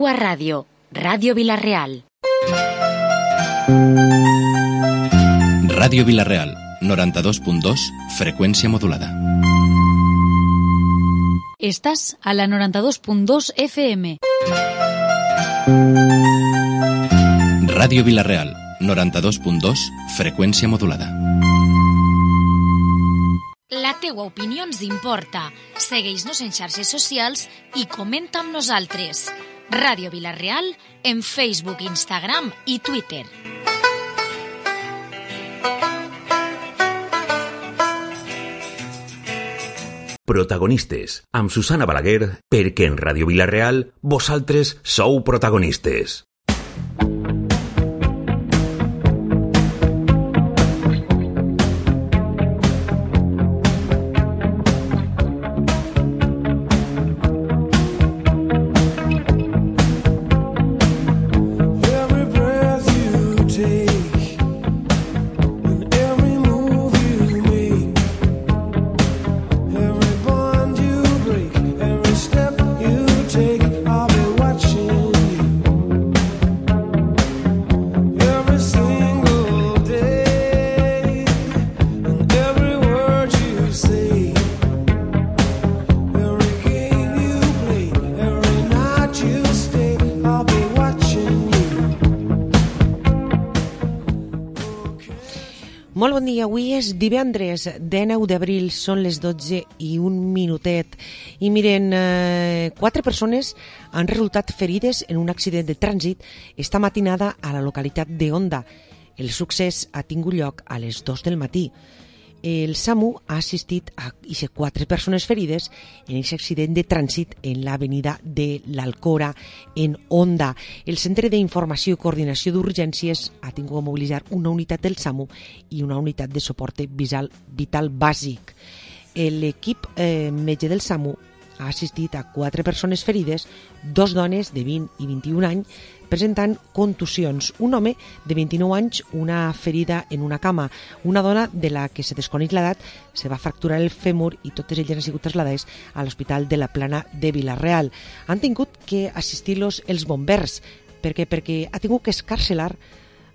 A Ràdio, Ràdio Vila-real. Ràdio Vila-real, 92.2, freqüència modulada. Estàs a la 92.2 FM. Ràdio Vila-real, 92.2, freqüència modulada. La teua opinió ens importa. Segueix-nos en xarxes socials i comenta amb nosaltres. Ràdio Vila-real en Facebook, Instagram i Twitter. Protagonistes, amb Susana Balaguer, perquè en Ràdio Vila-real vosaltres sou protagonistes. Molt bon dia, avui és divendres 19 d'abril, són les 12 i un minutet. I miren, 4 persones han resultat ferides en un accident de trànsit esta matinada a la localitat d'Onda. El succés ha tingut lloc a les 2 del matí. El SAMU ha assistit a 4 persones ferides en aquest accident de trànsit en l'avenida de l'Alcora, en Onda. El Centre d'Informació i Coordinació d'Urgències ha tingut a mobilitzar una unitat del SAMU i una unitat de suport vital bàsic. L'equip metge del SAMU ha assistit a 4 persones ferides, 2 dones de 20 i 21 anys, presentant contusions. Un home de 29 anys, una ferida en una cama. Una dona de la que se desconeix l'edat se va fracturar el fèmur i totes elles han sigut traslladades a l'Hospital de la Plana de Vila-real. Han tingut que assistir-los els bombers. Perquè ha tingut que escarcelar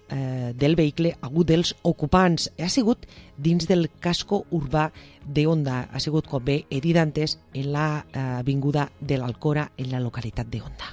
del vehicle hagut dels ocupants. Ha sigut dins del casco urbà d'Onda. Ha sigut, com bé he dit antes, en l'avinguda de l'Alcora, en la localitat d'Onda.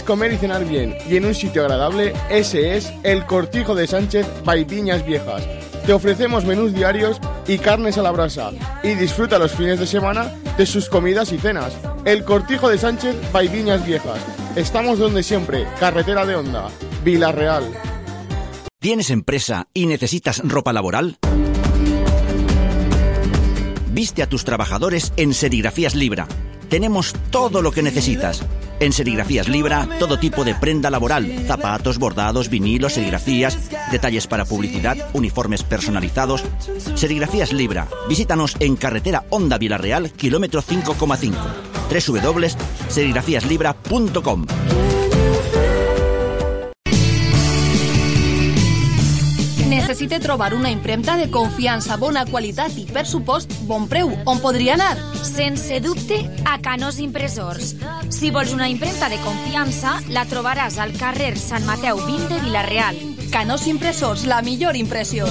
Comer y cenar bien y en un sitio agradable, ese es El Cortijo de Sánchez by Viñas Viejas. Te ofrecemos menús diarios y carnes a la brasa y disfruta los fines de semana de sus comidas y cenas. El Cortijo de Sánchez by Viñas Viejas. Estamos donde siempre, carretera de Onda, Vila-real. ¿Tienes empresa y necesitas ropa laboral? Viste a tus trabajadores en Serigrafías Libra. Tenemos todo lo que necesitas. En Serigrafías Libra, todo tipo de prenda laboral, zapatos, bordados, vinilos, serigrafías, detalles para publicidad, uniformes personalizados. Serigrafías Libra. Visítanos en carretera Honda Vilarreal, kilómetro 5,5. www.serigrafiaslibra.com. Necessite trobar una impremta de confiança, bona qualitat i, per supost, bon preu. On podria anar? Sense dubte, a Canós Impressors. Si vols una impremta de confiança, la trobaràs al carrer Sant Mateu 20 de Vila-real. Canós Impressors, la millor impressió.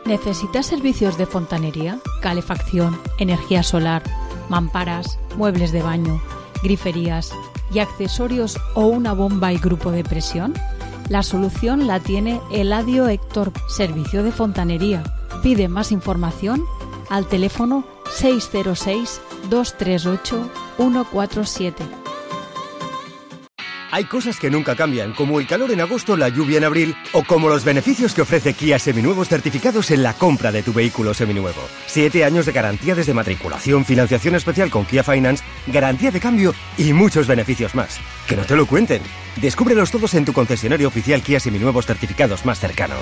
¿Necesitas servicios de fontanería, calefacción, energía solar, mamparas, muebles de baño, griferías y accesorios o una bomba y grupo de presión? La solución la tiene Eladio Héctor, servicio de fontanería. Pide más información al teléfono 606-238-147. Hay cosas que nunca cambian, como el calor en agosto, la lluvia en abril, o como los beneficios que ofrece Kia Seminuevos certificados en la compra de tu vehículo seminuevo. 7 años de garantía desde matriculación, financiación especial con Kia Finance, garantía de cambio y muchos beneficios más. ¡Que no te lo cuenten! Descúbrelos todos en tu concesionario oficial Kia Seminuevos certificados más cercano.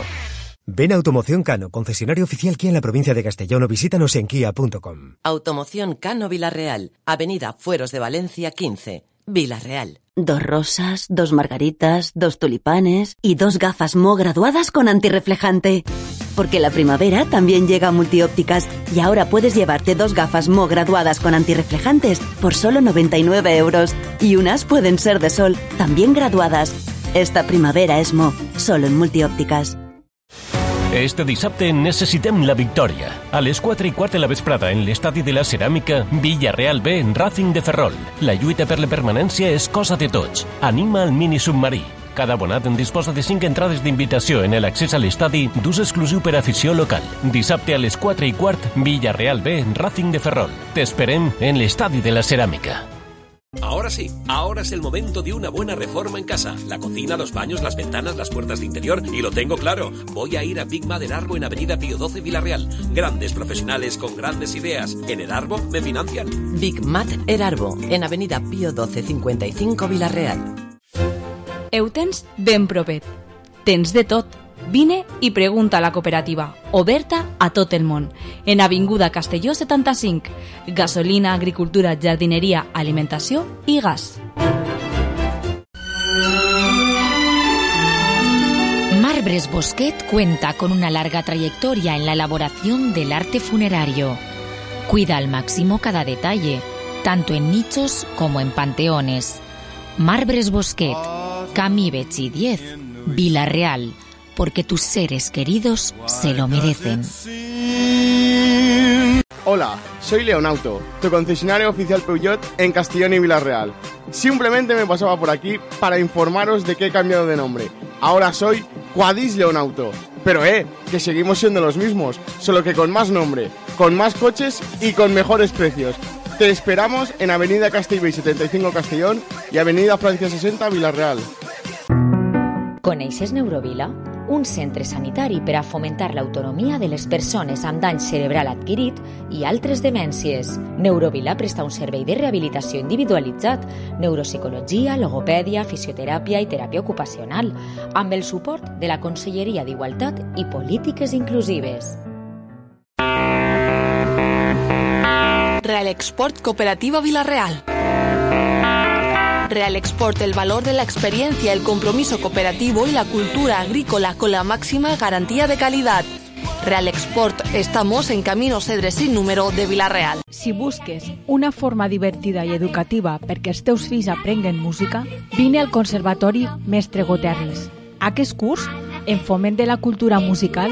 Ven a Automoción Cano, concesionario oficial Kia en la provincia de Castellón, o visítanos en kia.com. Automoción Cano Vilarreal, Avenida Fueros de Valencia 15, Vilarreal. 2 rosas, 2 margaritas, 2 tulipanes y 2 gafas Mo graduadas con antirreflejante. Porque la primavera también llega a Multiópticas y ahora puedes llevarte 2 gafas Mo graduadas con antirreflejantes por solo 99 euros. Y unas pueden ser de sol, también graduadas. Esta primavera es Mo, solo en Multiópticas. Este dissabte necessitem la victòria. A les 4:15 de la vesprada en l'estadi de la Ceràmica, Villarreal B, Racing de Ferrol. La lluita per la permanència és cosa de tots. Anima el mini submarí. Cada abonat en disposa de 5 entrades d'invitació en l'accés a l'estadi d'ús exclusiu per afició local. Dissabte a les 4:15, Villarreal B, Racing de Ferrol. T'esperem en l'estadi de la Ceràmica. Ahora sí, ahora es el momento de una buena reforma en casa. La cocina, los baños, las ventanas, las puertas de interior. Y lo tengo claro, voy a ir a Big Mat Erarbo en Avenida Pío 12 Vilarreal. Grandes profesionales con grandes ideas. En Erarbo me financian. Big Mat Erarbo en Avenida Pío 12 55 Vilarreal. Eutens ben propet. Tens de tot. Vine i pregunta a la cooperativa, oberta a tot el món, en Avinguda Castelló 75, gasolina, agricultura, jardineria, alimentació i gas. Marbres Bosquet cuenta con una larga trayectoria en la elaboración del arte funerario. Cuida al máximo cada detalle, tanto en nichos como en panteones. Marbres Bosquet, Camí Betxí 10, Vila-real, porque tus seres queridos se lo merecen. Hola, soy Leonauto, tu concesionario oficial Peugeot en Castellón y Vila-real. Simplemente me pasaba por aquí para informaros de que he cambiado de nombre. Ahora soy Quadis Leonauto. Pero que seguimos siendo los mismos, solo que con más nombre, con más coches y con mejores precios. Te esperamos en Avenida Castellbell 75 Castellón y Avenida Francia 60 Vila-real. Coneixes Neurovila? Un centre sanitari per a fomentar l'autonomia de les persones amb dany cerebral adquirit i altres demències. Neurovila presta un servei de rehabilitació individualitzat, neuropsicologia, logopèdia, fisioteràpia i teràpia ocupacional, amb el suport de la Conselleria d'Igualtat i Polítiques Inclusives. Real Export Cooperativa Vilarreal. Real Export, el valor de la experiencia, el compromiso cooperativo y la cultura agrícola con la máxima garantía de calidad. Real Export, estamos en Camino Cedre sin número de Vila-real. Si busques una forma divertida i educativa perquè els teus fills aprenguen música, vine al Conservatori Mestre Goterris. Aquest curs, en foment de la cultura musical,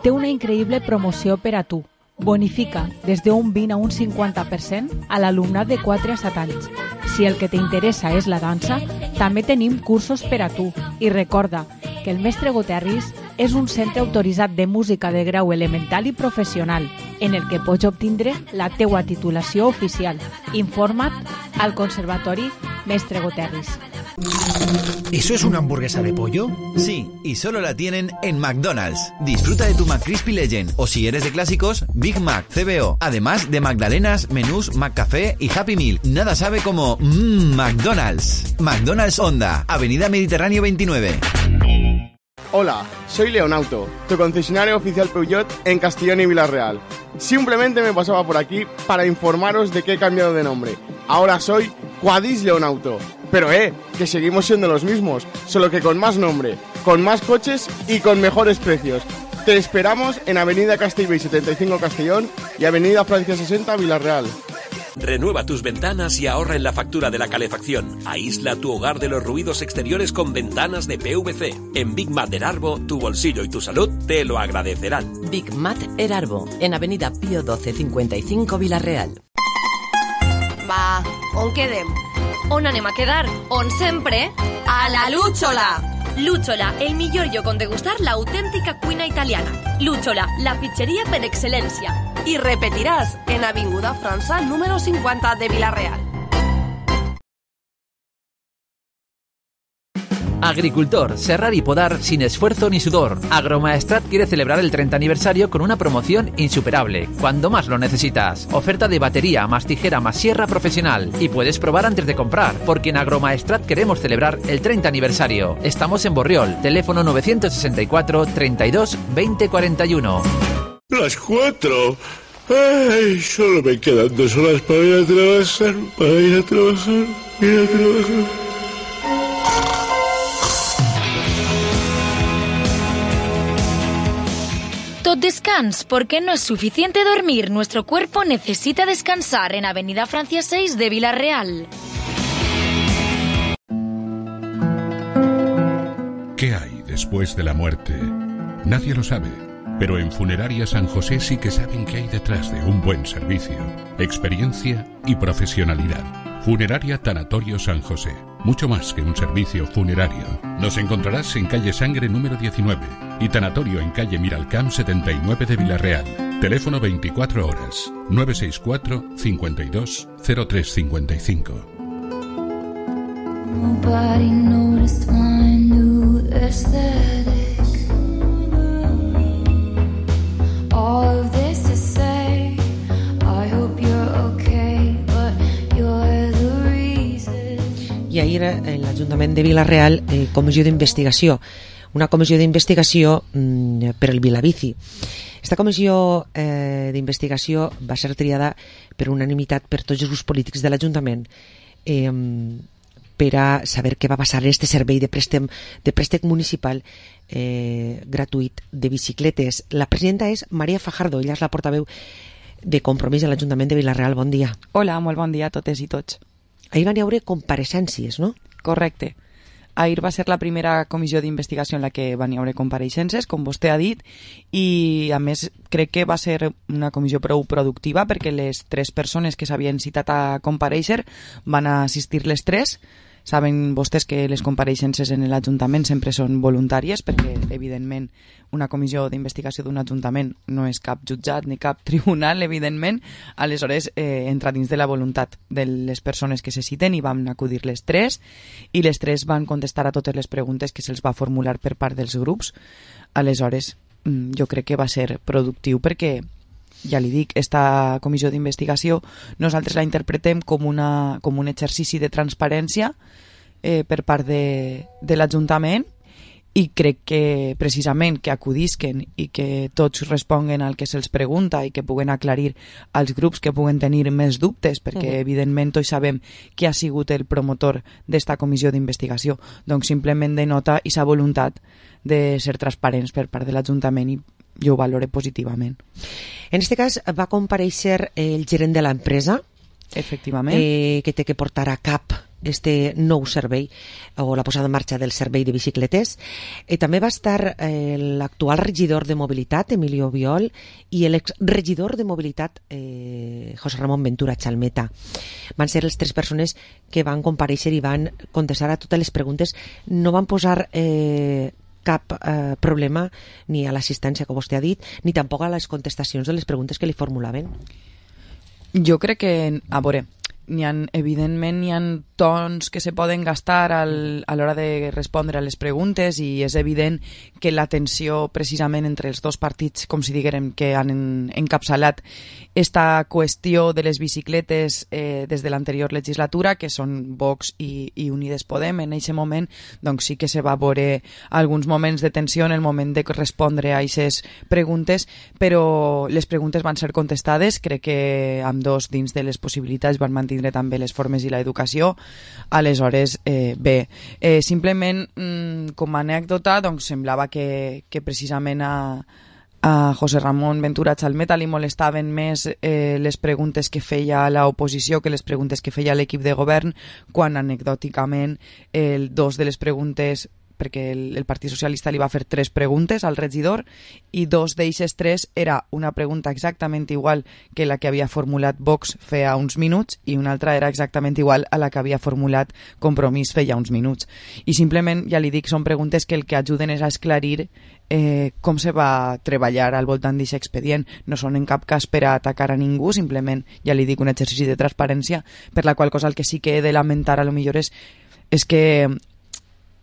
té una increïble promoció per a tu. Bonifica des d'un 20 a un 50% a l'alumnat de 4 a 7 anys. Si el que t'interessa és la dansa, també tenim cursos per a tu. I recorda que el Mestre Goterris és un centre autoritzat de música de grau elemental i professional, en el que pots obtindre la teua titulació oficial. Informa't al Conservatori Mestre Goterris. ¿Eso es una hamburguesa de pollo? Sí, y solo la tienen en McDonald's. Disfruta de tu McCrispy Legend, o si eres de clásicos, Big Mac, CBO, además de magdalenas, menús, McCafé y Happy Meal. Nada sabe como McDonald's. McDonald's Honda, Avenida Mediterráneo 29. Hola, soy Leonauto, tu concesionario oficial Peugeot en Castellón y Vila-real. Simplemente me pasaba por aquí para informaros de que he cambiado de nombre. Ahora soy Quadis Leonauto. Pero que seguimos siendo los mismos, solo que con más nombre, con más coches y con mejores precios. Te esperamos en Avenida Castellbell 75 Castellón y Avenida Francia 60 Vila-real. Renueva tus ventanas y ahorra en la factura de la calefacción. Aísla tu hogar de los ruidos exteriores con ventanas de PVC. En Big Mat Erarbo, tu bolsillo y tu salud te lo agradecerán. Big Mat Erarbo, en Avenida Pío 12 55 Vila-real. Va, on quedem? On anem a quedar? On sempre? A la Lúchola! Lúchola, el millor lloc on degustar l'autèntica cuina italiana. Lúchola, la pizzeria per excel·lència. I repetiràs en Avinguda França número 50 de Vila-real. Agricultor, serrar y podar sin esfuerzo ni sudor. Agromaestrat quiere celebrar el 30 aniversario con una promoción insuperable, cuando más lo necesitas. Oferta de batería, más tijera, más sierra profesional. Y puedes probar antes de comprar, porque en Agromaestrat queremos celebrar el 30 aniversario. Estamos en Borriol, teléfono 964 32 20 41. Las 4. Ay, solo me quedan 2 horas para ir a trabajar, ir a trabajar. Tot descans, porque no es suficiente dormir. Nuestro cuerpo necesita descansar en Avenida Francia 6 de Vila-real. ¿Qué hay después de la muerte? Nadie lo sabe, pero en Funeraria San José sí que saben qué hay detrás de un buen servicio, experiencia y profesionalidad. Funeraria Tanatorio San José, mucho más que un servicio funerario. Nos encontrarás en calle Sangre número 19 y Tanatorio en calle Miralcamp 79 de Vila-real. Teléfono 24 horas, 964 52 0355. Nobody noticed my new aesthetic. All of this to say, I hope you're okay, but you're the reason. I ahir l'Ajuntament de Vila-real, comissió d'investigació, una comissió d'investigació per el Vilabici. Esta comissió d'investigació va ser triada per unanimitat per tots els grups polítics de l'Ajuntament per a saber què va passar en este servei de préstec municipal gratuït de bicicletes. La presidenta és Maria Fajardo, ella és la portaveu de Compromís a l'Ajuntament de Vila-real. Bon dia. Hola, molt bon dia a totes i tots. Ahir van haver compareixences, no? Correcte. Ahir va ser la primera comissió d'investigació en la que van haver compareixences, com vostè ha dit, i a més crec que va ser una comissió prou productiva perquè les 3 persones que s'havien citat a compareixer van assistir les 3. Saben vostès que les compareixences en l'Ajuntament sempre són voluntàries perquè, evidentment, una comissió d'investigació d'un Ajuntament no és cap jutjat ni cap tribunal, evidentment. Aleshores, entra dins de la voluntat de les persones que se citen i van acudir les 3 i les 3 van contestar a totes les preguntes que se'ls va formular per part dels grups. Aleshores, jo crec que va ser productiu perquè, ja li dic, esta comissió d'investigació nosaltres la interpretem com un exercici de transparència per part de l'Ajuntament i crec que precisament que acudisquen i que tots responguen al que se'ls pregunta i que puguen aclarir als grups que puguen tenir més dubtes perquè evidentment tots sabem qui ha sigut el promotor d'esta comissió d'investigació, doncs simplement denota aquesta voluntat de ser transparents per part de l'Ajuntament i jo ho valoro positivament. En aquest cas va comparèixer el gerent de l'empresa, efectivament, que té que portar a cap este nou servei o la posada en marxa del servei de bicicletes. També va estar l'actual regidor de mobilitat, Emilio Biol, i l'exregidor de mobilitat, José Ramón Ventura Chalmeta. Van ser les 3 persones que van comparèixer i van contestar a totes les preguntes. No van posar cap problema ni a l'assistència que vostè ha dit, ni tampoc a les contestacions de les preguntes que li formulaven. Jo crec que, a veure, evidentment n'hi ha tons que se poden gastar a l'hora de respondre a les preguntes, i és evident que la tensió precisament entre els dos partits, com si diguérem, que han encapçalat esta qüestió de les bicicletes des de l'anterior legislatura, que són Vox i Unides Podem, en aquest moment doncs sí que se va veure alguns moments de tensió en el moment de respondre a aquestes preguntes, però les preguntes van ser contestades. Crec que ambdós, dins de les possibilitats, van mantenir també les formes i l'educació. Aleshores, bé, simplement com a anècdota, doncs semblava que precisament a José Ramón Ventura Chalmeta li molestaven més les preguntes que feia l'oposició que les preguntes que feia l'equip de govern, quan anecdòticament dos de les preguntes, perquè el Partit Socialista li va fer 3 preguntes al regidor, i 2 d'eixes 3 era una pregunta exactament igual que la que havia formulat Vox feia uns minuts, i una altra era exactament igual a la que havia formulat Compromís feia uns minuts. I simplement, ja li dic, són preguntes que el que ajuden és a esclarir com se va treballar al voltant d'aquest expedient. No són en cap cas per a atacar a ningú, simplement, ja li dic, un exercici de transparència, per la qual cosa el que sí que he de lamentar a lo millor és que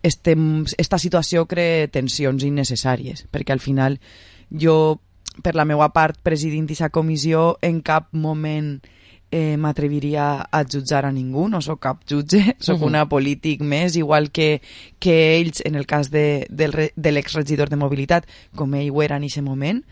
esta situació crea tensions innecessàries, perquè al final jo, per la meva part, presidint aquesta comissió, en cap moment m'atreviria a jutjar a ningú, no sóc cap jutge, sóc una polític més, igual que ells, en el cas de l'exregidor de mobilitat, com ell ho era en aquest moment,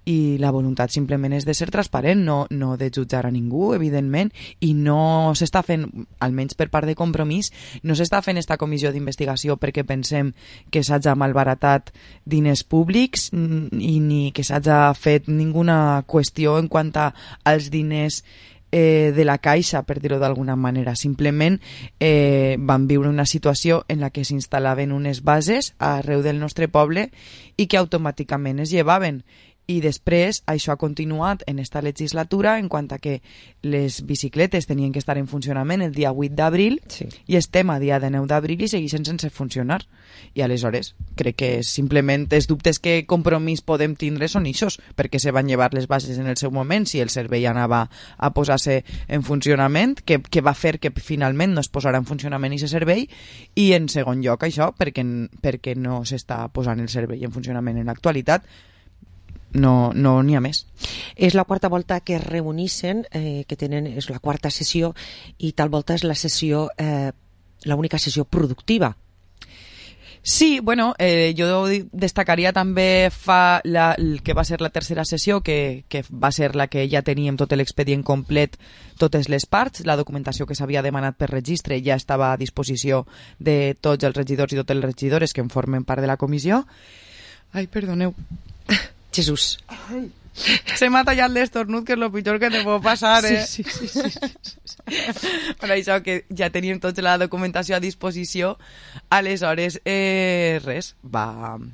i la voluntat simplement és de ser transparent, no de jutjar a ningú, evidentment, i no s'està fent, almenys per part de Compromís, no s'està fent esta comissió d'investigació perquè pensem que s'hagi malbaratat diners públics ni que s'hagi fet ninguna qüestió en quant als diners de la Caixa, per dir-ho d'alguna manera. Simplement van viure una situació en la que s'instal·laven unes bases arreu del nostre poble i que automàticament es llevaven. I després això ha continuat en esta legislatura en quant a que les bicicletes tenien que estar en funcionament el dia 8 d'abril, sí, i estem a dia de 9 d'abril i segueixen sense funcionar. I aleshores crec que simplement els dubtes que Compromís podem tindre són ixos, perquè se van llevar les bases en el seu moment, si el servei anava a posar-se en funcionament, que va fer que finalment no es posarà en funcionament aquest servei, i en segon lloc això, perquè no s'està posant el servei en funcionament en l'actualitat. No n'hi ha més. És la quarta volta que es reuneixen, que tenen, és la quarta sessió, i tal volta és la sessió, l'única sessió productiva. Sí, bueno, jo destacaria també que va ser la tercera sessió, que va ser la que ja teníem tot l'expedient complet, totes les parts, la documentació que s'havia demanat per registre ja estava a disposició de tots els regidors i totes les regidores que en formen part de la comissió. Ai, perdoneu. Jesús. Se m'ha tallat l'estornut, que és el pitjor que te pot passar, Sí. Per això que ja teníem tota la documentació a disposició, aleshores res, van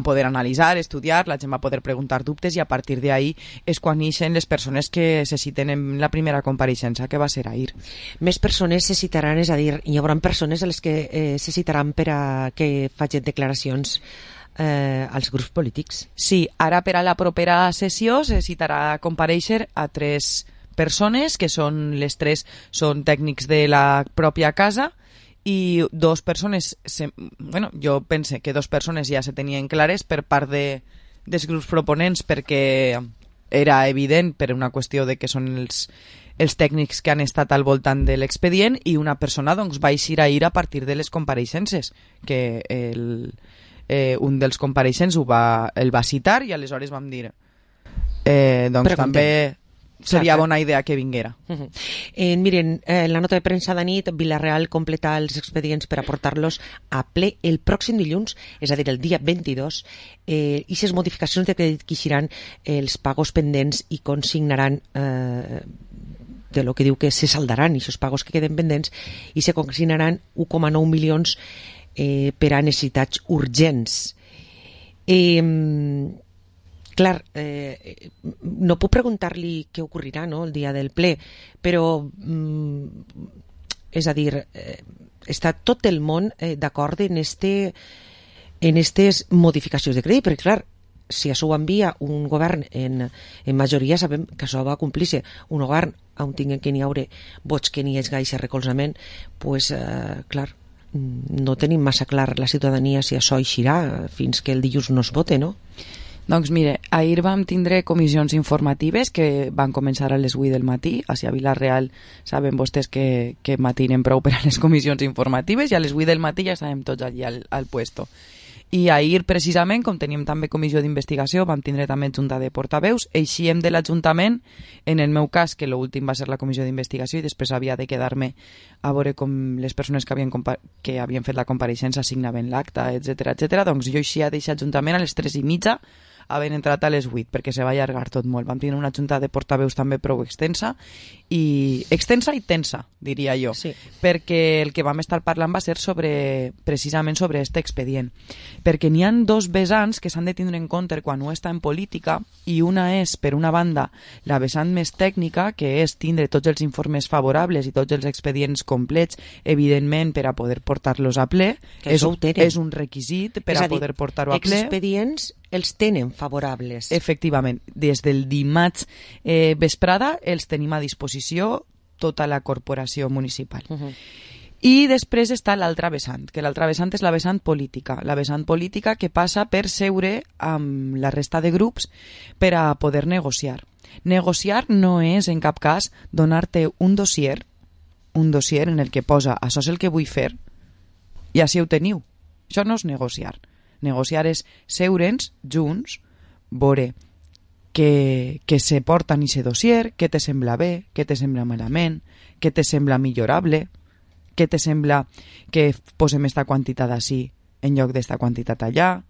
poder analitzar, estudiar, la gent va poder preguntar dubtes, i a partir d'ahí és quan ixen les persones que se citen en la primera compareixença, que va ser ahir. Més persones se citaran, és a dir, hi haurà persones a les que se citaran per a que facin declaracions als grups polítics. Sí, ara per a la propera sessió se citarà a comparèixer a 3 persones, que són les 3 són tècnics de la pròpia casa, i 2 persones, jo pense que 2 persones ja se tenien clares per part dels grups proponents, perquè era evident, per una qüestió de que són els tècnics que han estat al voltant de l'expedient, i una persona doncs va eixir ahir a partir de les compareixences, que un dels compareixents el va citar, i aleshores vam dir doncs també seria bona idea que vinguera. Miren, en la nota de premsa de nit, Vila-real completa els expedients per aportar-los a ple el pròxim dilluns, és a dir, el dia 22, i les modificacions de crèdit que eixiran els pagos pendents i consignaran de lo que diu que se saldaran aquests pagos que queden pendents, i se consignaran 1,9 milions per a necessitats urgents. Clar, no puc preguntar-li què ocorrirà, no, el dia del ple, però és a dir, està tot el món d'acord en estes modificacions de crèdit, perquè clar, si això ho envia un govern en majoria, sabem que això va complir-se. Un govern on tinguen que n'hi haure vots que n'hi hagi aquest recolzament, pues, clar, no tenim massa clar la ciutadania si això eixirà fins que el dilluns no es vote, no? Doncs mire, ahir vam tindre comissions informatives que van començar a les 8 del matí. Així a Vila-real saben vostès que matinen prou per a les comissions informatives i a les 8 del matí ja estàvem tots allí al puesto. I ahir, precisament, com teníem també comissió d'investigació, vam tindre també junta de portaveus, eixíem de l'Ajuntament, en el meu cas, que l'últim va ser la comissió d'investigació i després havia de quedar-me a veure com les persones que havien fet la compareixença signaven l'acta, etc. Doncs jo eixia d'aquest Ajuntament a les 3:30, havent entrat a les 8, perquè se va allargar tot molt. Vam tenir una junta de portaveus també prou extensa i tensa, diria jo, sí. Perquè el que vam estar parlant va ser precisament sobre aquest expedient. Perquè n'hi ha dos vessants que s'han de tindre en compte quan un està en política, i una és, per una banda, la vessant més tècnica, que és tindre tots els informes favorables i tots els expedients complets, evidentment, per a poder portar-los a ple. És un requisit per a poder portar-ho a ple. Expedients els tenen favorables. Efectivament. Des del dimarts vesprada els tenim a disposició tota la corporació municipal. I després està l'altra vessant, que l'altra vessant és la vessant política. La vessant política que passa per seure amb la resta de grups per a poder negociar. Negociar no és, en cap cas, donar-te un dossier en el que posa això és el que vull fer i així ho teniu. Això no és negociar. Negociar és seure'ns junts, veure que se porta en aquest dossier, què te sembla bé, què te sembla malament, què te sembla millorable, què te sembla que posem esta quantitat així en lloc d'esta quantitat allà.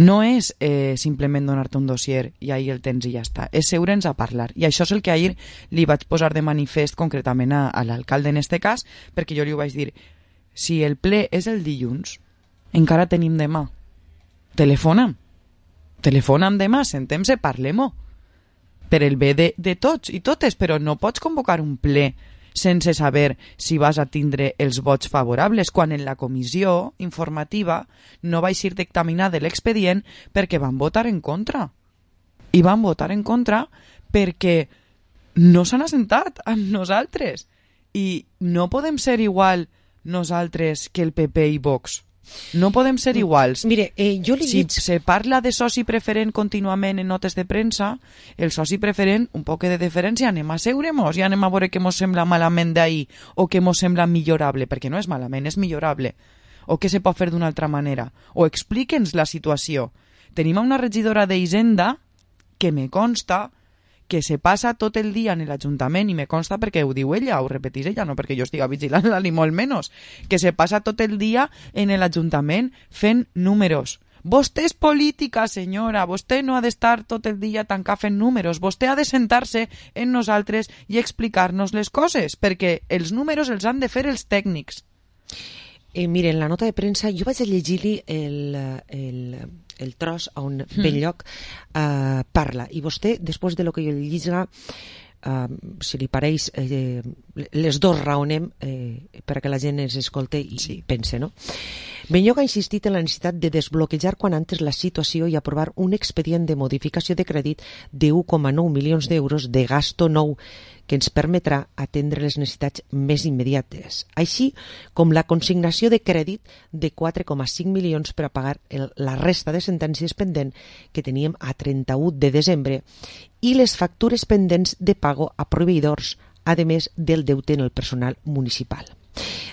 No és simplement donar-te un dossier i ahir el tens i ja està. És seure'ns a parlar. I això és el que ahir li vaig posar de manifest concretament a l'alcalde en este cas, perquè jo li ho vaig dir, si el ple és el dilluns, encara tenim demà. Telefona'm demà, sentem-se, parlem-ho. Per el bé de tots i totes, però no pots convocar un ple sense saber si vas a tindre els vots favorables, quan en la comissió informativa no va eixir dictaminar de l'expedient perquè van votar en contra. I van votar en contra perquè no s'han assentat amb nosaltres. I no podem ser igual nosaltres que el PP i Vox. No podem ser iguals. Mire, jo li si se parla de soci preferent contínuament en notes de premsa, el soci preferent, un poc de deferència, anem a seure-mos i anem a veure què mos sembla malament d'ahir o què mos sembla millorable, perquè no és malament, és millorable. O què se pot fer d'una altra manera. O explique'ns la situació. Tenim una regidora d'Hisenda que me consta que se passa tot el dia en l'Ajuntament, i me consta perquè ho diu ella, ho repetís ella, no perquè jo estigui vigilant-la ni molt menys, que se passa tot el dia en l'Ajuntament fent números. Vostè és política, senyora, vostè no ha d'estar tot el dia tancat fent números, vostè ha de sentar-se en nosaltres i explicar-nos les coses, perquè els números els han de fer els tècnics. Miren, la nota de premsa, jo vaig a llegir-li el tros on Belllloc parla, i vostè, després de lo que jo li lliga, si li pareix, les dos raonem perquè la gent es escolte i pense, no? Belllloc ha insistit en la necessitat de desbloquejar quan antes la situació i aprovar un expedient de modificació de crèdit de 1,9 milions d'euros de gasto nou que ens permetrà atendre les necessitats més immediates, així com la consignació de crèdit de 4,5 milions per a pagar la resta de sentències pendent que teníem a 31 de desembre i les factures pendents de pago a proveïdors, a més del deute en el personal municipal.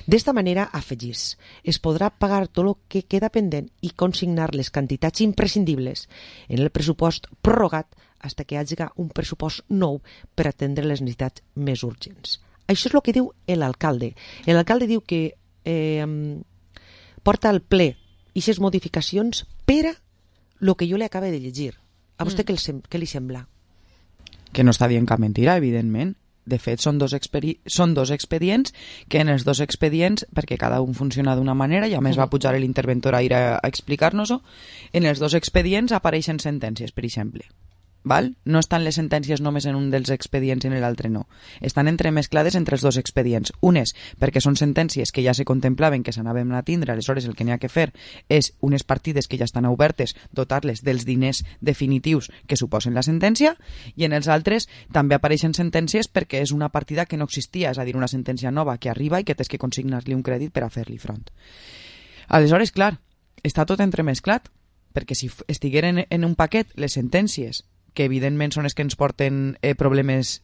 D'esta manera, afegís, es podrà pagar tot el que queda pendent i consignar les quantitats imprescindibles en el pressupost prorrogat fins que hi hagi un pressupost nou per atendre les necessitats més urgents. Això és el que diu l'alcalde. L'alcalde diu que porta al ple aquestes modificacions per a el que jo li acabo de llegir. A vostè què li sembla? Que no està dient cap mentira, evidentment. De fet, són dos expedients que en els dos expedients, perquè cada un funciona d'una manera, i a més va pujar l'interventor a ir a explicar-nos-ho, en els dos expedients apareixen sentències, per exemple. val? No estan les sentències només en un dels expedients i en l'altre no. Estan entremesclades entre els dos expedients. Unes perquè són sentències que ja se contemplaven que s'anaven a tindre, aleshores el que n'hi ha que fer és unes partides que ja estan obertes, dotar-les dels diners definitius que suposen la sentència, i en els altres també apareixen sentències perquè és una partida que no existia, és a dir, una sentència nova que arriba i que tens que consignar-li un crèdit per a fer-li front. Aleshores, clar, està tot entremesclat, perquè si estigueren en un paquet les sentències que evidentment són les que ens porten problemes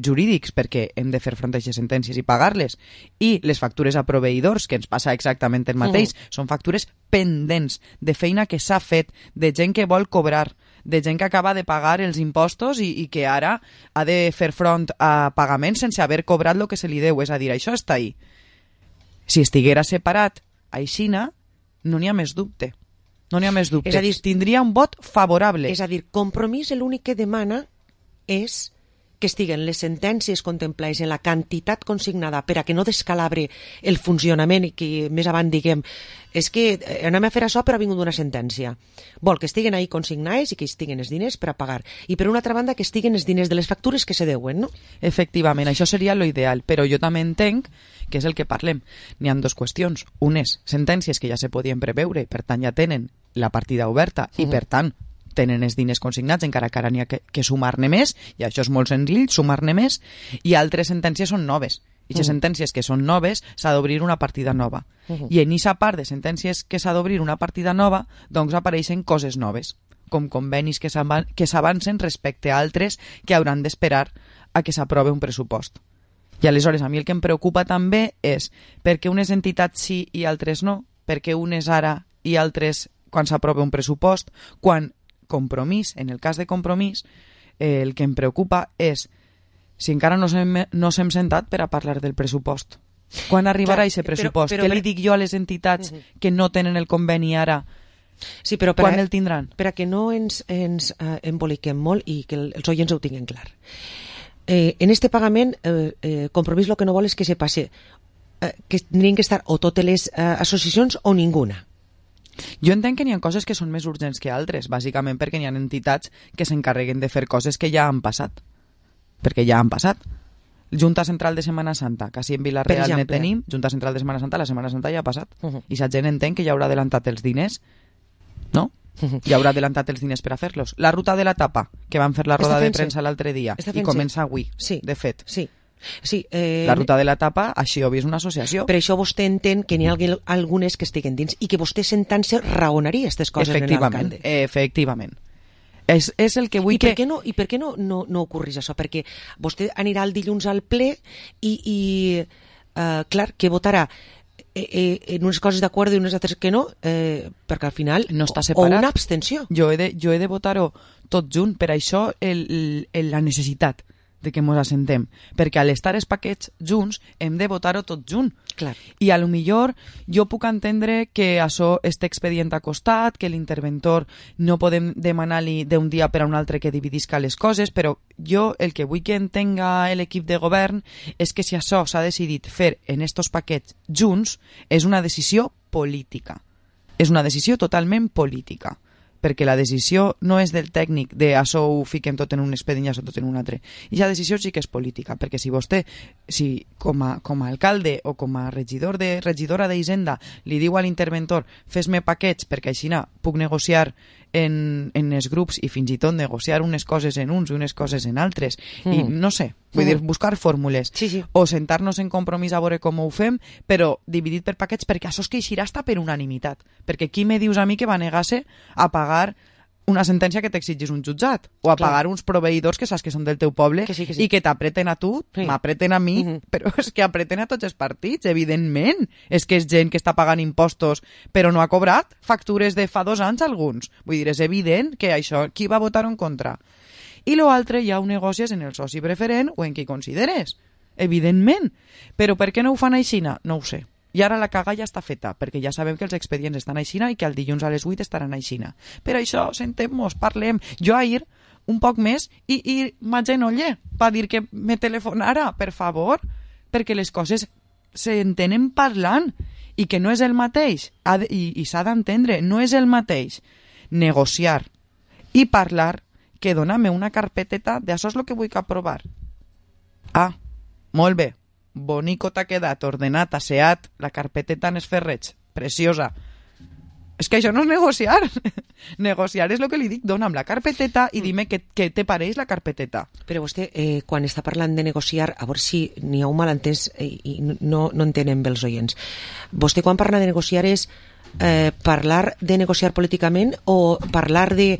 jurídics perquè hem de fer front a aquestes sentències i pagar-les, i les factures a proveïdors, que ens passa exactament el mateix, són factures pendents de feina que s'ha fet, de gent que vol cobrar, de gent que acaba de pagar els impostos i que ara ha de fer front a pagaments sense haver cobrat el que se li deu, és a dir, això està ahí. Si estiguera separat aixina, no n'hi ha més dubte. No n'hi ha més dubte. És a dir, tindria un vot favorable. És a dir, Compromís l'únic que demana és que estiguen les sentències contemplades en la quantitat consignada per a que no descalabre el funcionament i que més avant diguem és que anem a fer això però ha vingut una sentència. Vol que estiguen ahí consignades i que estiguen els diners per a pagar. I per una altra banda que estiguen els diners de les factures que se deuen, no? Efectivament, això seria lo ideal, però jo també entenc que és el que parlem. N'hi ha dues qüestions. Unes, sentències que ja se podien preveure i per tant ja tenen la partida oberta i per tant tenen els diners consignats, encara que ara n'hi ha que sumar-ne més, i això és molt senzill, sumar-ne més, i altres sentències són noves. I les sentències que són noves s'ha d'obrir una partida nova. I en aquesta part de sentències que s'ha d'obrir una partida nova, doncs apareixen coses noves, com convenis que s'avancen respecte a altres que hauran d'esperar a que s'aprove un pressupost. I aleshores a mi el que em preocupa també és per què unes entitats sí i altres no, per què unes ara i altres quan s'aprova un pressupost, quan Compromís, en el cas de Compromís, el que em preocupa és si encara no s'hem sentat per a parlar del pressupost. Quan arribarà aquest pressupost? Què li dic jo a les entitats que no tenen el conveni ara? Sí, però quan el tindran? Per a que no ens emboliquem molt i que els oients ho tinguin clar. En este pagament, Compromís el que no vol és que se passe, que tindrien que estar o totes les associacions o ninguna. Jo entenc que n'hi ha coses que són més urgents que altres, bàsicament perquè n'hi ha entitats que s'encarreguen de fer coses que ja han passat. Perquè ja han passat. Junta Central de Setmana Santa, quasi en Vila-real ne tenim, Junta Central de Setmana Santa, la Setmana Santa ja ha passat. I la gent entén que ja haurà adelantat els diners, no? Ja haurà adelantat els diners per a fer-los. La ruta de la tapa, que van fer la roda de premsa l'altre dia, i comença avui, de fet. Sí. La ruta de la tapa, així ho és una associació. Per això vostè entén que n'hi ha algunes que estiguen dins i que vostè sentant-se raonaria aquestes coses en l'alcalde. Efectivament. És el que vull I per què no ocorreix això? Perquè vostè anirà el dilluns al ple i clar, que votarà en unes coses d'acord i unes altres que no, perquè al final no està separat. O una abstenció. Jo he de votar-ho tot junt, per això la necessitat de que ens assentem, perquè a l'estar els paquets junts hem de votar-ho tot junt. Clar. I a lo millor jo puc entendre que això este expedient ha costat, que l'interventor no podem demanar-li d'un dia per a un altre que dividisca les coses, però jo el que vull que entenga l'equip de govern és que si això s'ha decidit fer en estos paquets junts és una decisió política. És una decisió totalment política. Perquè la decisió no és del tècnic de això ho fiquem tot en un expedient i això tot en un altre. I la decisió sí que és política, perquè si vostè, com a alcalde o com a regidora d'Hisenda li diu a l'interventor fes-me paquets perquè així puc negociar en els grups i fins i tot negociar unes coses en uns i unes coses en altres, i no sé, vull dir, buscar fórmules, o sentar-nos en Compromís a veure com ho fem, però dividit per paquets, perquè això es queixirà està per unanimitat, perquè qui me dius a mi que va negar-se a pagar una sentència que t'exigís un jutjat, o a pagar uns proveïdors que saps que són del teu poble i que t'apreten a tu, m'apreten a mi, però és que apreten a tots els partits, evidentment. És que és gent que està pagant impostos però no ha cobrat factures de fa 2 anys alguns. Vull dir, és evident que això, qui va votar en contra? I l'altre ja ho negocies en el soci preferent o en qui consideres, evidentment. Però per què no ho fan així? No ho sé. I ara la caga ja està feta, perquè ja sabem que els expedients estan aixina i que el dilluns a les 8 estaran aixina. Per això, sentem-nos, parlem. Jo ahir, un poc més, i m'agenolle per dir que me telefonara, per favor, perquè les coses s'entenen parlant i que no és el mateix, i s'ha d'entendre, no és el mateix negociar i parlar que dona-me una carpeteta de això és el que vull aprovar. Ah, molt bé. Bonico t'ha quedat, ordenat, asseat, la carpeteta en esferreig. Preciosa. És que això no és negociar. Negociar és el que li dic, dona'm la carpeteta i dime què te pareix la carpeteta. Però vostè, quan està parlant de negociar, a veure si n'hi ha un malentès i no entenen bé els oients. Vostè quan parla de negociar és parlar de negociar políticament o parlar de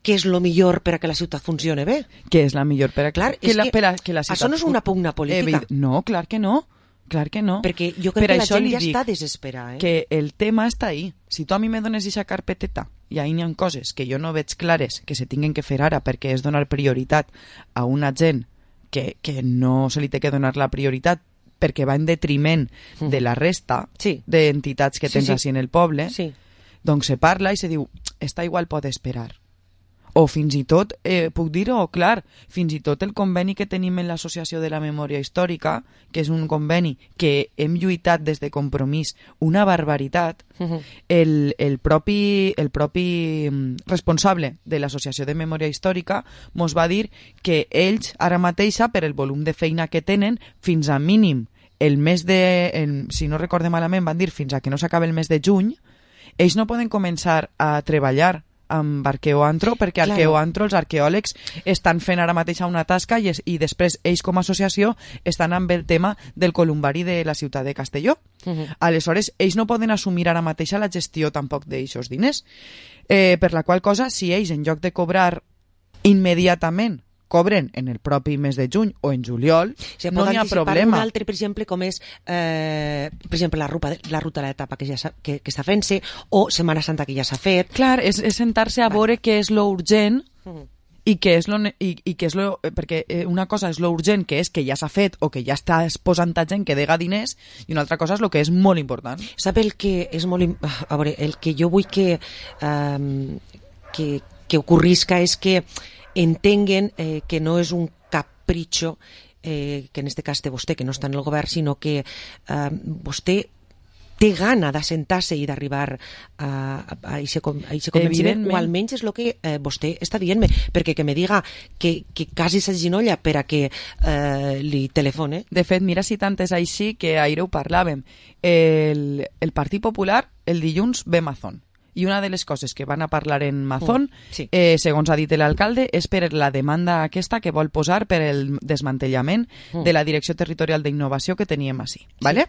què és el millor per a que la ciutat funcione bé? Què és la millor per a clar, que la ciutat... Això no és una pugna política. No, clar que no. Clar que no. Perquè jo crec que la gent ja està desesperada. Que el tema està ahí. Si tu a mi me dones aquesta carpeteta i ahí n'hi ha coses que jo no veig clares que se tinguen que fer ara perquè és donar prioritat a una gent que no se li té que donar la prioritat perquè va en detriment de la resta d'entitats que tens així en el poble, doncs se parla i se diu, esta igual pot esperar. O fins i tot, puc dir-ho clar, fins i tot el conveni que tenim en l'Associació de la Memòria Històrica, que és un conveni que hem lluitat des de Compromís una barbaritat, el propi responsable de l'Associació de Memòria Històrica mos va dir que ells ara mateixa, per el volum de feina que tenen, fins a mínim el mes de... si no recorde malament, van dir fins a que no s'acabi el mes de juny, ells no poden començar a treballar amb Arqueoantro, perquè Arqueoantro, els arqueòlegs, estan fent ara mateix una tasca i després ells com a associació estan amb el tema del columbari de la ciutat de Castelló. Aleshores, ells no poden assumir ara mateix la gestió tampoc d'eixos diners. Per la qual cosa, si ells, en lloc de cobrar immediatament, cobren en el propi mes de juny o en juliol, no hi ha problema. Un altre, per exemple, com és per exemple, la ruta de l'etapa que està fent-se o Setmana Santa que ja s'ha fet. Clar, és sentar-se a veure què és lo urgent i què és lo perquè una cosa és lo urgent, que és que ja s'ha fet o que ja està posant a gent que dega diners, i una altra cosa és lo que és molt important. Sap el que és molt... A veure, el que jo vull que ocorrisca és que entenguen que no és un capritxo que en este cas té vostè, que no està en el govern, sinó que vostè té gana d'assentar-se i d'arribar a aquest convenciment, o almenys és el que vostè està dient-me, perquè que me diga que quasi s'aginolla per a que li telefone. De fet, mira si tant és així que ahir ho parlàvem. El Partit Popular el dilluns ve Mazón. I una de les coses que van a parlar en Mazón, segons ha dit l'alcalde, és per la demanda aquesta que vol posar per el desmantellament de la Direcció Territorial d'Innovació que teníem així. ¿Vale?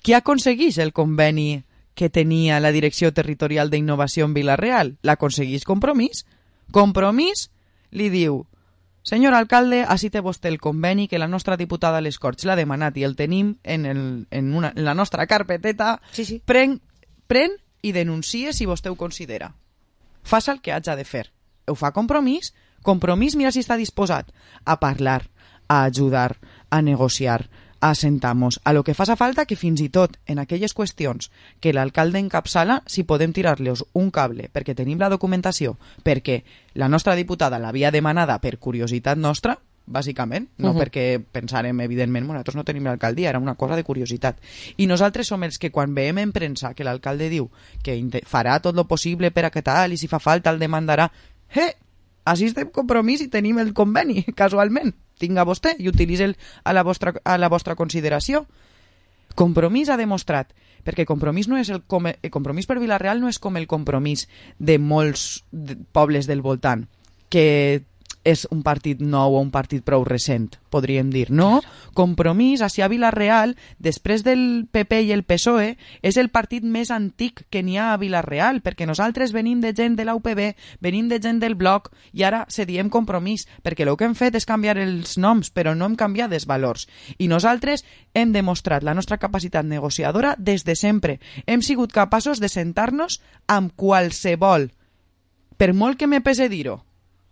Qui aconsegueix el conveni que tenia la Direcció Territorial d'Innovació en Vila-real? L'aconsegueix Compromís. Compromís li diu: senyor alcalde, així té vostè el conveni que la nostra diputada a les Corts l'ha demanat i el tenim en la nostra carpeteta. Pren i denuncie si vostè ho considera. Faça el que haig de fer. Ho fa Compromís. Compromís, mira si està disposat a parlar, a ajudar, a negociar, a sentar-nos, a lo que faça falta, que fins i tot en aquelles qüestions que l'alcalde encapçala, si podem tirar-los un cable, perquè tenim la documentació, perquè la nostra diputada l'havia demanada per curiositat nostra, bàsicament, no perquè pensarem, evidentment, nosaltres no tenim l'alcaldia, era una cosa de curiositat. I nosaltres som els que quan veiem en premsa que l'alcalde diu que farà tot lo possible per a que tal, i si fa falta el demandarà, així estem Compromís i tenim el conveni, casualment. Tinga vostè i utilitza a la vostra consideració. Compromís ha demostrat, perquè Compromís no és el Compromís per Vila-real no és com el Compromís de molts pobles del voltant, que és un partit nou o un partit prou recent, podríem dir. No, Compromís, així a Vila-real, després del PP i el PSOE, és el partit més antic que n'hi ha a Vila-real, perquè nosaltres venim de gent de la UPB, venim de gent del Bloc, i ara se diem Compromís, perquè el que hem fet és canviar els noms, però no hem canviat els valors. I nosaltres hem demostrat la nostra capacitat negociadora des de sempre. Hem sigut capaços de sentar-nos amb qualsevol, per molt que me pese dir-ho,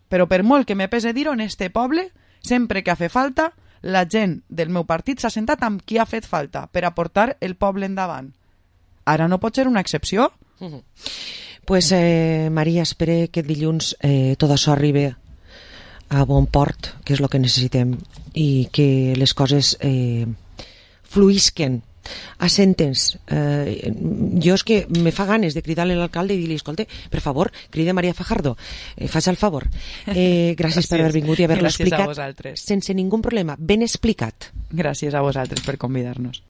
però per molt que me pese dir-ho, en este poble, sempre que ha fet falta, la gent del meu partit s'ha sentat amb qui ha fet falta per a portar el poble endavant. Ara no pot ser una excepció? Pues, Maria, espere que dilluns tot això arribi a bon port, que és el que necessitem, i que les coses fluïsquen a sentents. Jo és que me fa ganes de cridar-li a l'alcalde i dir-li, escolta, per favor, crida Maria Fajardo, faig el favor. Gràcies per haver vingut i haver-lo explicat sense ningú problema, ben explicat. Gràcies a vosaltres per convidar-nos.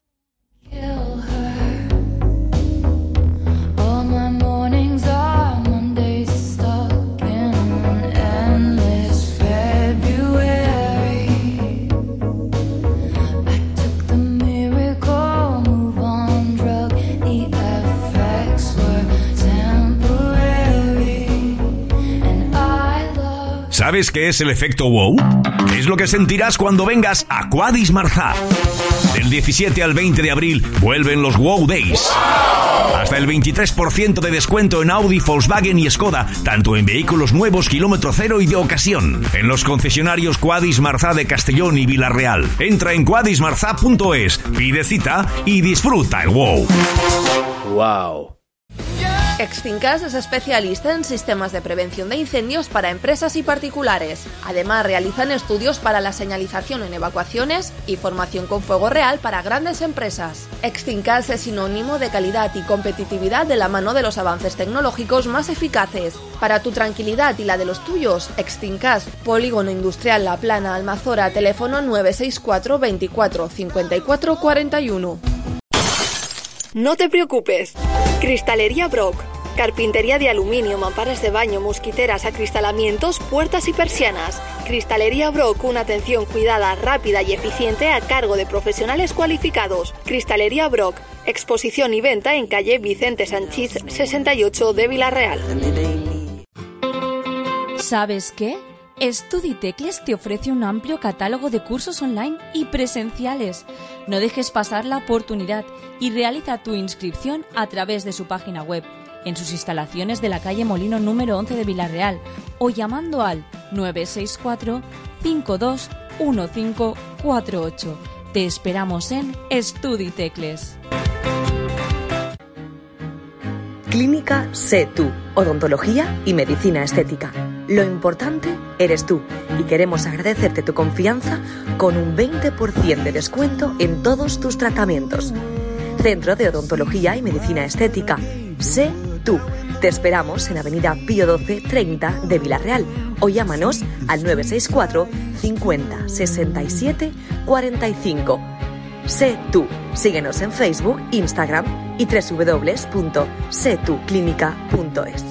¿Sabes qué es el efecto wow? Es lo que sentirás cuando vengas a Quadis Marzá. Del 17 al 20 de abril vuelven los Wow Days. Hasta el 23% de descuento en Audi, Volkswagen y Skoda, tanto en vehículos nuevos, kilómetro cero y de ocasión. En los concesionarios Quadis Marzá de Castellón y Vila-real. Entra en quadismarzá.es, pide cita y disfruta el wow. Wow. Extincas es especialista en sistemas de prevención de incendios para empresas y particulares. Además, realizan estudios para la señalización en evacuaciones y formación con fuego real para grandes empresas. Extincas es sinónimo de calidad y competitividad de la mano de los avances tecnológicos más eficaces. Para tu tranquilidad y la de los tuyos, Extincas, Polígono Industrial La Plana, Almazora, teléfono 964 24 54 41. No te preocupes. Cristalería Brock. Carpintería de aluminio, mamparas de baño, mosquiteras, acristalamientos, puertas y persianas. Cristalería Brock, una atención cuidada, rápida y eficiente a cargo de profesionales cualificados. Cristalería Brock. Exposición y venta en calle Vicente Sanchís 68 de Vila-real. ¿Sabes qué? StudiTecles te ofrece un amplio catálogo de cursos online y presenciales. No dejes pasar la oportunidad y realiza tu inscripción a través de su página web, en sus instalaciones de la calle Molino número 11 de Vila-real o llamando al 964 52 1548. Te esperamos en StudiTecles. Clínica Sé Tú, odontología y medicina estética. Lo importante eres tú y queremos agradecerte tu confianza con un 20% de descuento en todos tus tratamientos. Centro de Odontología y Medicina Estética. Sé Tú. Te esperamos en Avenida Pío 12 30 de Vila-real o llámanos al 964 50 67 45. Sé Tú. Síguenos en Facebook, Instagram y www.setuclinica.es.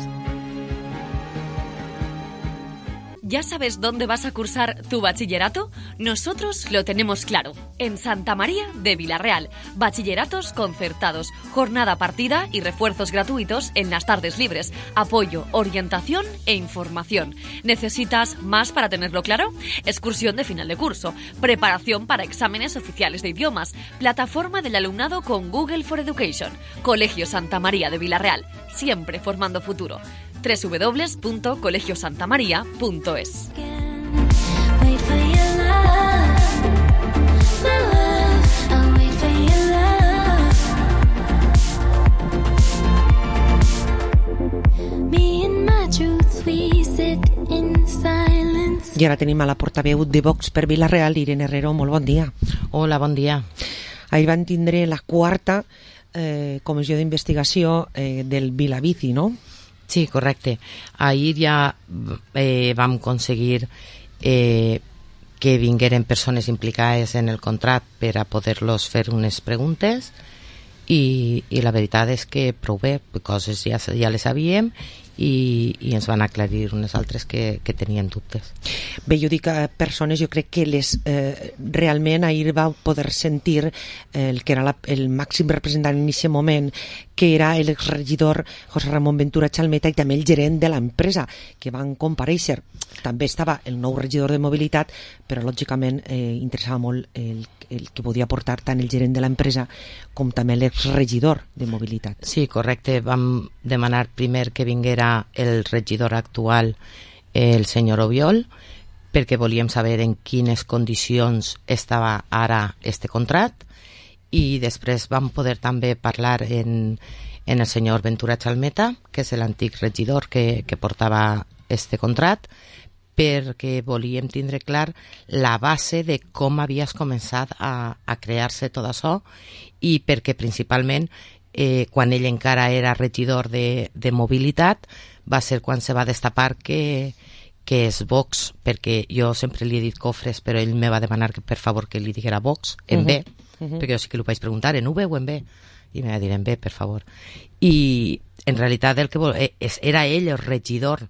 ¿Ya sabes dónde vas a cursar tu bachillerato? Nosotros lo tenemos claro. En Santa María de Vila-real. Bachilleratos concertados, jornada partida y refuerzos gratuitos en las tardes libres. Apoyo, orientación e información. ¿Necesitas más para tenerlo claro? Excursión de final de curso. Preparación para exámenes oficiales de idiomas. Plataforma del alumnado con Google for Education. Colegio Santa María de Vila-real. Siempre formando futuro. www.colegiosantamaria.es. I ara tenim a la portaveu de Vox per Vila-real, Irene Herrero. Molt bon dia. Hola, bon dia. Ahir van tindre la quarta comissió d'investigació del Vilabici, no? Sí, correcte. Ahir ja vam aconseguir que vingueren persones implicades en el contracte per a poder-los fer unes preguntes i la veritat és que prou bé, coses ja les sabíem i ens van aclarir unes altres que tenien dubtes. Bé, jo dic persones, jo crec que realment ahir va poder sentir el que era el màxim representant en aquest moment, que era l'exregidor José Ramon Ventura Chalmeta i també el gerent de l'empresa, que van comparèixer. També estava el nou regidor de mobilitat, però lògicament interessava molt el que podia aportar tant el gerent de l'empresa com també l'exregidor de mobilitat. Sí, correcte. Vam demanar primer que vinguera el regidor actual, el senyor Obiol, perquè volíem saber en quines condicions estava ara este contracte, i després vam poder també parlar en el senyor Ventura Chalmeta, que és l'antic regidor que portava este contracte, perquè volíem tindre clar la base de com havies començat a crear-se tot això i perquè principalment quan ell encara era regidor de mobilitat va ser quan se va destapar que és Vox, perquè jo sempre li he dit Cofres, però ell me va demanar que per favor que li diguera Vox en B, perquè jo sí que li vaig preguntar en V o en B, i me va dir en B, per favor. I en realitat el que era ell el regidor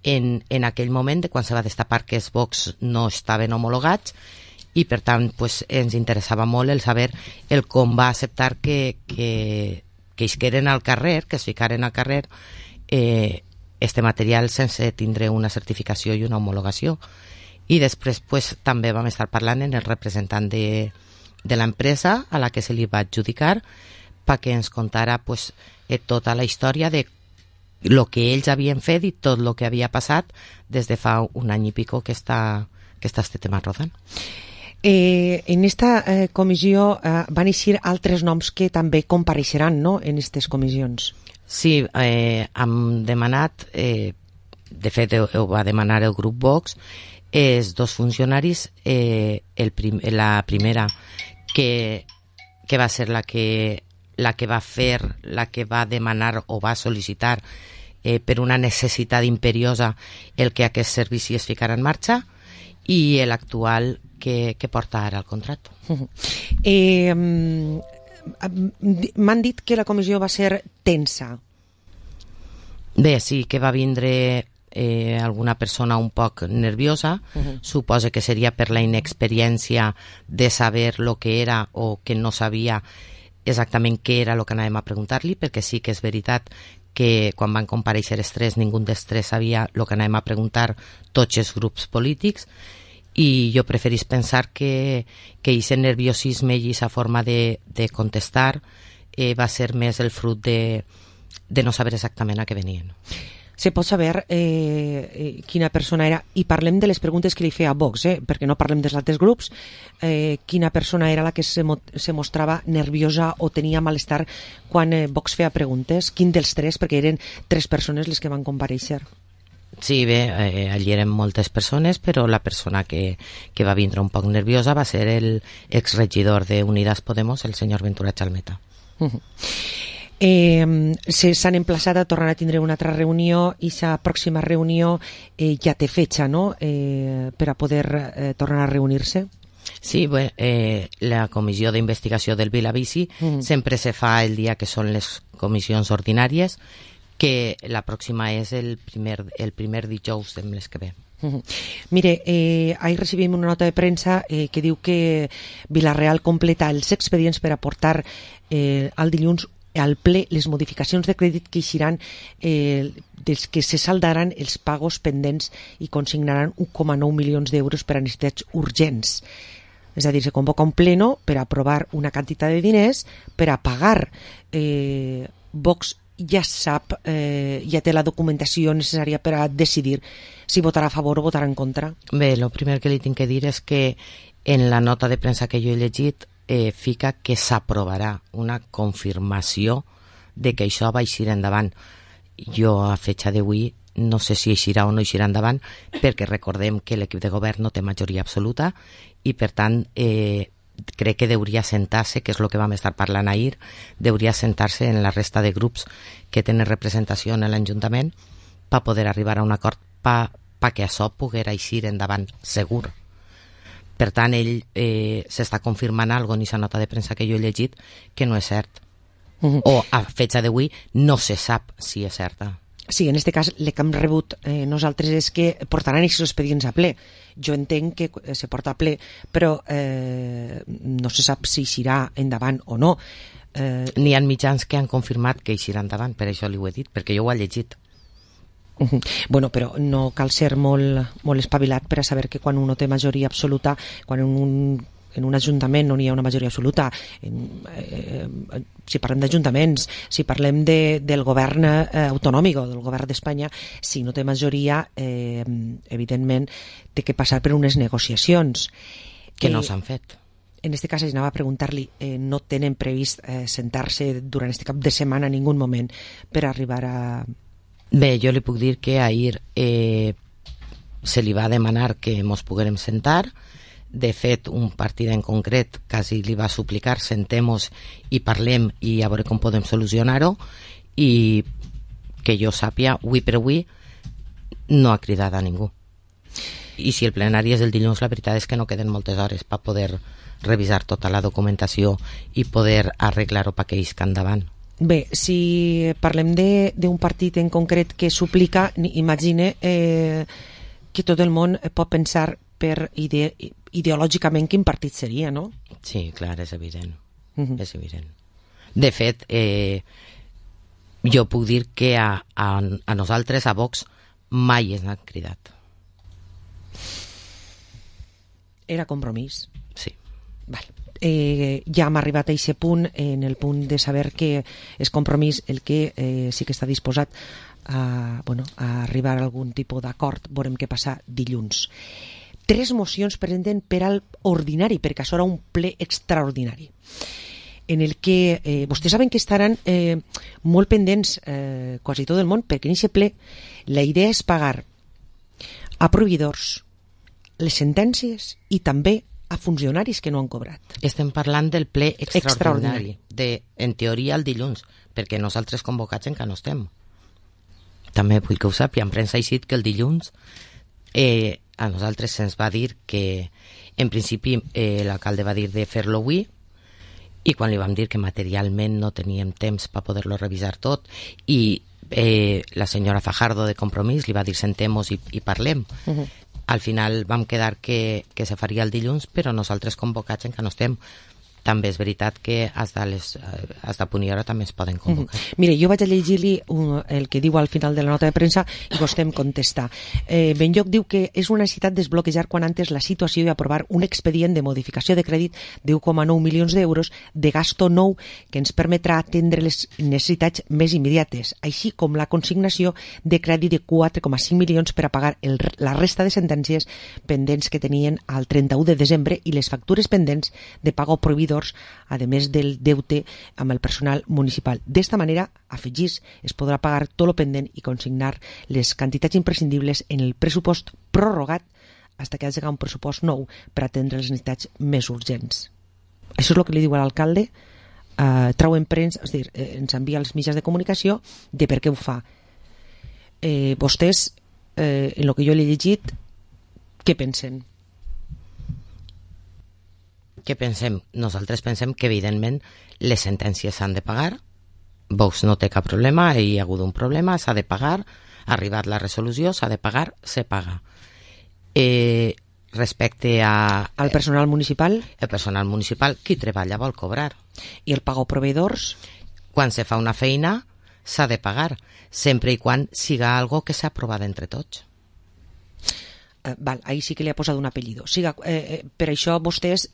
en aquell moment de quan se va destapar que els Vox no estaven homologats i per tant pues, ens interessava molt el saber el com va acceptar que isqueren al carrer, que es ficaren al carrer este material sense tindre una certificació i una homologació. I després pues, també vam estar parlant en el representant de l'empresa a la que se li va adjudicar perquè ens contara pues, tota la història de lo que ells havien fet i tot lo que havia passat des de fa un any i pico que està este tema rodant. En esta comissió van eixir altres noms que també compareixeran, no?, en aquestes comissions. Sí, hem demanat, de fet ho va demanar el grup Vox, els dos funcionaris, la primera que va ser la que va demanar o va sol·licitar per una necessitat imperiosa el que aquest servici es ficara en marxa i l'actual que porta ara el contracte. M'han dit que la comissió va ser tensa. Bé, sí, que va vindre alguna persona un poc nerviosa, suposa que seria per la inexperiència de saber lo que era o que no sabia exactament què era el que anàvem a preguntar-li, perquè sí que és veritat que quan van comparèixer els tres, ningú dels tres sabia el que anàvem a preguntar tots els grups polítics, i jo preferís pensar que aquest nerviosisme i aquesta forma de contestar va ser més el fruit de no saber exactament a què venien. Se pot saber quina persona era, i parlem de les preguntes que li feia Vox, perquè no parlem dels altres grups, quina persona era la que se mostrava nerviosa o tenia malestar quan Vox feia preguntes, quin dels tres, perquè eren tres persones les que van comparèixer. Sí, bé, allí eren moltes persones, però la persona que va vindre un poc nerviosa va ser el exregidor de Unidas Podemos, el senyor Ventura Chalmeta. S'han emplaçat a tornar a tindre una altra reunió i la pròxima reunió ja té fetxa, no?, per a poder tornar a reunir-se. Sí, bé, la comissió d'investigació del Vilavici sempre se fa el dia que són les comissions ordinàries, que la pròxima és el primer dijous del mes que ve. Mire, ahir recibim una nota de premsa que diu que Vila-real completa els expedients per aportar al dilluns al ple les modificacions de crèdit que eixiran dels que se saldaran els pagos pendents i consignaran 1,9 milions d'euros per a necessitats urgents. És a dir, se convoca un pleno per aprovar una quantitat de diners per a pagar. Vox ja sap, ja té la documentació necessària per a decidir si votarà a favor o votarà en contra. Bé, el primer que li tinc que dir és que en la nota de premsa que jo he llegit fica que s'aprovarà una confirmació de que això va eixir endavant. Jo a fetxa d'avui no sé si eixirà o no eixirà endavant, perquè recordem que l'equip de govern no té majoria absoluta i per tant crec que hauria sentar-se, que és el que vam estar parlant ahir, hauria sentar-se en la resta de grups que tenen representació en l'Ajuntament per poder arribar a un acord perquè això poguera eixir endavant segur. Per tant, ell s'està confirmant alguna cosa en aquesta nota de premsa que jo he llegit que no és cert. O a fetxa d'avui no se sap si és certa. Sí, en aquest cas el que hem rebut nosaltres és que portaran aquests expedients a ple. Jo entenc que se porta a ple, però no se sap si eixirà endavant o no. N'hi ha mitjans que han confirmat que eixirà endavant, per això li ho he dit, perquè jo ho he llegit. Bueno, però no cal ser molt espavilat per a saber que quan uno té majoria absoluta, quan en un ajuntament no n'hi ha una majoria absoluta, si parlem d'ajuntaments, si parlem del govern autonòmic o del govern d'Espanya, si no té majoria, evidentment té que passar per unes negociacions. Que no s'han fet. En aquest cas, anava a preguntar-li, no tenen previst sentar-se durant aquest cap de setmana en ningú moment per arribar a... Bé, jo li puc dir que ahir se li va demanar que mos poguérem sentar. De fet, un partit en concret quasi li va suplicar sentem-nos i parlem i a veure com podem solucionar-ho, i que jo sàpia, avui per avui no ha cridat a ningú. I si el plenari és el dilluns, la veritat és que no queden moltes hores per poder revisar tota la documentació i poder arreglar-ho perquè isca endavant. Bé, si parlem d'un partit en concret que suplica, imagine que tot el món pot pensar per ideològicament quin partit seria, no? Sí, clar, és evident. És evident. De fet, jo puc dir que a nosaltres, a Vox, mai ens han cridat. Era Compromís? Sí. Val. Ja hem arribat a aquest punt, en el punt de saber que és Compromís el que sí que està disposat a arribar a algun tipus d'acord. Veurem què passa dilluns. 3 mocions presenten per al ordinari, perquè això era un ple extraordinari, en el que vostès saben que estaran molt pendents quasi tot el món, perquè en aquest ple la idea és pagar a proveïdors les sentències i també a funcionaris que no han cobrat. Estem parlant del ple extraordinari. En teoria el dilluns, perquè nosaltres convocats encara no estem. També vull que ho sàpiga, en premsa ha dit que el dilluns a nosaltres se'ns va dir que en principi l'alcalde va dir de fer-lo avui, i quan li vam dir que materialment no teníem temps per poder-lo revisar tot, i la senyora Fajardo de Compromís li va dir sentem-nos i parlem. Al final vam quedar que se faria el dilluns, però nosaltres convocats encara no estem. També és veritat que fins a punt i hora també es poden convocar. Mire, jo vaig a llegir-li el que diu al final de la nota de premsa i vostè em contesta. Benlloc diu que és una necessitat desbloquejar quan antes la situació i aprovar un expedient de modificació de crèdit de 1,9 milions d'euros de gasto nou que ens permetrà atendre les necessitats més immediates, així com la consignació de crèdit de 4,5 milions per a pagar la resta de sentències pendents que tenien al 31 de desembre i les factures pendents de pago proveïdor, a més del deute amb el personal municipal. D'esta manera, afegís, es podrà pagar tot lo pendent i consignar les quantitats imprescindibles en el pressupost prorrogat fins que hagi un pressupost nou per atendre les necessitats més urgents. Això és el que li diu a l'alcalde, trau en premsa, és a dir, ens envia als mitjans de comunicació de per què ho fa. Vostès, en el que jo l'he llegit, què pensen? Què pensem? Nosaltres pensem que evidentment les sentències s'han de pagar. Vox no té cap problema, hi ha hagut un problema, s'ha de pagar, ha arribat la resolució, s'ha de pagar, se paga. Respecte al personal municipal? El personal municipal, qui treballa vol cobrar. I el pago proveïdors? Quan se fa una feina s'ha de pagar, sempre i quan siga algo que s'ha aprovat entre tots. Ahí sí que li ha posat un apellido. Per això vostès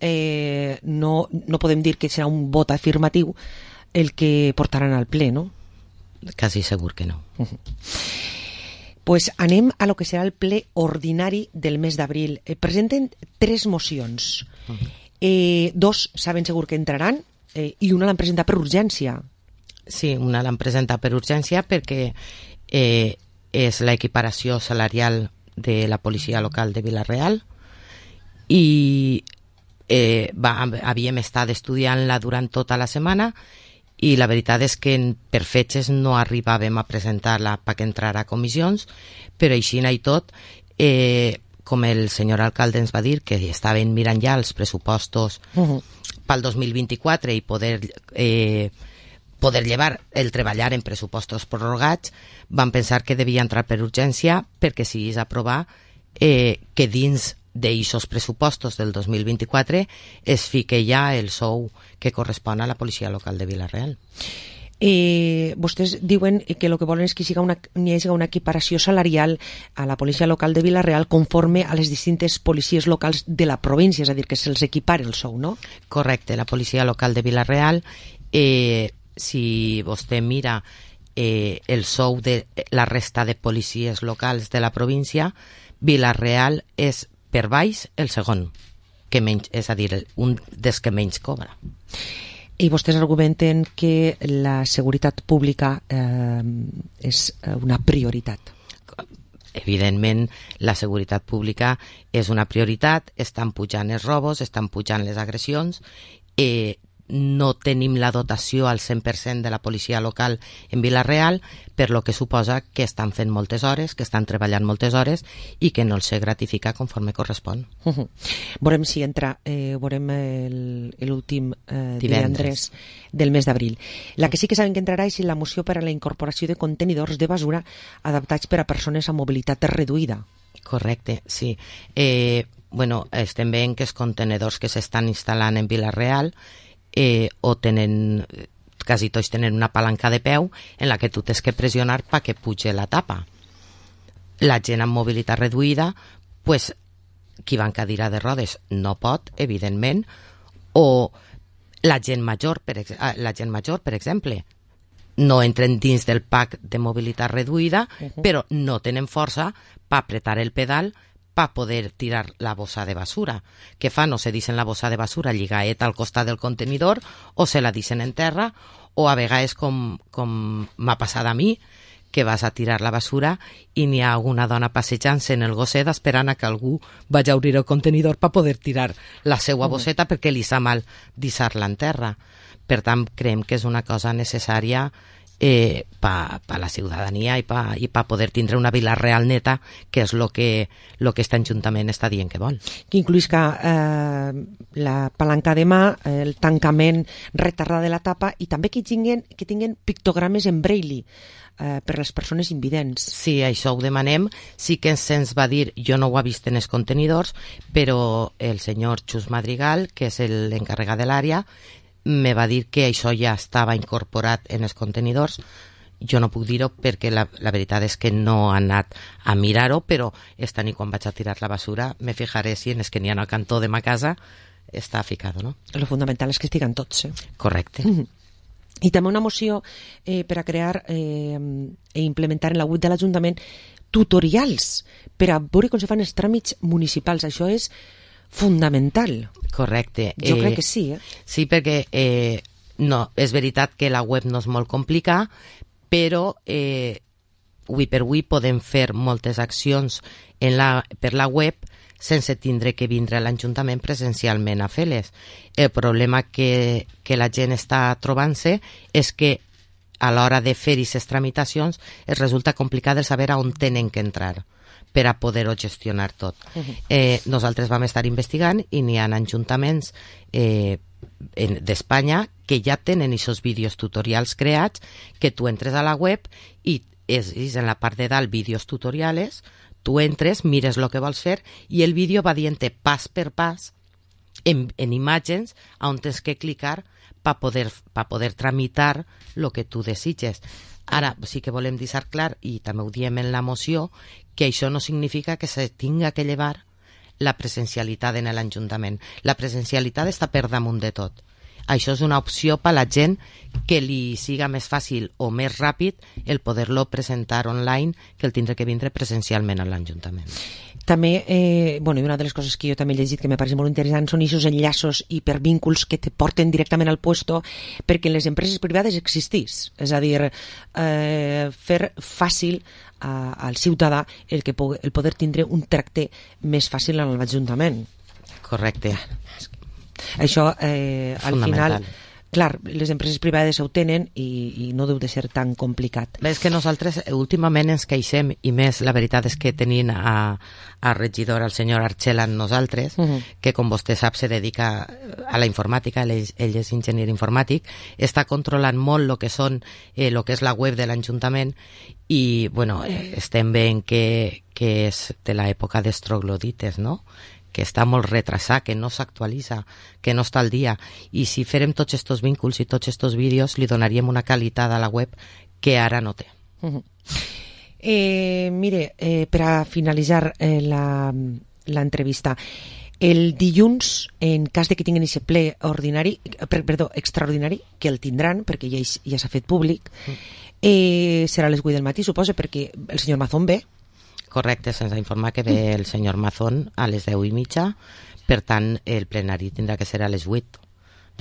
no podem dir que serà un vot afirmatiu el que portaran al ple, no? Quasi segur que no. Pues anem a lo que serà el ple ordinari del mes d'abril. Presenten 3 mocions. 2 saben segur que entraran i una l'han presentat per urgència. Sí, una l'han presentat per urgència perquè és l'equiparació salarial de la policia local de Vila-real i havíem estat estudiant-la durant tota la setmana i la veritat és que per fetges no arribàvem a presentar-la perquè entrara a comissions, però així i tot, com el senyor alcalde ens va dir que estaven mirant ja els pressupostos pel 2024 i poder llevar el treballar en pressupostos prorrogats, van pensar que devia entrar per urgència perquè si és aprovar que dins d'eixos pressupostos del 2024 es fique ja el sou que correspon a la policia local de Vila-real. Vostès diuen que el que volen és que hi hagi una equiparació salarial a la policia local de Vila-real conforme a les distintes policies locals de la província, és a dir, que se'ls equipare el sou, no? Correcte, la policia local de Vila-real, si vostè mira el sou de la resta de policies locals de la província, Vila-real és per baix el segon, que menys, és a dir, un dels que menys cobra. I vostès argumenten que la seguretat pública és una prioritat. evidentment, la seguretat pública és una prioritat, estan pujant els robos, estan pujant les agressions, no tenim la dotació al 100% de la policia local en Vila-real, per lo que suposa que estan fent moltes hores, que estan treballant moltes hores i que no els se gratifica conforme correspon. Veurem si entra, veurem l'últim divendres del mes d'abril. La que sí que sabem que entrarà és la moció per a la incorporació de contenidors de basura adaptats per a persones amb mobilitat reduïda. Correcte, sí. Bueno, estem veient que els contenidors que s'estan instal·lant en Vila-real o tenen, quasi tots tenen una palanca de peu en la que tu tens que pressionar perquè puge la tapa. La gent amb mobilitat reduïda, pues, qui va en cadira de rodes no pot, evidentment, o la gent major, per exemple, no entren dins del pack de mobilitat reduïda, però no tenen força per apretar el pedal para poder tirar la bossa de basura. Què fa? No se deixen la bossa de basura lligaet al costat del contenidor o se la deixen en terra, o a vegades, com m'ha passat a mi, que vas a tirar la basura i n'hi ha alguna dona passejant-se en el gosset esperant a que algú vagi a obrir el contenidor per poder tirar la seva bosseta perquè li sa mal deixar-la en terra. Per tant, creiem que és una cosa necessària per la ciutadania i per poder tindre una Vila-real neta, que és el que aquest Ajuntament està dient que vol. Que incluïsca la palanca de mà, el tancament retardar de la tapa i també que tinguin pictogrames en braille per a les persones invidents. Sí, això ho demanem. Sí que se'ns va dir, jo no ho he vist en els contenidors, però el senyor Xus Madrigal, que és l'encarregat de l'àrea, me va dir que això ja estava incorporat en els contenidors. Jo no puc dir-ho perquè la veritat és que no he anat a mirar-ho, però esta nit quan vaig a tirar la basura me fijaré si en els que n'hi ha al cantó de ma casa està ficat, no? Lo fundamental és que estiguen tots, Correcte. I també una moció per a crear i implementar en la web de l'Ajuntament tutorials per a veure com se fan els tràmits municipals. Això és fundamental. Correcte. Jo crec que sí, Sí, perquè no, és veritat que la web no és molt complicada, però avui per avui podem fer moltes accions per la web sense tindre que vindre a l'Ajuntament presencialment a fer-les. El problema que la gent està trobant-se és que a l'hora de fer aquestes tramitacions es resulta complicat de saber on tenen que entrar per a poder-ho gestionar tot. Nosaltres vam estar investigant i n'hi ha ajuntaments d'Espanya que ja tenen aquests vídeos tutorials creats, que tu entres a la web i és en la part de dalt vídeos tutorials, tu entres, mires el que vols fer i el vídeo va dient pas per pas en imatges on tens que clicar per poder tramitar el que tu desitges. Ara sí que volem deixar clar, i també ho diem en la moció, que això no significa que se tinga que llevar la presencialitat en l'Ajuntament. La presencialitat està per damunt de tot. Això és una opció per a la gent que li siga més fàcil o més ràpid el poder-lo presentar online que el tindre que vindre presencialment a l'Ajuntament. També, i una de les coses que jo també he llegit que me pareix molt interessant són aquests enllaços hipervínculs que te porten directament al puesto perquè en les empreses privades existís. És a dir, fer fàcil al ciutadà el poder tindre un tracte més fàcil en l'Ajuntament. Correcte. Això, al final, clar, les empreses privades ho tenen i no deu de ser tan complicat. És que nosaltres últimament ens queixem, i més la veritat és que tenint a regidor el senyor Archela amb nosaltres, que com vostè sap se dedica a la informàtica, ell és enginyer informàtic, està controlant molt el que és la web de l'Ajuntament i, estem veient que és de l'època dels troglodites, no?, que està molt retrasat, que no s'actualitza, que no està al dia. I si farem tots aquests vínculs i tots aquests vídeos, li donaríem una qualitat a la web que ara no té. Mire, per a finalitzar l'entrevista, el dilluns, en cas de que tinguin aquest ple extraordinari, que el tindran, perquè ja s'ha fet públic, serà a les 8 del matí, suposa, perquè el senyor Mazón ve. Correcte, se'ns ha informat que ve el senyor Mazón a les 10:30, per tant el plenari tindrà que ser a les 8.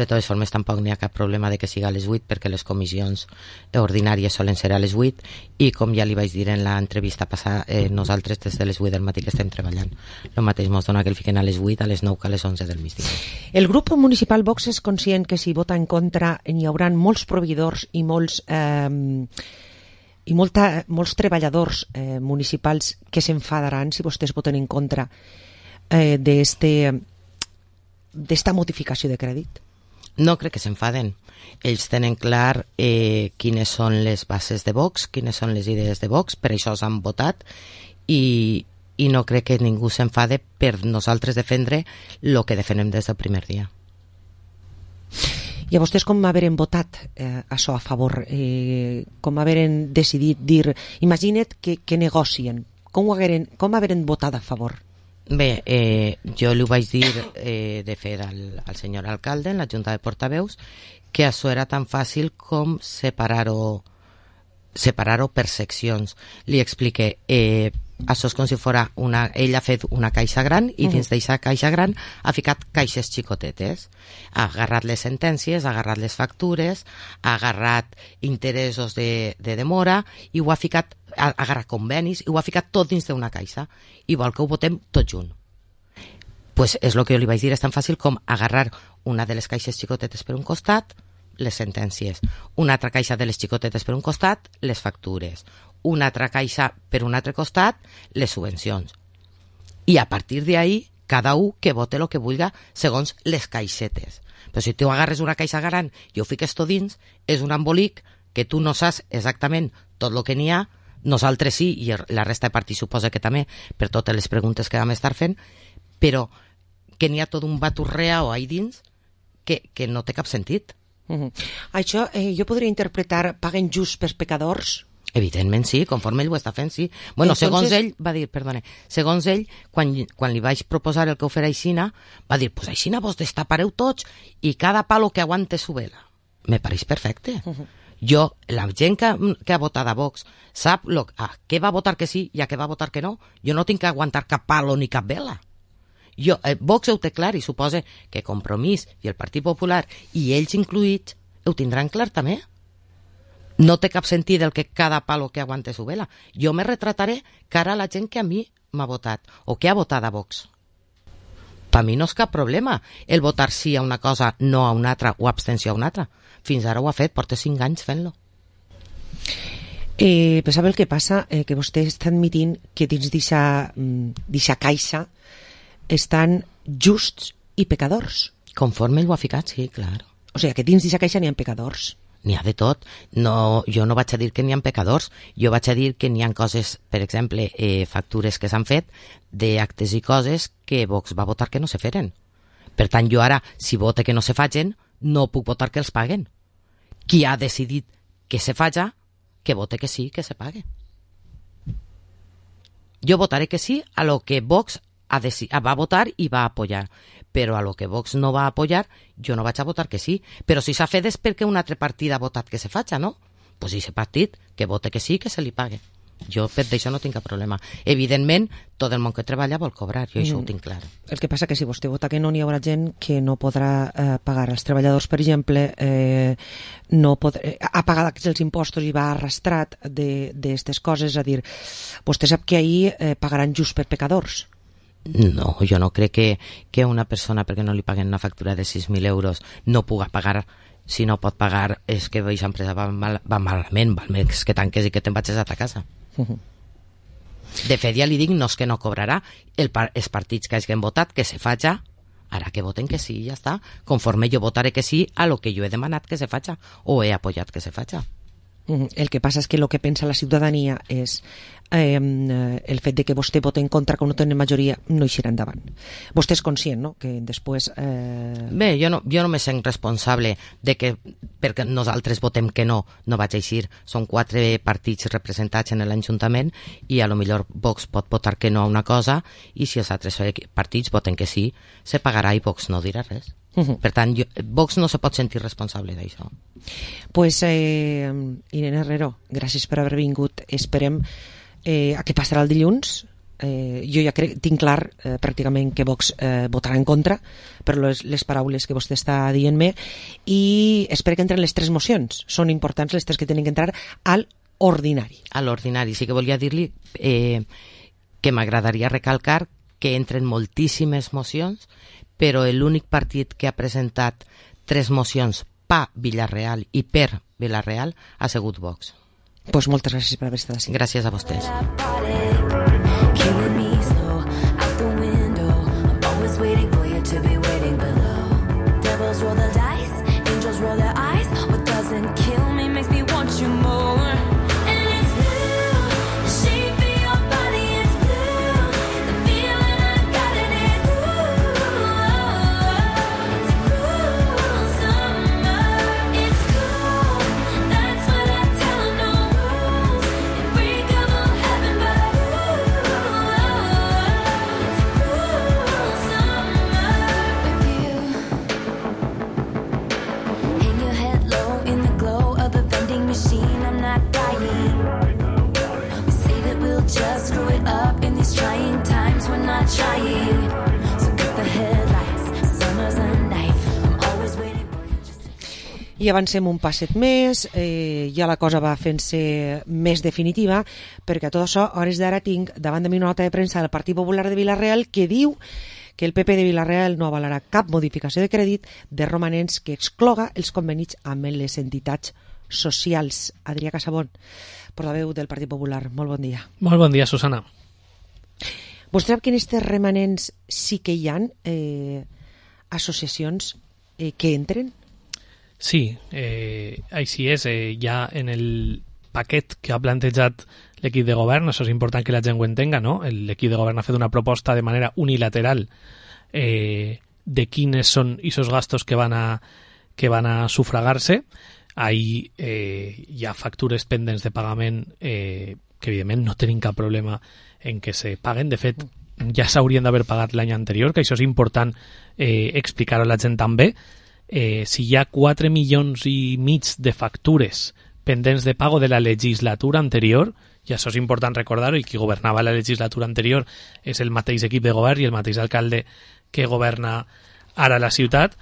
De totes formes, tampoc n'hi ha cap problema de que siga a les 8 perquè les comissions ordinàries solen ser a les 8 i com ja li vaig dir en l'entrevista passada, nosaltres des de les 8 del matí que estem treballant. El mateix mos dona que el fiquen a les 8, a les 9 que a les 11 del migdia. El grup municipal Vox és conscient que si vota en contra n'hi haurà molts proveïdors i molts treballadors municipals que s'enfadaran si vostès voten en contra d'esta modificació de crèdit? No crec que s'enfaden. Ells tenen clar quines són les bases de Vox, quines són les idees de Vox, per això s'han votat i no crec que ningú s'enfade per nosaltres defendre el que defendem des del primer dia. I a vostès com haveren votat això a favor? Com haveren decidit dir... Imagina't que negocien. Com haveren votat a favor? Bé, jo li ho vaig dir de fer al senyor alcalde en la Junta de Portaveus que això era tan fàcil com separar-ho per seccions. Li expliqué, això és com si fos ell ha fet una caixa gran i dins d'aquesta caixa gran ha ficat caixes xicotetes. Ha agarrat les sentències, ha agarrat les factures, ha agarrat interessos de demora i ho ha ficat, ha agarrat convenis i ho ha ficat tot dins d'una caixa i vol que ho votem tot junt. Pues és el que jo li vaig dir, és tan fàcil com agarrar una de les caixes xicotetes per un costat, les sentències, una altra caixa de les xicotetes per un costat, les factures, una altra caixa per un altre costat, les subvencions. I a partir d'ahí, cada un que vote el que vulga segons les caixetes. Però si tu agarres una caixa gran i ho fiques tot dins, és un embolic que tu no saps exactament tot el que n'hi ha, nosaltres sí, i la resta de partits suposa que també, per totes les preguntes que vam estar fent, però que n'hi ha tot un baturreau ahí dins que no té cap sentit. Això jo podria interpretar paguen just pels pecadors? Evidentment sí, conforme ell ho està fent, sí. Bueno, segons ell, va dir, perdone, segons ell, quan li vaig proposar el que ho fera aixina, va dir, pues aixina vos destapareu tots i cada palo que aguante su vela. Me pareix perfecte. Jo, la gent que ha votat a Vox sap a què va votar que sí i a què va votar que no. Jo no tinc que aguantar cap palo ni cap vela. Vox ho té clar i suposa que Compromís i el Partit Popular i ells incluïts ho tindran clar també. No té cap sentit el que cada palo que aguante su vela. Jo me retrataré cara a la gent que a mi m'ha votat o que ha votat a Vox. Per mi no és cap problema el votar sí a una cosa, no a una altra o abstenció a una altra. Fins ara ho ha fet, porta 5 anys fent-lo. Però sap el que passa? Que vostè està admitint que dins d'aquesta caixa estan justs i pecadors. Conforme ell ho ha ficat, sí, clar. O sigui, que dins d'aquesta caixa n'hi ha pecadors. N'hi ha de tot. No, jo no vaig a dir que n'hi ha pecadors, jo vaig a dir que n'hi ha coses, per exemple, factures que s'han fet d'actes i coses que Vox va votar que no se feren. Per tant, jo ara, si vote que no se facin, no puc votar que els paguen. Qui ha decidit que se faci, que vote que sí, que se pague. Jo votaré que sí a lo que Vox va votar i va apoyar, però a lo que Vox no va apoyar jo no vaig a votar que sí, però si s'ha fet és perquè un altre partit ha votat que se faci, no? Pues aquest partit que vote que sí, que se li pague. Jo per d'això no tinc cap problema. Evidentment, tot el món que treballa vol cobrar, jo això ho tinc clar. El que passa que si vostè vota que no, n'hi haurà gent que no podrà pagar. Els treballadors, per exemple, ha pagat els impostos i va arrastrat d'aquestes coses, a dir, vostè sap que ahir pagaran just per pecadors. No, jo no crec que una persona, perquè no li paguen una factura de 6.000 euros, no puga pagar. Si no pot pagar, és que aquesta empresa va malament, val més que tanques i que te'n vagis a ta casa. De fet, ja li dic, no és que no cobrarà, els partits que hagin votat que se faci, ara que voten que sí, ja està. Conforme jo votaré que sí a lo que jo he demanat que se faci, o he apoyat que se faci. El que passa és que el que pensa la ciutadania és el fet de que vostè voti en contra, que no tenen majoria, no eixirà endavant. Vostè és conscient, no?, que després... Bé, jo no me sent responsable de que perquè nosaltres votem que no vaig eixir. Són 4 partits representats en l'Ajuntament i a lo millor Vox pot votar que no a una cosa i si els altres partits voten que sí, se pagarà i Vox no dirà res. Per tant, Vox no se pot sentir responsable d'això. Pues, Irene Herrero, gràcies per haver vingut. Esperem a què passarà el dilluns. jo ja tinc clar pràcticament que Vox votarà en contra per les paraules que vostè està dient-me, i espero que entren les 3 mocions. Són importants les 3 que tenen que entrar al ordinari. A l'ordinari. Sí que volia dir-li que m'agradaria recalcar que entren moltíssimes mocions, però l'únic partit que ha presentat 3 mocions pa Villarreal i per Villarreal ha sigut Vox. Pues moltes gràcies per haver estat així. Gràcies a vostès. Killing me slow out the window. I'm always waiting for you to be waiting below. Devils roll the dice, angels roll their eyes. What doesn't kill me makes me want you more. And it's blue, the shape of your body is blue. The feeling I got in it, it's cruel summer. It's cool, that's what I tell 'em, no rules. Unbreakable heaven, but machine, I'm not dying. We say that we'll just screw it up in these trying times, we're not trying. So cut the headlights, summer's a knife. I'm always waiting for you just to... I avancem un passet més, ja la cosa va fent-se més definitiva, perquè a tot això, a hores d'ara tinc davant de mi una nota de premsa del Partit Popular de Villarreal que diu que el PP de Villarreal no avalarà cap modificació de crèdit de romanents que excloga els convenis amb les entitats socials. Adrià Casabón, portaveu del Partit Popular, molt bon dia. Molt bon dia, Susana. Vostè sap que en aquests remanents sí que hi ha associacions que entren? Sí, així és. Ja en el paquet que ha plantejat l'equip de govern, això és important que la gent ho entenga, no? L'equip de govern ha fet una proposta de manera unilateral de quines són aquests gastos que van a sufragar-se. Ahí hi ha factures pendents de pagament que evidentment no tenim cap problema en que se paguen. De fet, ja s'haurien d'haver pagat l'any anterior, que això és important explicar-ho a la gent també. Si hi ha 4,5 milions de factures pendents de pago de la legislatura anterior, i això és important recordar-ho, i qui governava la legislatura anterior és el mateix equip de govern i el mateix alcalde que governa ara la ciutat.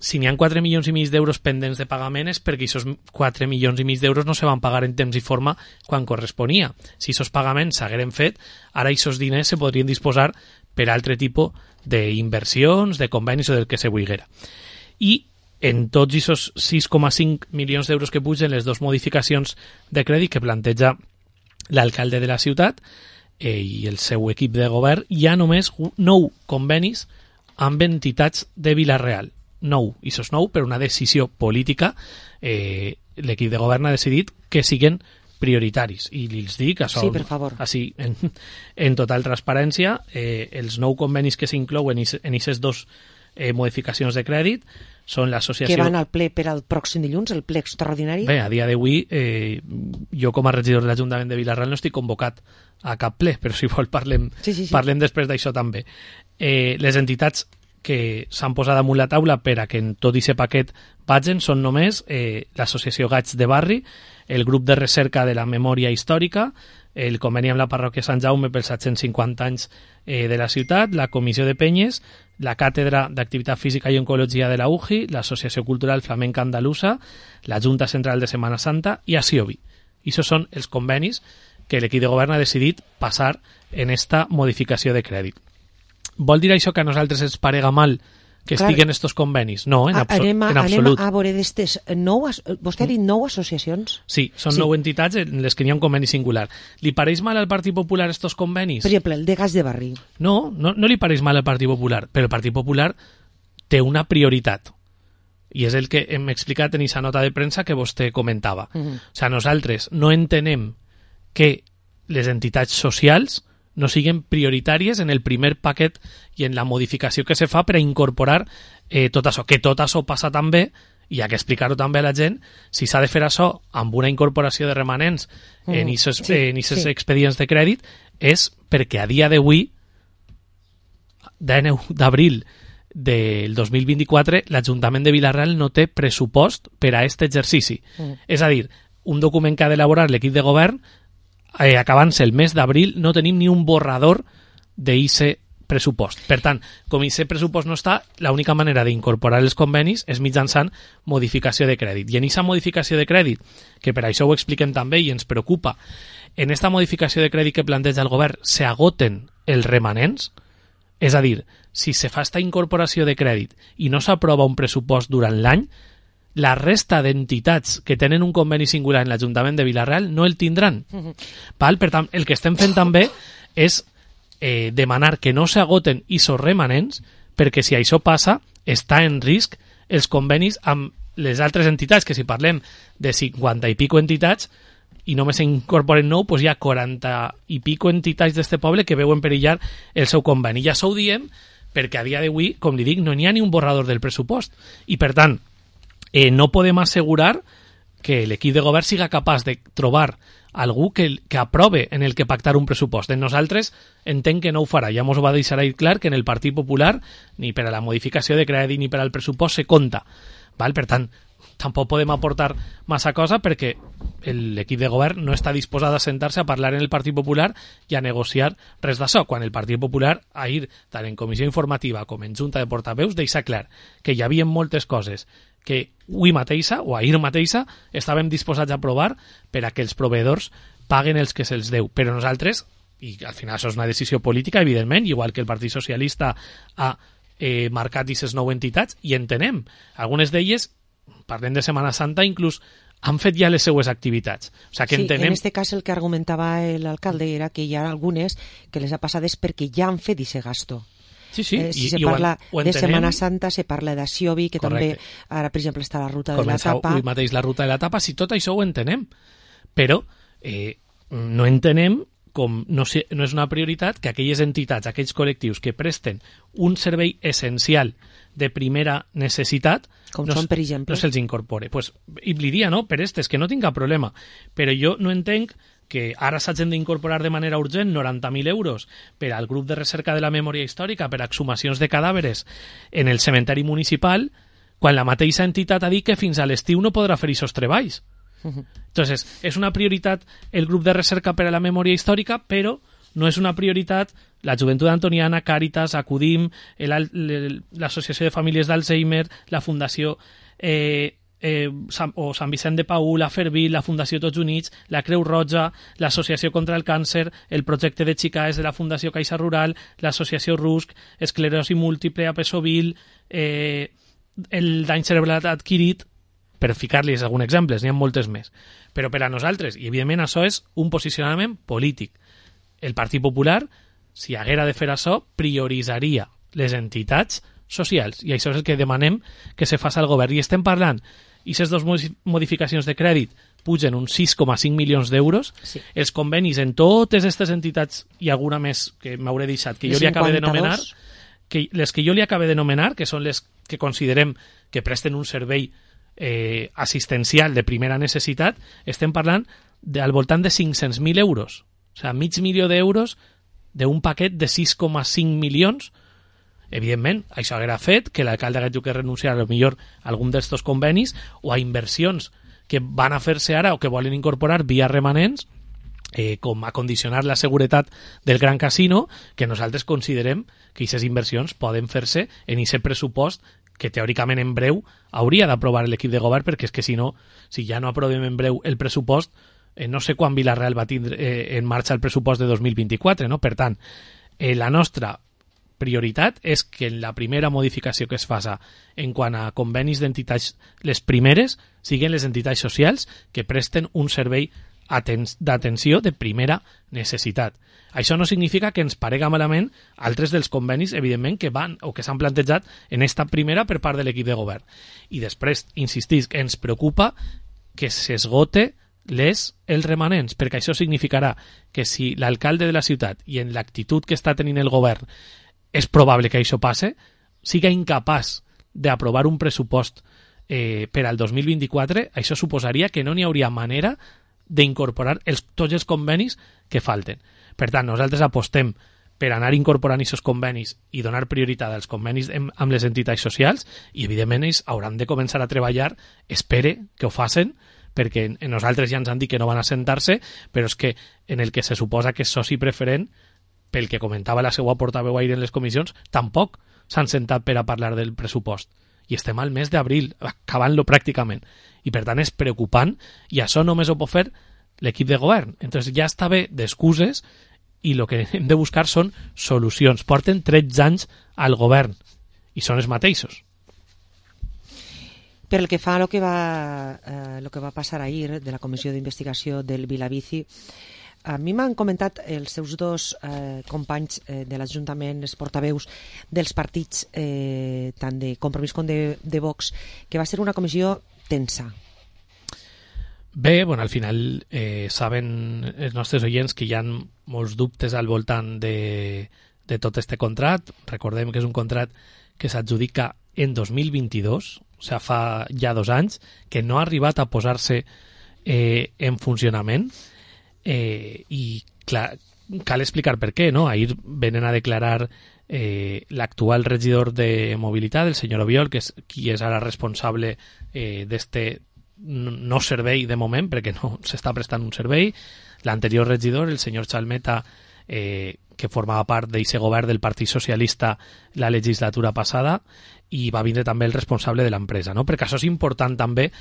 Si n'hi ha 4,5 milions d'euros pendents de pagament és perquè aquests 4,5 milions d'euros no se van pagar en temps i forma quan corresponia. Si aquests pagaments s'hagueren fet, ara aquests diners se podrien disposar per altre tipus d'inversions, de convenis o del que se vulguera. I en tots aquests 6,5 milions d'euros que pugen les 2 modificacions de crèdit que planteja l'alcalde de la ciutat i el seu equip de govern, hi ha només 9 convenis amb entitats de Villarreal. 9, i això és 9 per una decisió política. L'equip de govern ha decidit que siguin prioritaris, i els dic això, sí, per favor. Així, en total transparència, els 9 convenis que s'inclouen en aquestes 2 modificacions de crèdit són l'associació... Que van al ple per al pròxim dilluns, el ple extraordinari? Bé, a dia d'avui, jo com a regidor de l'Ajuntament de Villarreal no estic convocat a cap ple, però si vol parlem després d'això també. Les entitats que s'han posat damunt la taula per a que en tot aquest paquet vagin són només l'associació Gats de Barri, el grup de recerca de la memòria històrica, el conveni amb la parròquia Sant Jaume pels 750 anys de la ciutat, la comissió de penyes, la càtedra d'activitat física i oncologia de la UJI, l'associació cultural flamenca andalusa, la Junta Central de Setmana Santa i Asiobi. I això són els convenis que l'equip de govern ha decidit passar en esta modificació de crèdit. Vol dir això que a nosaltres ens parega mal que estiguen estos convenis? No, en absolut. Anem a veure d'estes 9... Vostè ha dit 9 associacions? Sí, són 9 entitats en les que n'hi ha un conveni singular. Li pareix mal al Partit Popular estos convenis? Per exemple, el de Gas de Barri. No li pareix mal al Partit Popular, però el Partit Popular té una prioritat. I és el que hem explicat en aquesta nota de premsa que vostè comentava. O sigui, nosaltres no entenem que les entitats socials no siguin prioritàries en el primer paquet i en la modificació que se fa per a incorporar tot això. Que tot això passa també, i hi ha que explicar-ho també a la gent, si s'ha de fer això amb una incorporació de remanents en aquests expedients de crèdit, és perquè a dia d'avui, 19 d'abril del 2024, l'Ajuntament de Villarreal no té pressupost per a aquest exercici. És a dir, un document que ha d'elaborar l'equip de govern acabant-se el mes d'abril, no tenim ni un borrador d'ICE pressupost. Per tant, com aquest pressupost no està, l'única manera d'incorporar els convenis és mitjançant modificació de crèdit. I en aquesta modificació de crèdit, que per això ho expliquem també i ens preocupa, en aquesta modificació de crèdit que planteja el govern s'agoten els remanents, és a dir, si se fa aquesta incorporació de crèdit i no s'aprova un pressupost durant l'any, la resta d'entitats que tenen un conveni singular en l'Ajuntament de Vila-real no el tindran. Per tant, el que estem fent també és demanar que no s'agoten aquests remanents, perquè si això passa, està en risc els convenis amb les altres entitats, que si parlem de 50 i pico entitats i només s'incorporen 9, doncs hi ha 40 i pico entitats d'este poble que veuen perillar el seu conveni. I això ho diem perquè a dia d'avui, com li dic, no n'hi ha ni un borrador del pressupost. I per tant, no podem assegurar que l'equip de govern siga capaç de trobar algú que aprove en el que pactar un pressupost. En nosaltres entenc que no ho farà. Ja mos ho va deixar ahir clar que en el Partit Popular ni per a la modificació de crèdit ni per al pressupost se compta. Per tant, tampoc podem aportar massa cosa perquè l'equip de govern no està disposat a sentar-se a parlar en el Partit Popular i a negociar res d'això, quan el Partit Popular ahir, tant en comissió informativa com en junta de portaveus, deixa clar que hi havia moltes coses que avui mateixa o ahir mateixa estàvem disposats a aprovar per a que els proveïdors paguen els que se'ls deu. Però nosaltres, i al final això és una decisió política, evidentment, igual que el Partit Socialista ha marcat aquestes 9 entitats, i entenem. Algunes d'elles, parlem de Setmana Santa, inclús han fet ja les seues activitats. O sigui que entenem... en este cas el que argumentava l'alcalde era que hi ha algunes que les ha passades perquè ja han fet aquest gasto. Sí, si se parla de Setmana Santa, se parla d'Aixovi, que també ara, per exemple, està la ruta de la tapa. Avui mateix la ruta de la tapa, si tot això ho entenem. Però no entenem com no és una prioritat que aquelles entitats, aquells col·lectius que presten un servei essencial de primera necessitat com són, per exemple, no se'ls incorpore. I li diria, no, per és que no tinc cap problema, però jo no entenc que ara s'hagin d'incorporar de manera urgent 90.000 euros per al grup de recerca de la memòria històrica per a exhumacions de cadàveres en el cementeri municipal, quan la mateixa entitat ha dit que fins a l'estiu no podrà fer aquests treballs. Entonces, és una prioritat el grup de recerca per a la memòria històrica, però no és una prioritat la Joventut Antoniana, Càritas, Acudim, l'Associació de Famílies d'Alzheimer, la Fundació o Sant Vicent de Paül, la Fervil, la Fundació Tots Units, la Creu Roja, l'Associació contra el Càncer, el projecte de Xicaes de la Fundació Caixa Rural, l'Associació RUSC, Esclerosi Múltiple, Apesovil, el dany cerebral adquirit, per ficar-los alguns exemples, n'hi ha moltes més. Però per a nosaltres, i evidentment això és un posicionament polític, el Partit Popular, si haguera de fer això, prioritzaria les entitats socials, i això és el que demanem que se faci al govern. I estem parlant, i aquestes dues modificacions de crèdit pugen uns 6,5 milions d'euros, els convenis en totes aquestes entitats, i alguna més que m'hauré deixat, que jo li acabé d'anomenar, les que jo li acabé d'anomenar, que són les que considerem que presten un servei assistencial de primera necessitat, estem parlant al voltant de 500.000 euros. O sigui, $500.000 d'euros d'un paquet de 6,5 milions. Evidentment, això haguera fet que l'alcalde hagués que renunciar a millor a algun d'estos convenis o a inversions que van a fer-se ara o que volen incorporar via remanents, com a condicionar la seguretat del Gran Casino, que nosaltres considerem que aquestes inversions poden fer-se en aquest pressupost que teòricament en breu hauria d'aprovar l'equip de govern, perquè és que si no, si ja no aprovem en breu el pressupost, no sé quan Vila-real va tindre en marxa el pressupost de 2024, no? Per tant, la nostra prioritat és que la primera modificació que es faça en quant a convenis d'entitats, les primeres, siguin les entitats socials que presten un servei d'atenció de primera necessitat. Això no significa que ens parega malament altres dels convenis, evidentment, que van o que s'han plantejat en esta primera per part de l'equip de govern. I després, insistisc, ens preocupa que s'esgote els remanents, perquè això significarà que si l'alcalde de la ciutat i en l'actitud que està tenint el govern és probable que això passe, siga incapaç d'aprovar un pressupost per al 2024, això suposaria que no n'hi hauria manera d'incorporar tots els convenis que falten. Per tant, nosaltres apostem per anar incorporant aquests convenis i donar prioritat als convenis amb les entitats socials, i evidentment ells hauran de començar a treballar, espere que ho facin, perquè nosaltres ja ens han dit que no van a sentar-se, però és que en el que se suposa que és soci preferent, pel que comentava la seva portaveu ahir en les comissions, tampoc s'han sentat per a parlar del pressupost. I estem al mes d'abril, acabant-lo pràcticament. I per tant és preocupant, i això només ho pot fer l'equip de govern. Entonces ja està bé d'excuses, i el que hem de buscar són solucions. Porten 13 anys al govern, i són els mateixos. Per el que fa a lo que va passar ahir de la comissió d'investigació del Vilavici, a mi m'han comentat els seus dos companys de l'Ajuntament, els portaveus dels partits, tant de Compromís com de Vox, que va ser una comissió tensa. Bé, bueno, al final saben els nostres oients que hi ha molts dubtes al voltant de tot este contrat. Recordem que és un contrat que s'adjudica en 2022, o sigui, fa ja 2 anys, que no ha arribat a posar-se en funcionament, i clar, cal explicar per què, no? Ahir venen a declarar l'actual regidor de mobilitat, el senyor Obiol, que és qui és ara responsable d'este no servei de moment, perquè no s'està prestant un servei. L'anterior regidor, el senyor Chalmeta, que formava part d'aquest govern del Partit Socialista la legislatura passada, i va vindre també el responsable de l'empresa, no? Perquè això és important també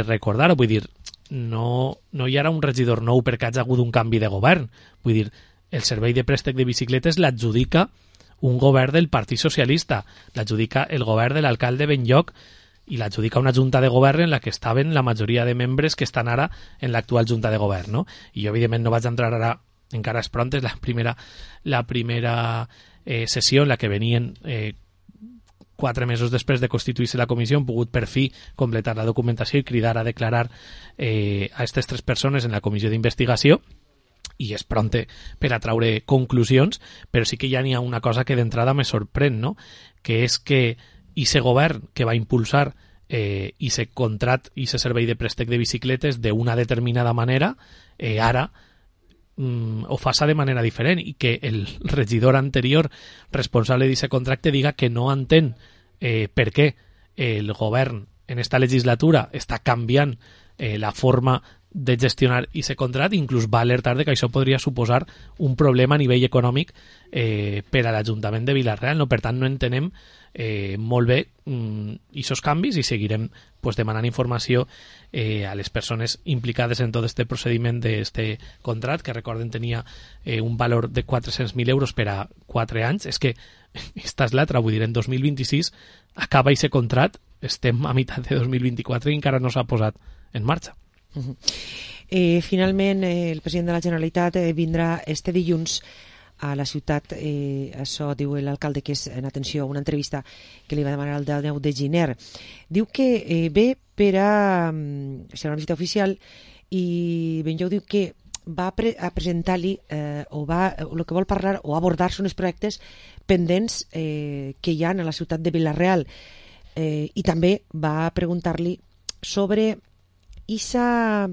recordar-ho, vull dir, no hi ha un regidor nou perquè hagi hagut un canvi de govern, vull dir, el servei de préstec de bicicletes l'adjudica un govern del Partit Socialista, l'adjudica el govern de l'alcalde Benlloc, i l'adjudica una junta de govern en la que estaven la majoria de membres que estan ara en l'actual junta de govern, no? I jo evidentment no vaig entrar ara, encara és pront, és la primera sessió en la que venien 4 mesos després de constituir-se la comissió, han pogut per fi completar la documentació i cridar a declarar a aquestes 3 persones en la comissió d'investigació, i és pront per a traure conclusions, però sí que ja n'hi ha una cosa que d'entrada me sorprèn, no? Que és que aquest govern que va impulsar aquest contrat i aquest servei de préstec de bicicletes d'una determinada manera, ara ho faça de manera diferent, i que el regidor anterior responsable d'aquest contracte diga que no entén per què el govern en esta legislatura està canviant la forma de gestionar aquest contracte, inclús va alertar de que això podria suposar un problema a nivell econòmic per a l'Ajuntament de Vila-real, no? Per tant, no entenem molt bé aquests canvis, i seguirem demanant informació a les persones implicades en tot este procediment d'este contracte, que recorden tenia un valor de 400.000 euros per a 4 anys. És que esta és l'altra, vull dir, en 2026 acaba aquest contracte, estem a meitat de 2024 i encara no s'ha posat en marxa. Finalment, el president de la Generalitat vindrà este dilluns a la ciutat, això diu l'alcalde, que és en atenció a una entrevista que li va demanar el 10 de gener. Diu que ve per a ser una visita oficial, i Benlloc diu que va a presentar-li el que vol parlar o abordar són els projectes pendents que hi ha a la ciutat de Vila-real, i també va preguntar-li sobre esa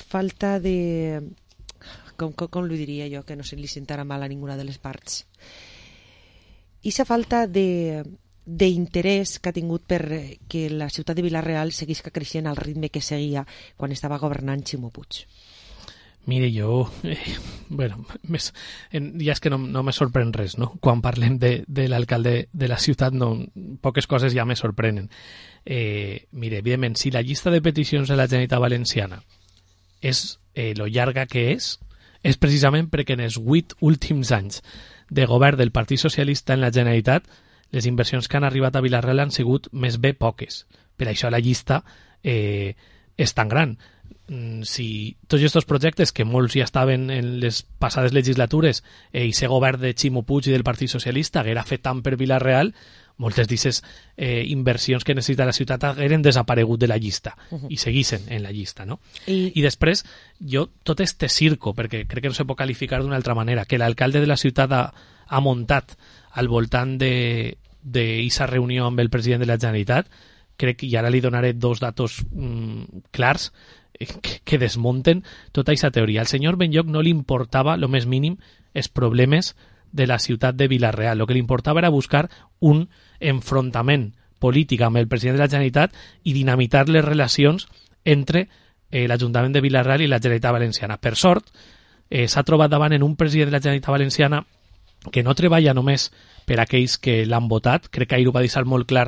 falta de... Com li diria jo, que no se li sentarà mal a ninguna de les parts? Esa falta d'interès que ha tingut per que la ciutat de Vila-real seguisca creixent al ritme que seguia quan estava governant Ximo Puig. Mire, jo... bueno, ja és que no me sorprèn res, no? Quan parlem de l'alcalde de la ciutat, poques coses ja me sorprenen. Mire, evidentment, si la llista de peticions de la Generalitat Valenciana és lo llarga que és precisament perquè en els 8 últims anys de govern del Partit Socialista en la Generalitat les inversions que han arribat a Vila-real han sigut més bé poques. Per això la llista és tan gran. Si tots aquests projectes, que molts ja estaven en les passades legislatures, i aquest govern de Ximo Puig i del Partit Socialista haguera fet tant per Vila-real, moltes d'aquestes inversions que necessita la ciutat hagueren desaparegut de la llista i seguissin en la llista, no? I després, jo, tot este circo, perquè crec que no se pot qualificar d'una altra manera, que l'alcalde de la ciutat ha muntat al voltant d'aquesta reunió amb el president de la Generalitat, crec que, i ara li donaré 2 datos clars que desmunten tota aquesta teoria. Al senyor Benlloc no li importava lo més mínim els problemes de la ciutat de Vila-real. El que li importava era buscar un enfrontament política amb el president de la Generalitat i dinamitar les relacions entre l'Ajuntament de Vila-real i la Generalitat Valenciana. Per sort, s'ha trobat davant en un president de la Generalitat Valenciana que no treballa només per aquells que l'han votat, crec que ahir ho va deixar molt clar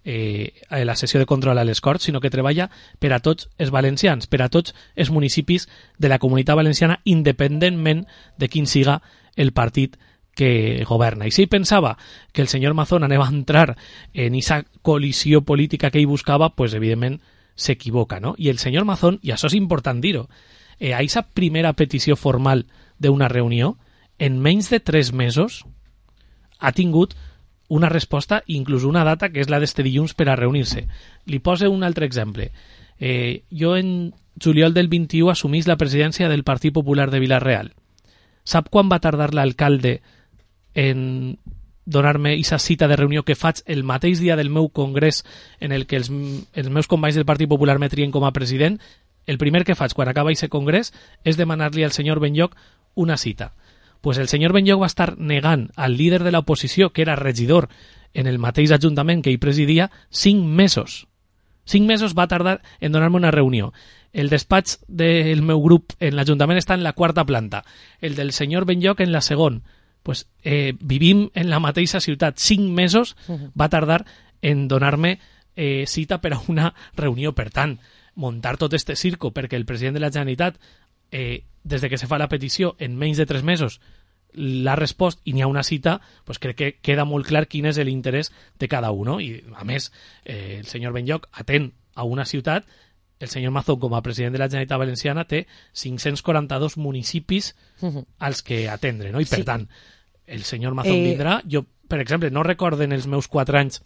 a la sessió de control a les Corts, sinó que treballa per a tots els valencians, per a tots els municipis de la Comunitat Valenciana, independentment de quin siga el partit que governa. I si ell pensava que el senyor Mazón anava a entrar en aquesta col·lisió política que ell buscava, pues evidentment s'equivoca, no? I el senyor Mazón, i això és important dir-ho, a aquesta primera petició formal d'una reunió, en menys de 3 mesos ha tingut una resposta, inclús una data, que és la d'este dilluns per a reunir-se. Li poso un altre exemple. Jo en juliol del 21 assumís la presidència del Partit Popular de Vila-real. Sap quan va tardar l'alcalde en donar-me aquesta cita de reunió que faig el mateix dia del meu congrés en el que els meus companys del Partit Popular me trien com a president? El primer que faig quan acaba aquest congrés és demanar-li al senyor Benlloch una cita. Pues el senyor Benlloch va estar negant al líder de l'oposició, que era regidor en el mateix ajuntament que ell presidia, 5 mesos. 5 mesos va tardar en donar-me una reunió. El despatx del meu grup en l'Ajuntament està en la 4ª planta. El del senyor Benlloch en la 2ª. Pues, vivim en la mateixa ciutat. 5 mesos va tardar en donar-me cita per a una reunió. Per tant, muntar tot este circo perquè el president de la Generalitat, des de que se fa la petició, en menys de 3 mesos l'ha respost i n'hi ha una cita, pues crec que queda molt clar quin és l'interès de cada un. I, a més, el senyor Benlloch atén a una ciutat, el senyor Mazón, com a president de la Generalitat Valenciana, té 542 municipis als que atendre, no? I, per tant, el senyor Mazón vindrà. Jo, per exemple, no recordo en els meus 4 anys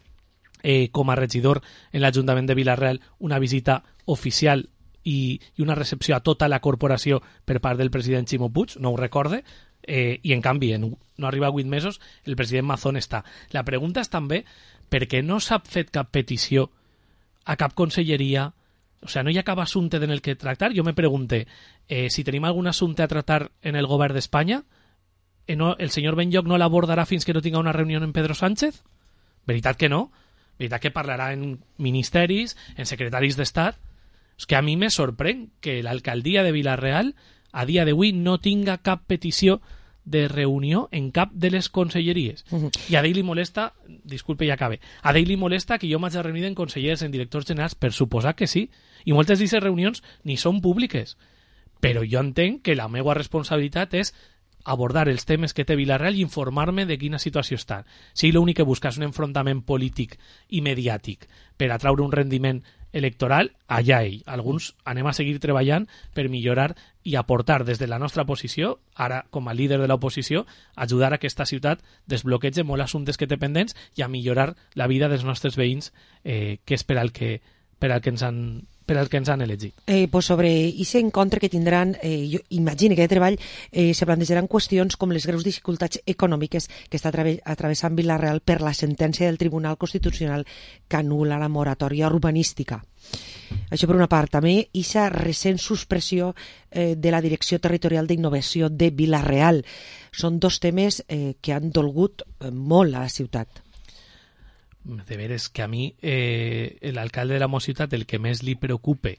com a regidor en l'Ajuntament de Vila-real una visita oficial i una recepció a tota la corporació per part del president Ximo Puig, no ho recorde, i en canvi, en no arriba a 8 mesos, el president Mazón està. La pregunta és també per què no s'ha fet cap petició a cap conselleria, o sea, no hi ha cap assumpte en el que tractar. Jo me pregunte, si tenim algun assumpte a tratar en el govern d'Espanya, el senyor Benlloch no l'abordarà fins que no tinga una reunió amb Pedro Sánchez? Veritat que no? Veritat que parlarà en ministeris, en secretaris d'Estat? És que a mi me sorprèn que l'alcaldia de Vila-real a dia d'avui no tinga cap petició de reunió en cap de les conselleries. I a ell li molesta, disculpe, ja acabe, a ell li molesta que jo m'hagi reunit en consellers, en directors generals, per suposar que sí. I moltes d'aquestes reunions ni són públiques. Però jo entenc que la meva responsabilitat és abordar els temes que té Vila-real i informar-me de quina situació està. Si l'únic que busca és un enfrontament polític i mediàtic per atraure un rendiment electoral, allà ell. Alguns anem a seguir treballant per millorar i aportar des de la nostra posició, ara com a líder de l'oposició, ajudar a que aquesta ciutat desbloqueja molts assumptes que té pendents i a millorar la vida dels nostres veïns, que és per al que ens han elegit. Pues sobre aquest encontre que tindran, jo imagino que de treball se plantejaran qüestions com les greus dificultats econòmiques que està atravessant Vila-real per la sentència del Tribunal Constitucional que anul·la la moratòria urbanística. Això per una part. També aquesta recent suspressió de la Direcció Territorial d'Innovació de Vila-real. Són 2 temes que han dolgut molt a la ciutat. De veres que a mi l'alcalde de la meva ciutat el que més li preocupe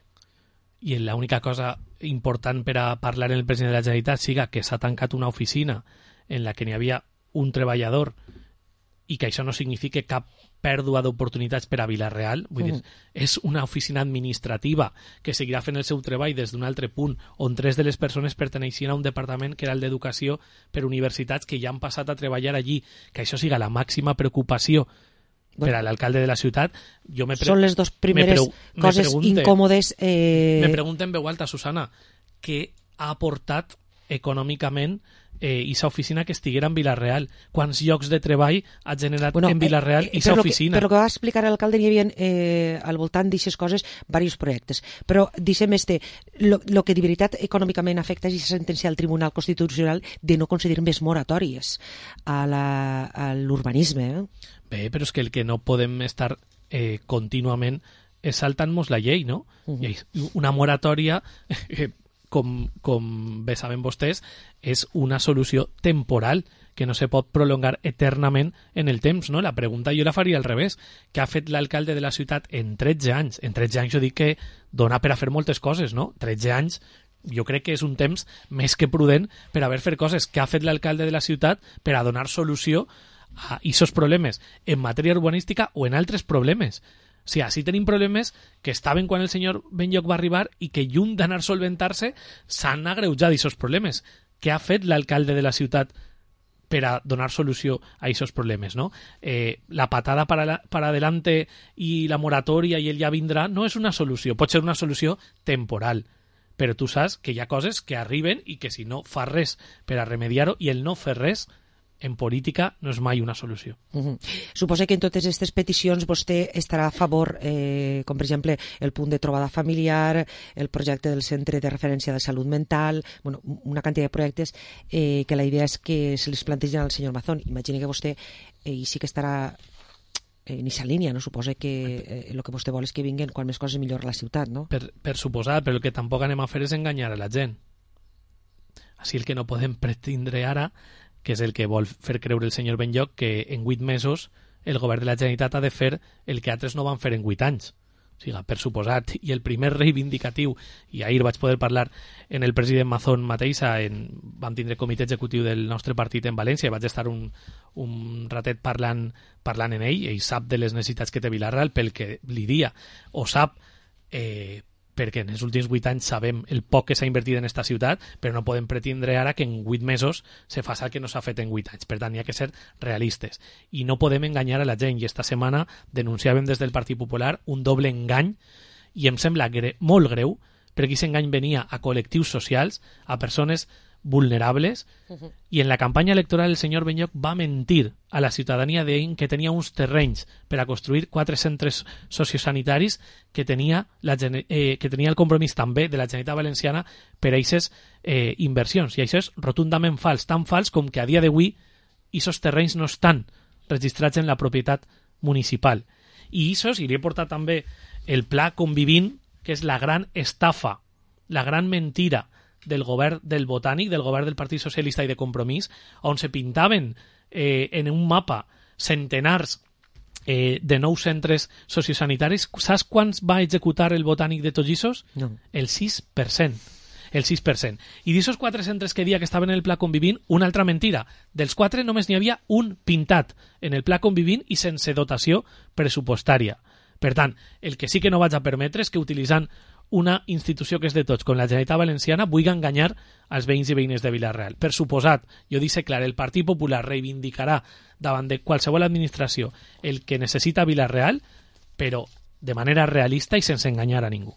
i l'única cosa important per a parlar en el president de la Generalitat siga que s'ha tancat una oficina en la que n'hi havia un treballador i que això no significa cap pèrdua d'oportunitats per a Vila-real. Vull dir, és una oficina administrativa que seguirà fent el seu treball des d'un altre punt on 3 de les persones perteneixien a un departament que era el d'Educació per universitats que ja han passat a treballar allí. Que això siga la màxima preocupació per a l'alcalde de la ciutat. Són les 2 primeres coses incòmodes. Me pregunto en veu alta, Susana, què ha aportat econòmicament aquesta oficina que estiguera en Vila-real? Quants llocs de treball ha generat en Vila-real aquesta oficina? Però que va explicar l'alcalde, hi havia al voltant d'aquestes coses diversos projectes. Però, deixem el que de veritat econòmicament afecta és la sentència del Tribunal Constitucional de no concedir més moratòries a l'urbanisme. Bé, però és que el que no podem estar contínuament és saltant-nos la llei, no? Una moratòria com bé saben vostès, és una solució temporal que no se pot prolongar eternament en el temps, no? La pregunta jo la faria al revés. Què ha fet l'alcalde de la ciutat en 13 anys? En 13 anys jo dic que dona per a fer moltes coses, no? 13 anys jo crec que és un temps més que prudent per haver fet coses. Què ha fet l'alcalde de la ciutat per a donar solució a aquests problemes en matèria urbanística o en altres problemes? O sigui, així tenim problemes que estaven quan el senyor Benlloch va arribar i que, lluny d'anar solventar-se, s'han agreujat aquests problemes. Què ha fet l'alcalde de la ciutat per a donar solució a aquests problemes, no? La patada para adelante i la moratòria i el ja vindrà no és una solució. Pot ser una solució temporal, però tu saps que hi ha coses que arriben i que si no fas res per a remediar-ho, i el no fer res en política no és mai una solució. Suposo que en totes aquestes peticions vostè estarà a favor, com per exemple el punt de trobada familiar, el projecte del centre de referència de salut mental, bueno, una quantitat de projectes que la idea és que se les plantegen al senyor Mazón. Imagini que vostè i sí que estarà en aquesta línia, no? Suposa que el que vostè vol és que vinguen quan més coses millor a la ciutat, no? Per suposar, però el que tampoc anem a fer és enganyar a la gent. Així el que no podem pretendre ara, que és el que vol fer creure el senyor Benlloch, que en 8 mesos el govern de la Generalitat ha de fer el que altres no van fer en 8 anys. O sigui, per suposat, i el primer reivindicatiu, i ahir vaig poder parlar en el president Mazón mateixa, vam tindre comitè executiu del nostre partit en València, i vaig estar un ratet parlant en ell sap de les necessitats que té Vila-real, pel que li dia, o sap perquè en els últims 8 anys sabem el poc que s'ha invertit en esta ciutat, però no podem pretendre ara que en 8 mesos se faci el que no s'ha fet en 8 anys. Per tant, hi ha que ser realistes. I no podem enganyar a la gent. I esta setmana denunciàvem des del Partit Popular un doble engany, i em sembla molt greu, perquè aquest engany venia a col·lectius socials, a persones vulnerables, i en la campanya electoral el senyor Benlloch va mentir a la ciutadania deien que tenia uns terrenys per a construir 4 centres sociosanitaris que tenia el compromís també de la Generalitat Valenciana per a aquestes inversions, i això és rotundament fals, tan fals com que a dia d'avui aquests terrenys no estan registrats en la propietat municipal. I això, i li he portat també el pla Convivint, que és la gran estafa, la gran mentira del govern del Botànic, del govern del Partit Socialista i de Compromís, on se pintaven en un mapa centenars de nous centres sociosanitaris. Saps quants va executar el Botànic de Tollissos? No. El 6%. El 6%. I d'aquests 4 centres que dia que estaven en el Pla Convivint, una altra mentira. Dels 4 només n'hi havia un pintat en el Pla Convivint i sense dotació pressupostària. Per tant, el que sí que no vaig a permetre és que utilitzant una institució que és de tots, com la Generalitat Valenciana, vulgui enganyar als veïns i veïnes de Vila-real. Per suposat, jo dic clar, el Partit Popular reivindicarà davant de qualsevol administració el que necessita Vila-real, però de manera realista i sense enganyar a ningú.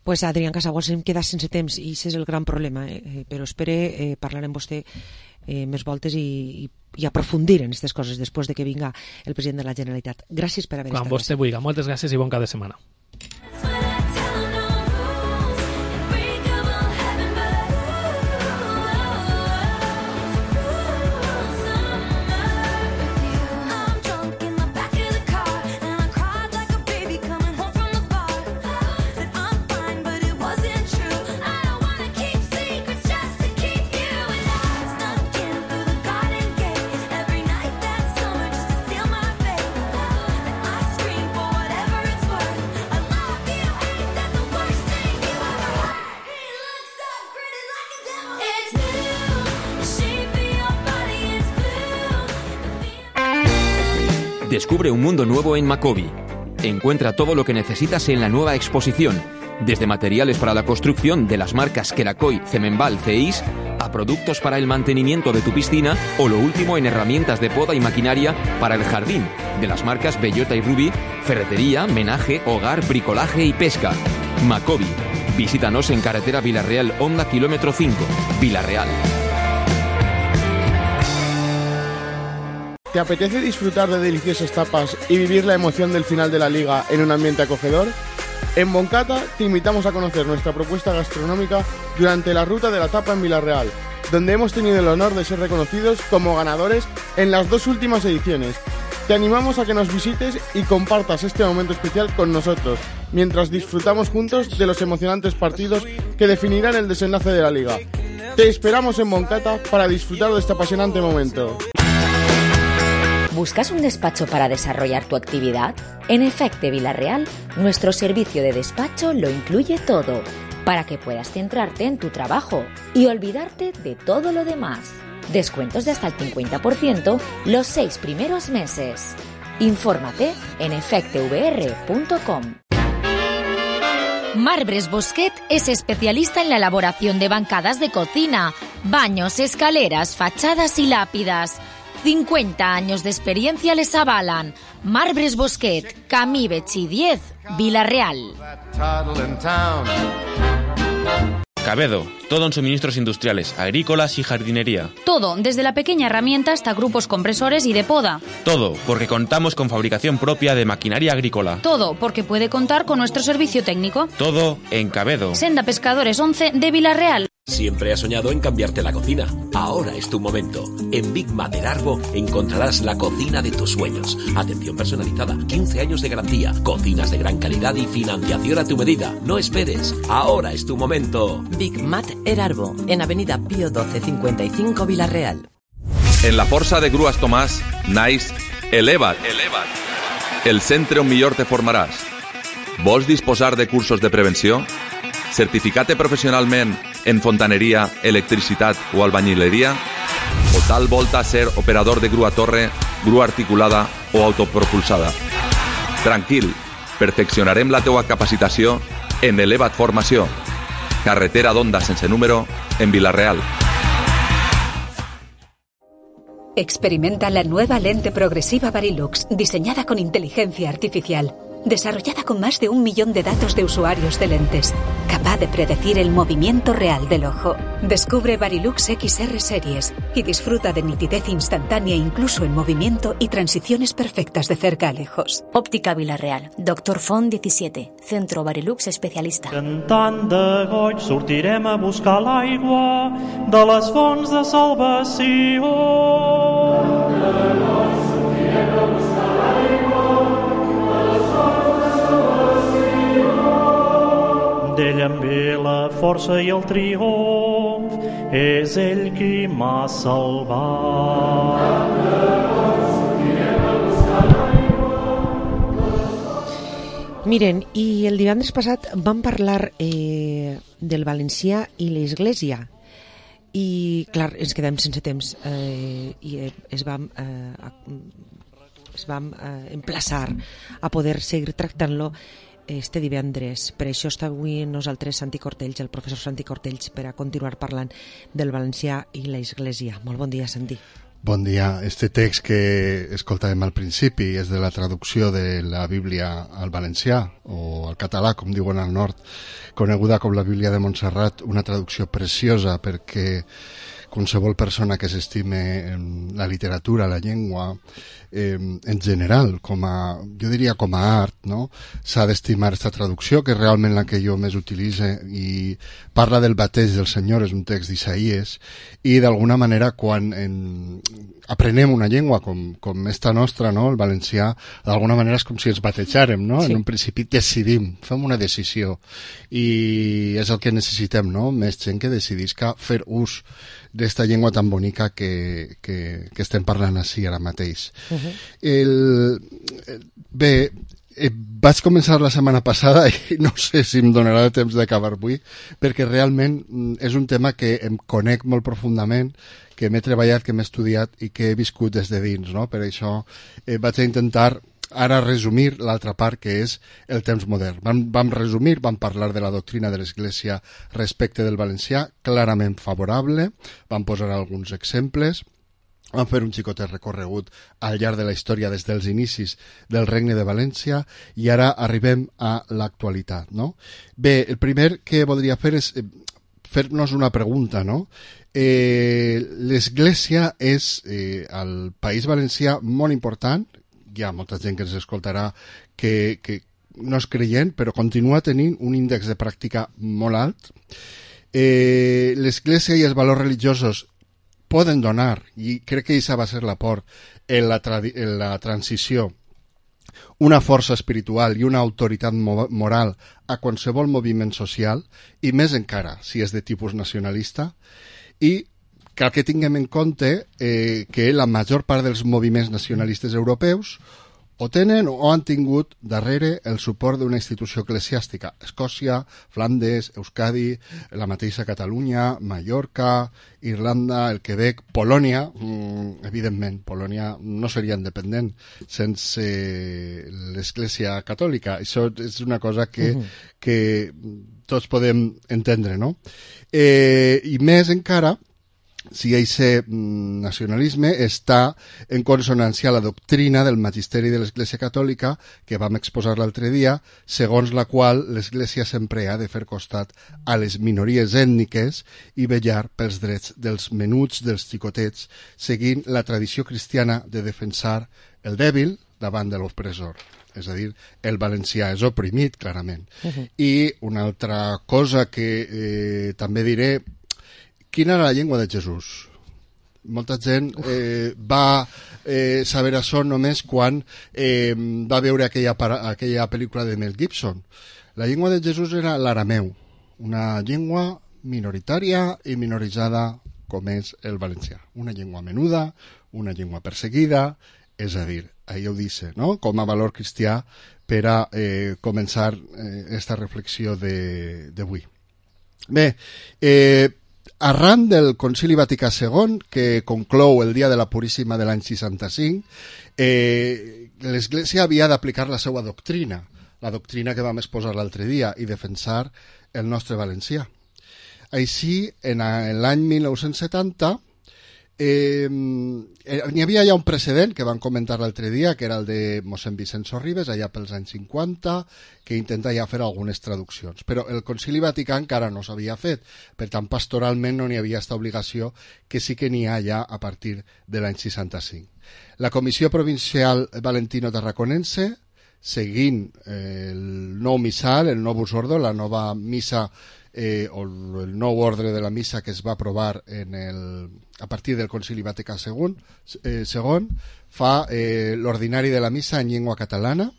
Pues Adrián Casagüas, em queda sense temps i aquest és el gran problema, però espere parlar amb vostè més voltes i aprofundir en aquestes coses després de que vinga el president de la Generalitat. Gràcies per haver estat. Quan vostè vulgui. Moltes gràcies i bon cap de setmana. Descubre un mundo nuevo en Macobi. Encuentra todo lo que necesitas en la nueva exposición, desde materiales para la construcción de las marcas Kerakoy, Cemenbal, Ceis, a productos para el mantenimiento de tu piscina o lo último en herramientas de poda y maquinaria para el jardín, de las marcas Bellota y Rubí, ferretería, menaje, hogar, bricolaje y pesca. Macobi. Visítanos en carretera Vila-real Honda kilómetro 5, Vila-real. ¿Te apetece disfrutar de deliciosas tapas y vivir la emoción del final de la liga en un ambiente acogedor? En Boncata te invitamos a conocer nuestra propuesta gastronómica durante la ruta de la tapa en Vila-real, donde hemos tenido el honor de ser reconocidos como ganadores en las 2 últimas ediciones. Te animamos a que nos visites y compartas este momento especial con nosotros, mientras disfrutamos juntos de los emocionantes partidos que definirán el desenlace de la Liga. Te esperamos en Moncata para disfrutar de este apasionante momento. ¿Buscas un despacho para desarrollar tu actividad? En Efecte Vila-real, nuestro servicio de despacho lo incluye todo, para que puedas centrarte en tu trabajo y olvidarte de todo lo demás. Descuentos de hasta el 50% los 6 primeros meses. Infórmate en efectevr.com. Marbres Bosquet es especialista en la elaboración de bancadas de cocina, baños, escaleras, fachadas y lápidas. 50 años de experiencia les avalan. Marbres Bosquet, Camí Betxí 10, Vila-real. Cabedo, todo en suministros industriales, agrícolas y jardinería. Todo, desde la pequeña herramienta hasta grupos compresores y de poda. Todo, porque contamos con fabricación propia de maquinaria agrícola. Todo, porque puede contar con nuestro servicio técnico. Todo en Cabedo. Senda Pescadores 11 de Vila-real. Siempre has soñado en cambiarte la cocina. Ahora es tu momento. En Big Mater Arbo encontrarás la cocina de tus sueños. Atención personalizada, 15 años de garantía, cocinas de gran calidad y financiación a tu medida. No esperes. Ahora es tu momento. Big Mater Arbo, en Avenida Pío 12 55 Vila-real. En la Força de Grues Tomàs, naix Eleva't. El centre on millor te formaràs. Vols disposar de cursos de prevenció? Certificar-te professionalment en fontaneria, electricitat o albañileria? O tal volta ser operador de grua torre, grua articulada o autopropulsada? Tranquil, perfeccionarem la teua capacitació en Eleva't Formació. Carretera d'Onda sense número, en Vila-real. Experimenta la nueva lente progresiva Varilux, diseñada con inteligencia artificial, desarrollada con más de 1 millón de datos de usuarios de lentes, capaz de predecir el movimiento real del ojo. Descubre Varilux XR Series y disfruta de nitidez instantánea incluso en movimiento y transiciones perfectas de cerca a lejos. Óptica Vila-real, Dr. Font 17, Centro Varilux especialista. Cantant de goig sortirem a buscar l'aigua de les fonts de salvació. D'ell em ve la força i el triomf, és ell qui m'ha salvat. Miren, i el divendres passat vam parlar del valencià i l'església. I, clar, ens quedem sense temps i es vam emplaçar a poder seguir tractant-lo este divendres. Per això està avui amb nosaltres Santi Cortells, el professor Santi Cortells, per a continuar parlant del valencià i l'església. Molt bon dia, Santi. Bon dia. Este text que escoltàvem al principi és de la traducció de la Bíblia al valencià, o al català, com diuen al nord, coneguda com la Bíblia de Montserrat, una traducció preciosa perquè qualsevol persona que s'estime la literatura, la llengua, en general, jo diria com a art, no? S'ha d'estimar aquesta traducció, que és realment la que jo més utilitze, i parla del bateig del Senyor, és un text d'Isaïes, i d'alguna manera quan aprenem una llengua com esta nostra, no? El valencià, d'alguna manera és com si ens batejàrem, no? Sí. En un principi decidim, fem una decisió, i és el que necessitem, no? Més gent que decidisca fer ús d'esta llengua tan bonica que estem parlant així ara mateix. Bé, vaig començar la setmana passada i no sé si em donarà temps d'acabar avui, perquè realment és un tema que em conec molt profundament, que m'he treballat, que m'he estudiat i que he viscut des de dins, no? Per això vaig intentar ara resumir l'altra part, que és el temps modern. Vam resumir, vam parlar de la doctrina de l'Església respecte del valencià, clarament favorable, vam posar alguns exemples, vam fer un xicotet recorregut al llarg de la història des dels inicis del Regne de València i ara arribem a l'actualitat, no? Bé, el primer que voldria fer és fer-nos una pregunta, no? L'Església és al País Valencià molt important, hi ha molta gent que ens escoltarà que no és creient, però continua tenint un índex de pràctica molt alt. L'Església i els valors religiosos poden donar, i crec que aquesta va ser l'aport en la transició, una força espiritual i una autoritat moral a qualsevol moviment social, i més encara si és de tipus nacionalista, i cal que tinguem en compte que la major part dels moviments nacionalistes europeus o tenen o han tingut darrere el suport d'una institució eclesiàstica. Escòcia, Flandes, Euskadi, la mateixa Catalunya, Mallorca, Irlanda, el Quebec, Polònia, evidentment, Polònia no seria independent sense l'Església Catòlica. Això és una cosa que tots podem entendre, no? I més encara, si aquest nacionalisme està en consonància a la doctrina del magisteri de l'Església Catòlica que vam exposar l'altre dia, segons la qual l'Església sempre ha de fer costat a les minories ètniques i vetllar pels drets dels menuts, dels xicotets, seguint la tradició cristiana de defensar el dèbil davant de l'opressor. És a dir, el valencià és oprimit, clarament. I una altra cosa que també diré, quina era la llengua de Jesús? Molta gent va saber això només quan va veure aquella pel·lícula de Mel Gibson. La llengua de Jesús era l'arameu, una llengua minoritària i minoritzada com és el valencià. Una llengua menuda, una llengua perseguida, és a dir, ahí ho dice, no? Com a valor cristià per a començar esta reflexió d'avui. Bé, arran del Concili Vaticà II, que conclou el dia de la Puríssima de l'any 65, l'Església havia d'aplicar la seva doctrina, la doctrina que vam exposar l'altre dia, i defensar el nostre valencià. Així, en l'any 1970, n'hi havia ja un precedent que vam comentar l'altre dia, que era el de mossèn Vicenç Sorribes, allà pels anys 50, que intenta ja fer algunes traduccions. Però el Concili Vaticà encara no s'havia fet, per tant, pastoralment no n'hi havia aquesta obligació, que sí que n'hi ha ja a partir de l'any 65. La Comissió Provincial Valentino-Tarraconense, seguint el nou missal, el novus ordo, la nova missa o el nou ordre de la missa que es va aprovar a partir del Concili Vaticà II, fa l'ordinari de la missa en llengua catalana,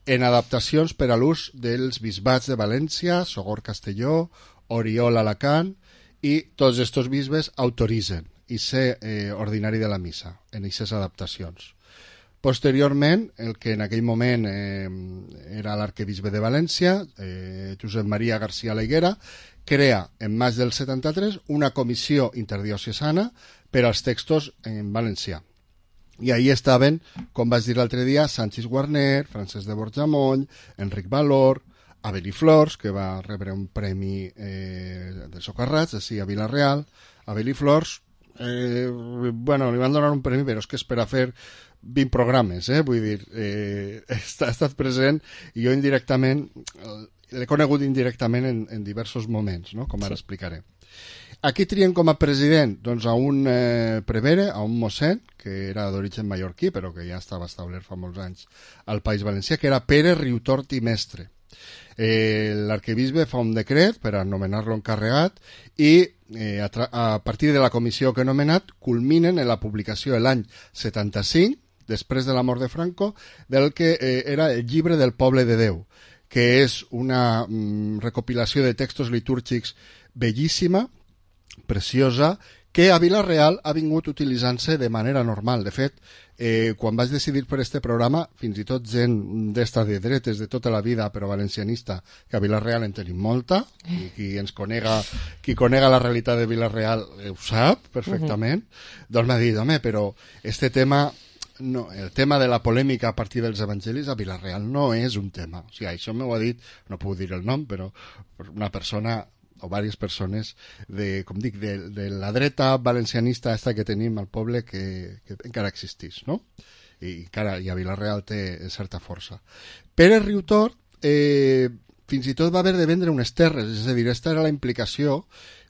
en adaptacions per a l'ús dels bisbats de València, Sogorb Castelló, Oriol Alacant, i tots aquests bisbes autoritzen i ser ordinari de la missa en aquestes adaptacions. Posteriorment, el que en aquell moment era l'arquebisbe de València, Josep Maria García Leiguera, crea en maig del 73 una comissió interdiocesana per als textos en valencià. I ahí estaven, com vaig dir l'altre dia, Sanchis Guarner, Francesc de Borjamoll, Enric Valor, Avel i Flors, que va rebre un premi de Socarrats, així a Vila-real. Avel i Flors, bueno, li van donar un premi, però és que és per a fer 20 programes, vull dir, ha estat present i jo indirectament, l'he conegut indirectament en diversos moments, no? Com ara explicaré. Aquí trien com a president doncs, a un prevere, a un mossèn, que era d'origen mallorquí, però que ja estava establert fa molts anys al País Valencià, que era Pere Riutort i Mestre. L'arquebisbe fa un decret per anomenar-lo encarregat i a partir de la comissió que he nomenat culminen en la publicació de l'any 75, després de la mort de Franco, del que era el Llibre del Poble de Déu, que és una recopilació de textos litúrgics bellíssima, preciosa, que a Vila-real ha vingut utilitzant-se de manera normal. De fet, quan vaig decidir per este programa, fins i tot gent d'esta de dretes de tota la vida, però valencianista, que a Vila-real en tenim molta, i qui conega la realitat de Vila-real ho sap perfectament, doncs m'ha dit, home, però este tema... No, el tema de la polèmica a partir dels evangelis a Vila-real no és un tema. O sigui, això m'ho ha dit, no puc dir el nom, però una persona o diverses persones com dic, de la dreta valencianista esta que tenim al poble que encara existeix, no? I encara a Vila-real té certa força. Pere Riutort fins i tot va haver de vendre unes terres, és a dir, aquesta era la implicació,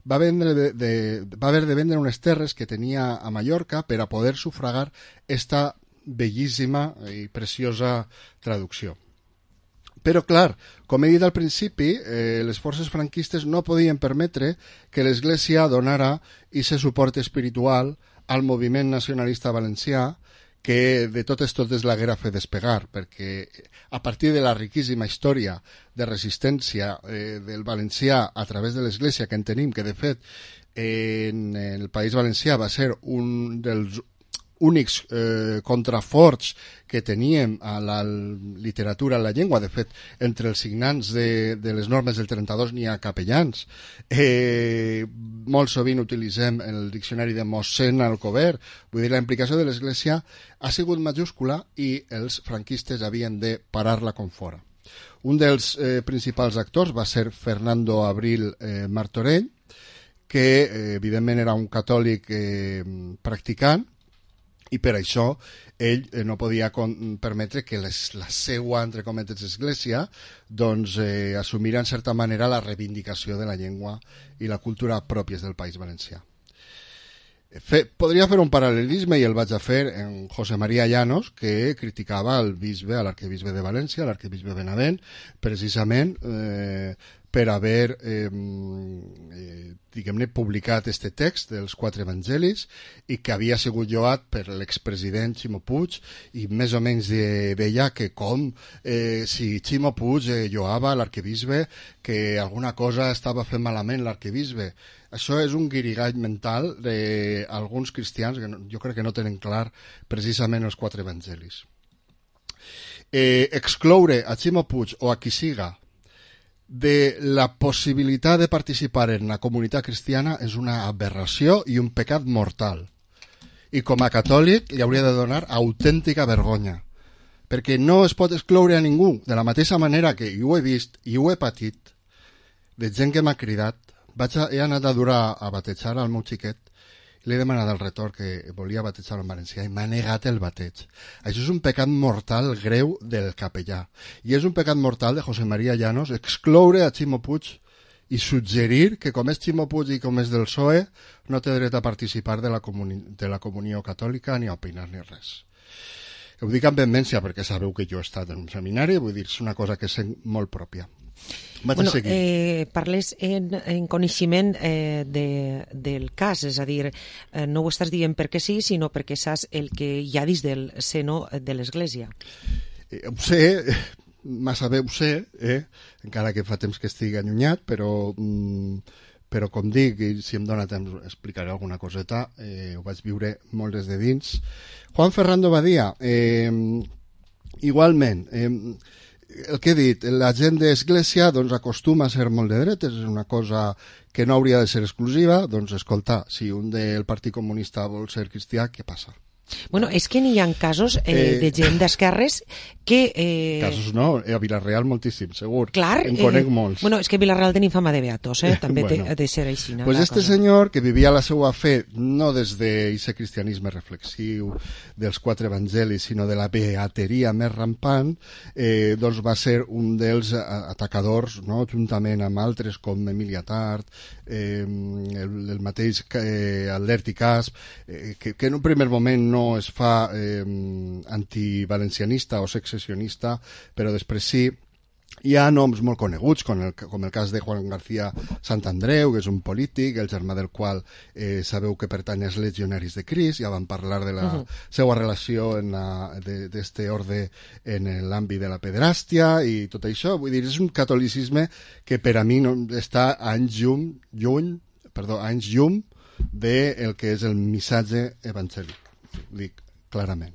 va haver de vendre unes terres que tenia a Mallorca per a poder sufragar esta bellíssima i preciosa traducció. Però, clar, com he dit al principi, les forces franquistes no podien permetre que l'Església donara aquest suport espiritual al moviment nacionalista valencià que de totes l'haguera fet despegar, perquè a partir de la riquíssima història de resistència del valencià a través de l'Església que en tenim, que de fet en el País Valencià va ser un dels únics contraforts que teníem a la literatura, a la llengua. De fet, entre els signants de les normes del 32 n'hi ha capellans. Molt sovint utilitzem el diccionari de Mossèn Alcover. Vull dir, la implicació de l'Església ha sigut majúscula i els franquistes havien de parar-la com fora. Un dels principals actors va ser Fernando Abril Martorell, que evidentment era un catòlic practicant, i per això ell no podia permetre que la seva, entre cometes, església doncs assumira en certa manera la reivindicació de la llengua i la cultura pròpies del País Valencià. Podria fer un paral·lelisme, i el vaig a fer, en José María Llanos, que criticava al bisbe, a l'arquebisbe de València, a l'arquebisbe Benavent, precisament per haver diguem-ne publicat este text dels 4 evangelis, i que havia sigut lloat per l'expresident Ximo Puig, i més o menys deia que com si Ximo Puig lloava l'arquebisbe, que alguna cosa estava fent malament l'arquebisbe. Això és un guirigall mental d'alguns cristians que jo crec que no tenen clar precisament els 4 evangelis. Excloure a Ximo Puig o a qui siga de la possibilitat de participar en la comunitat cristiana és una aberració i un pecat mortal. I com a catòlic li hauria de donar autèntica vergonya, perquè no es pot excloure a ningú, de la mateixa manera que ho he vist i ho he patit de gent que m'ha cridat. He anat a durar a batejar al meu xiquet, li he demanat al retor que volia batejar en valencià i m'ha negat el bateig. Això és un pecat mortal greu del capellà, i és un pecat mortal de José María Llanos excloure a Ximo Puig i suggerir que com és Ximo Puig i com és del PSOE no té dret a participar de la comunió catòlica ni a opinar ni res. Ho dic amb vehemència perquè sabeu que jo he estat en un seminari, vull dir, és una cosa que sent molt pròpia. Parles en coneixement del cas, és a dir, no ho estàs dient perquè sí, sinó perquè saps el que hi ha dins del seno de l'Església. Ho sé, massa bé ho sé, encara que fa temps que estigui allunyat, però com dic, i si em dóna temps explicaré alguna coseta, ho vaig viure molt des de dins. Juan Ferrando Badia, igualment, el que he dit, la gent d'Església doncs, acostuma a ser molt de dretes, és una cosa que no hauria de ser exclusiva. Doncs escolta, si un del Partit Comunista vol ser cristià, què passa? Bueno, és que n'hi ha casos de gent d'esquerres que... Casos no, a Vilareal moltíssim, segur. Clar. En conec molts. Bueno, és que Vilareal tenim fama de beatos, també ha de ser així. Pues este senyor, que vivia la seva fe no des d'aquest cristianisme reflexiu dels 4 evangelis, sinó de la beateria més rampant, doncs va ser un dels atacadors, no? Juntament amb altres com Emilia Tart, el mateix Alberti Casp, que en un primer moment no es fa antivalencianista o secessionista, però després sí. Hi ha noms molt coneguts, com el cas de Juan García Santandreu, que és un polític, el germà del qual sabeu que pertany als Legionaris de Crist. Ja vam parlar de la seva relació d'este ordre en l'àmbit de la pederàstia i tot això. Vull dir, és un catolicisme que per a mi està a anys llum del que és el missatge evangèlic. Dic clarament.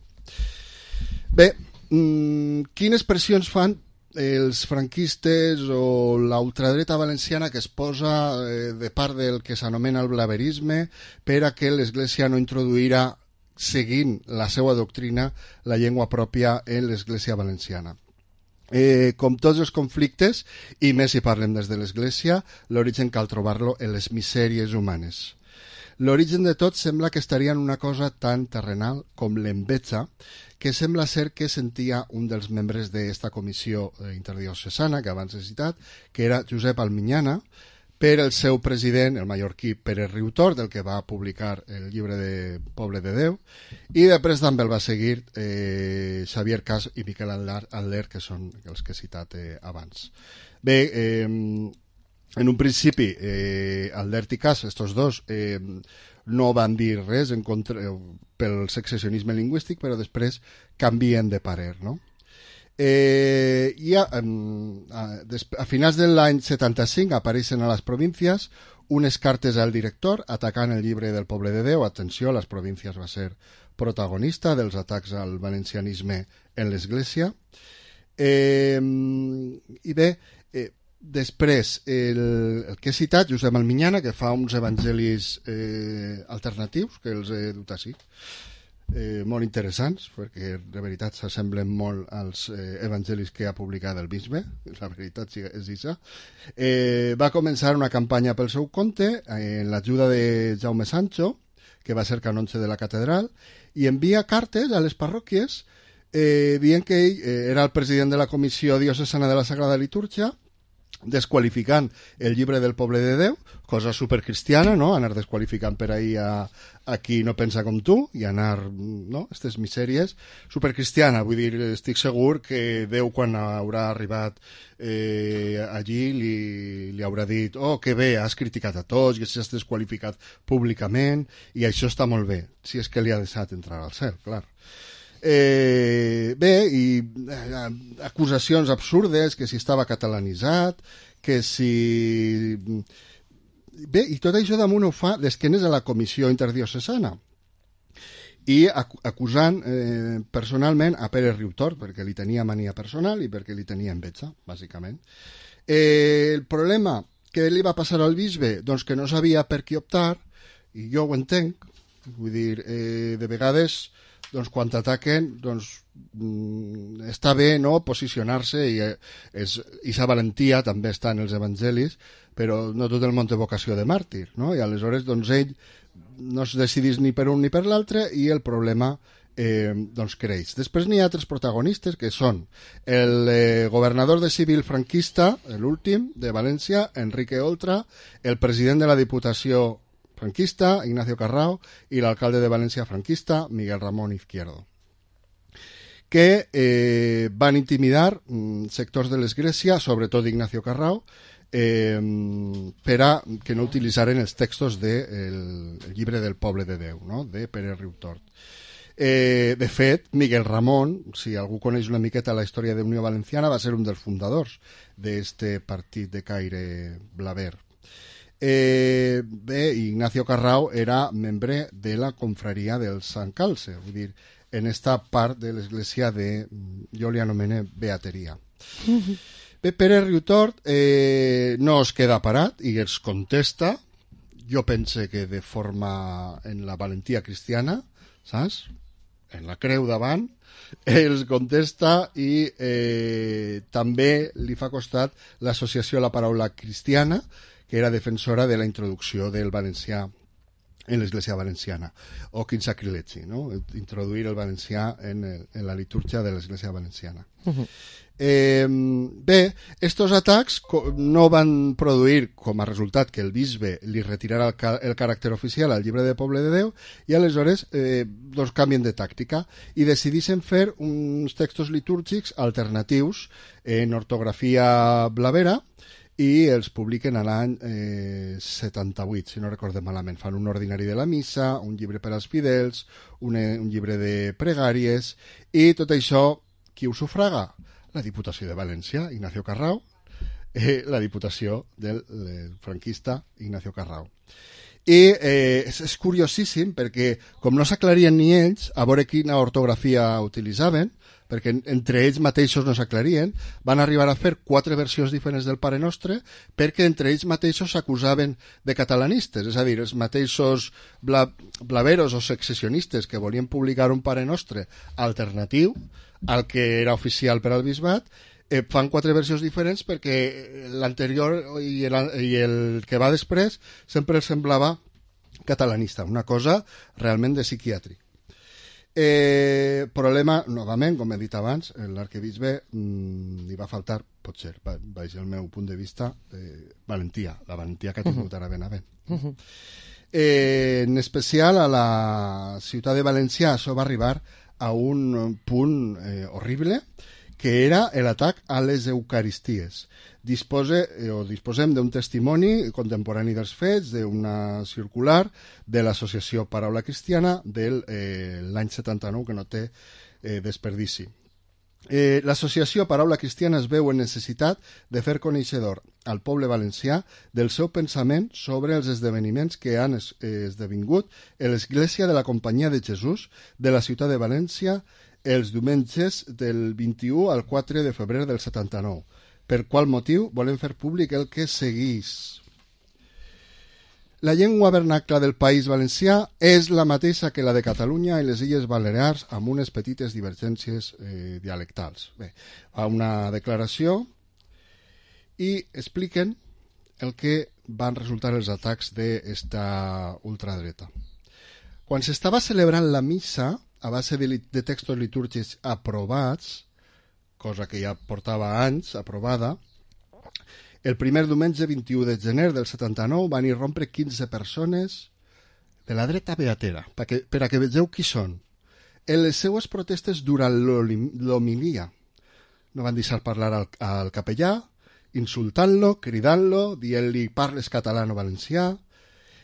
Bé, quines pressions fan els franquistes o la ultradreta valenciana que es posa de part del que s'anomena el blaverisme per a que l'Església no introduirà, seguint la seva doctrina, la llengua pròpia en l'Església valenciana? Com tots els conflictes, i més si parlem des de l'Església, l'origen cal trobar-lo en les misèries humanes. L'origen de tot sembla que estaria en una cosa tan terrenal com l'enveja, que sembla ser que sentia un dels membres d'esta comissió interdiocesana que abans he citat, que era Josep Alminyana, per el seu president, el mallorquí Pere Riutort, del que va publicar el llibre de Poble de Déu, i després també el va seguir Xavier Cas i Miquel Adler, que són els que he citat abans. Bé, en un principi, Adler i Cas, estos dos, no van dir res en contra pel secessionisme lingüístic, però després canvien de parer, no? A finals de l'any 75 apareixen a les províncies unes cartes al director atacant el llibre del Poble de Déu. Atenció, les províncies va ser protagonista dels atacs al valencianisme en l'Església. I bé, després el que he citat, Josep Alminyana, que fa uns evangelis alternatius, que els he dut així, molt interessants, perquè de veritat s'assemblen molt als evangelis que ha publicat el bisbe, la veritat és això. Va començar una campanya pel seu compte en l'ajuda de Jaume Sancho, que va ser canonge de la catedral, i envia cartes a les parròquies dient que ell era el president de la Comissió Diocesana de la Sagrada Litúrgia, desqualificant el llibre del Poble de Déu, cosa supercristiana, no? Anar desqualificant per ahir a qui no pensa com tu i anar, no? Aquestes misèries, supercristiana, vull dir, estic segur que Déu quan haurà arribat allí li haurà dit, oh, que bé, has criticat a tots i has desqualificat públicament i això està molt bé, si és que li ha deixat entrar al cel, clar. Bé, i acusacions absurdes, que si estava catalanitzat, que si... Bé, i tot això damunt ho fa d'esquenes a la Comissió Interdiocesana i acusant personalment a Pere Riutort, perquè li tenia mania personal i perquè li tenia enveja, bàsicament. El problema que li va passar al bisbe, doncs que no sabia per qui optar, i jo ho entenc, vull dir, de vegades... doncs quan t'ataquen està bé, no?, posicionar-se i aquesta valentia també està en els evangelis, però no tot el món té vocació de màrtir, no? I aleshores doncs ell no es decidís ni per un ni per l'altre i el problema doncs creix. Després n'hi ha altres protagonistes que són el governador de civil franquista, l'últim de València, Enrique Oltra, el president de la Diputació franquista, Ignacio Carrao, i l'alcalde de València franquista, Miguel Ramón Izquierdo, que van intimidar sectors de l'Església, sobretot Ignacio Carrao, per a que no utilitzaren els textos del llibre del Poble de Déu, no?, de Pere Riutort. De fet, Miguel Ramón, si algú coneix una miqueta la història d'Unió Valenciana, va ser un dels fundadors d'este partit de caire blaver. Bé, Ignacio Carrao era membre de la confraria del Sant Calce, vull dir, en esta part de l'església de, jo li anomene beateria. Bé, Pere Riutort no es queda parat i els contesta, jo pense que de forma en la valentia cristiana, saps? En la creu davant, els contesta i també li fa costat l'associació a la paraula cristiana, que era defensora de la introducció del valencià en l'Església Valenciana, o quin sacrilegi, no?, introduir el valencià en la litúrgia de l'Església Valenciana. Bé, estos atacs no van produir com a resultat que el bisbe li retirara el caràcter oficial al llibre de Poble de Déu i aleshores doncs canvien de tàctica i decideixen fer uns textos litúrgics alternatius en ortografia blavera i els publiquen a l'any 78, si no recordem malament. Fan un ordinari de la missa, un llibre per als fidels, un llibre de pregàries, i tot això, qui ho sufraga? La Diputació de València, Ignacio Carrao, la Diputació del franquista Ignacio Carrao. I és curiosíssim perquè, com no s'aclarien ni ells, a veure quina ortografia utilitzaven, perquè entre ells mateixos no s'aclarien, van arribar a fer 4 versions diferents del Pare Nostre perquè entre ells mateixos s'acusaven de catalanistes, és a dir, els mateixos blaveros o secessionistes que volien publicar un Pare Nostre alternatiu al que era oficial per al bisbat, fan 4 versions diferents perquè l'anterior i el que va després sempre semblava catalanista, una cosa realment de psiquiàtric. problema, novament, com he dit abans, l'arquebisbe li va faltar, potser, baix el meu punt de vista, valentia, la valentia que ha tingut ara ben a ben. En especial a la ciutat de València això va arribar a un punt horrible, que era l'atac a les Eucaristies. Disposem d'un testimoni contemporani dels fets, d'una circular de l'associació Paraula Cristiana de l'any 79, que no té desperdici. L'associació Paraula Cristiana es veu en necessitat de fer coneixedor al poble valencià del seu pensament sobre els esdeveniments que han esdevingut a l'Església de la Companyia de Jesús de la ciutat de València els diumenges del 21 al 4 de febrer del 79. Per qual motiu volem fer públic el que segueix. La llengua vernacla del País Valencià és la mateixa que la de Catalunya i les Illes Balears, amb unes petites divergències dialectals. Bé, fa una declaració i expliquen el que van resultar els atacs d'esta ultradreta. Quan s'estava celebrant la missa, a base de textos litúrgics aprovats, cosa que ja portava anys aprovada, el primer diumenge 21 de gener del 79 van irrompre 15 persones de la dreta beatera, per a que vegeu qui són. En les seues protestes durant l'homilia no van deixar parlar al capellà, insultant-lo, cridant-lo, dient-li parles català o valencià.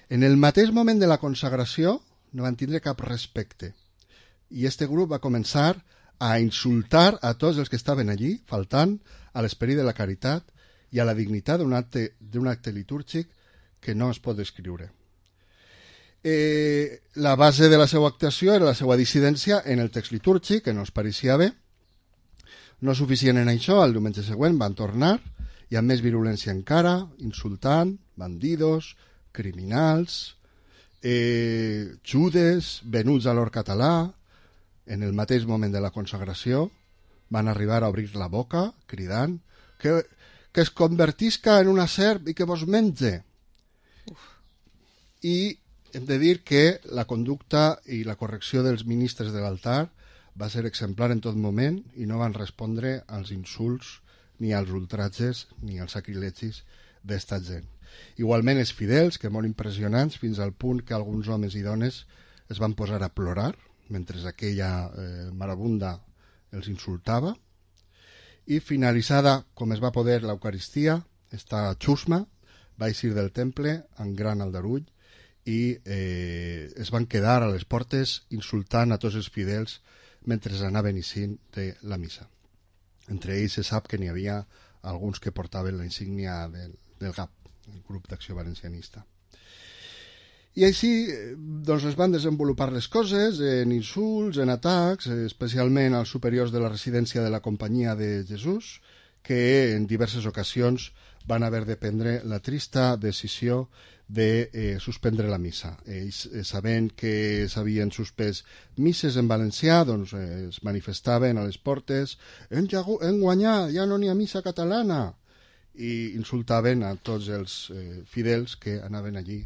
En el mateix moment de la consagració no van tindre cap respecte. I este grup va començar a insultar a tots els que estaven allí, faltant a l'esperit de la caritat i a la dignitat d'un acte litúrgic que no es pot descriure. La base de la seva actuació era la seva dissidència en el text litúrgic, que no es pareixia bé. No suficient en això, el diumenge següent van tornar, i amb més virulència encara, insultant, bandidos, criminals, judes, venuts a l'or català. En el mateix moment de la consagració van arribar a obrir la boca, cridant que es convertisca en una serp i que vos menge. I hem de dir que la conducta i la correcció dels ministres de l'altar va ser exemplar en tot moment i no van respondre als insults, ni als ultratges, ni als sacrilegis d'esta gent. Igualment els fidels, que molt impressionants, fins al punt que alguns homes i dones es van posar a plorar mentre aquella marabunda els insultava. I finalitzada com es va poder l'Eucaristia, esta xusma va eixir del temple amb gran aldarull i es van quedar a les portes insultant a tots els fidels mentre anaven eixint de la missa. Entre ells se sap que n'hi havia alguns que portaven la insígnia del GAP, el Grup d'Acció Valencianista. I així doncs, es van desenvolupar les coses en insults, en atacs, especialment als superiors de la residència de la Companyia de Jesús, que en diverses ocasions van haver de prendre la trista decisió de suspendre la missa. Ells, sabent que s'havien suspès misses en valencià, doncs es manifestaven a les portes hem guanyat, ja no n'hi ha missa catalana, i insultaven a tots els fidels que anaven allí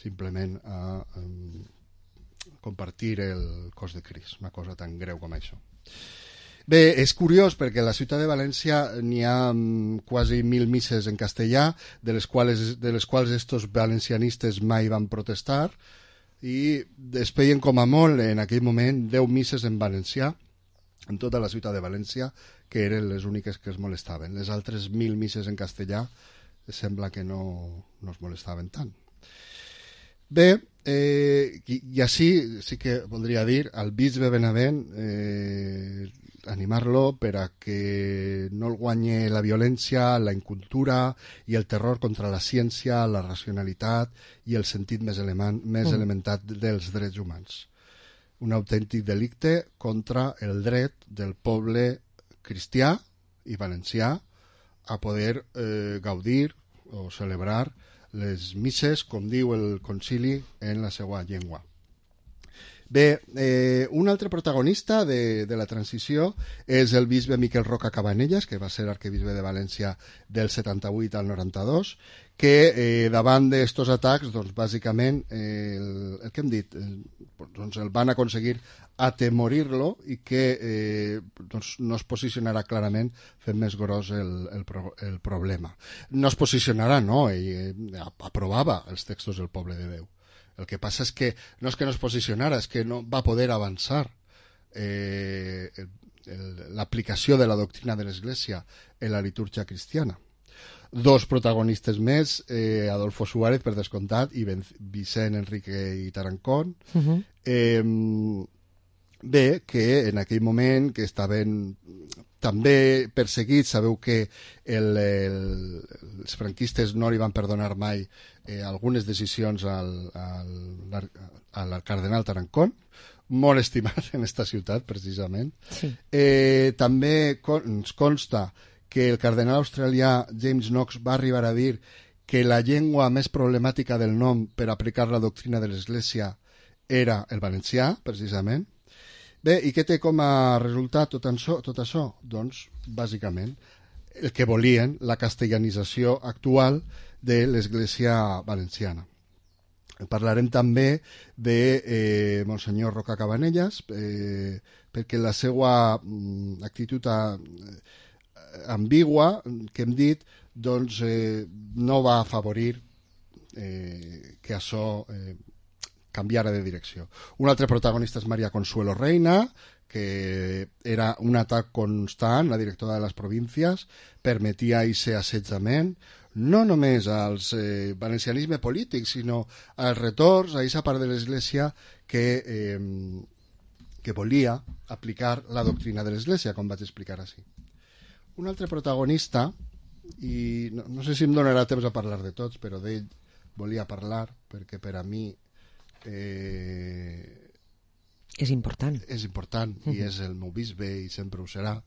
simplement a compartir el cos de Crist, una cosa tan greu com això. Bé, és curiós perquè a la ciutat de València n'hi ha quasi 1.000 misses en castellà, de les quals estos valencianistes mai van protestar, i es feien com a molt en aquell moment 10 misses en valencià, en tota la ciutat de València, que eren les úniques que es molestaven. Les altres 1.000 misses en castellà sembla que no es molestaven tant. Bé, i així sí que voldria dir al bisbe Benavent animar-lo per a que no el guanye la violència, la incultura i el terror contra la ciència, la racionalitat i el sentit més elementat dels drets humans. Un autèntic delicte contra el dret del poble cristià i valencià a poder gaudir o celebrar les misses, com diu el concili, en la seva llengua. Bé, un altre protagonista de la transició és el bisbe Miquel Roca Cabanellas, que va ser arquebisbe de València del 78 al 92, que davant d'estos atacs, doncs, bàsicament, el que hem dit, doncs el van aconseguir atemorir-lo i que doncs, no es posicionarà clarament fent més gros el problema. No es posicionarà, no, ell aprovava els textos del poble de Déu. El que passa és que no es posicionara, és que no va poder avançar l'aplicació de la doctrina de l'Església en la litúrgia cristiana. Dos protagonistes més, Adolfo Suárez, per descomptat, i Vicent Enrique i Tarancón. Bé, que en aquell moment que estaven també perseguits, sabeu que els franquistes no li van perdonar mai algunes decisions al cardenal Tarancón, molt estimat en esta ciutat, precisament. Sí. També ens consta que el cardenal australià James Knox va arribar a dir que la llengua més problemàtica del nom per aplicar la doctrina de l'Església era el valencià, precisament. Bé, i què té com a resultat tot això? Doncs, bàsicament, el que volien, la castellanització actual de l'Església valenciana. Parlarem també de Monsenyor Roca Cabanellas, perquè la seva actitud ambigua, que hem dit, doncs no va afavorir que això canviara de direcció. Un altre protagonista és Maria Consuelo Reina, que era un atac constant, la directora de les províncies, permetia aquest assetjament, no només als valencianisme polític, sinó als retorns, a aquesta part de l'Església que volia aplicar la doctrina de l'Església, com vaig explicar així. Un altre protagonista, i no sé si em donarà temps a parlar de tots, però d'ell volia parlar, perquè per a mi és important. És important, i és el meu bisbe, i sempre ho serà,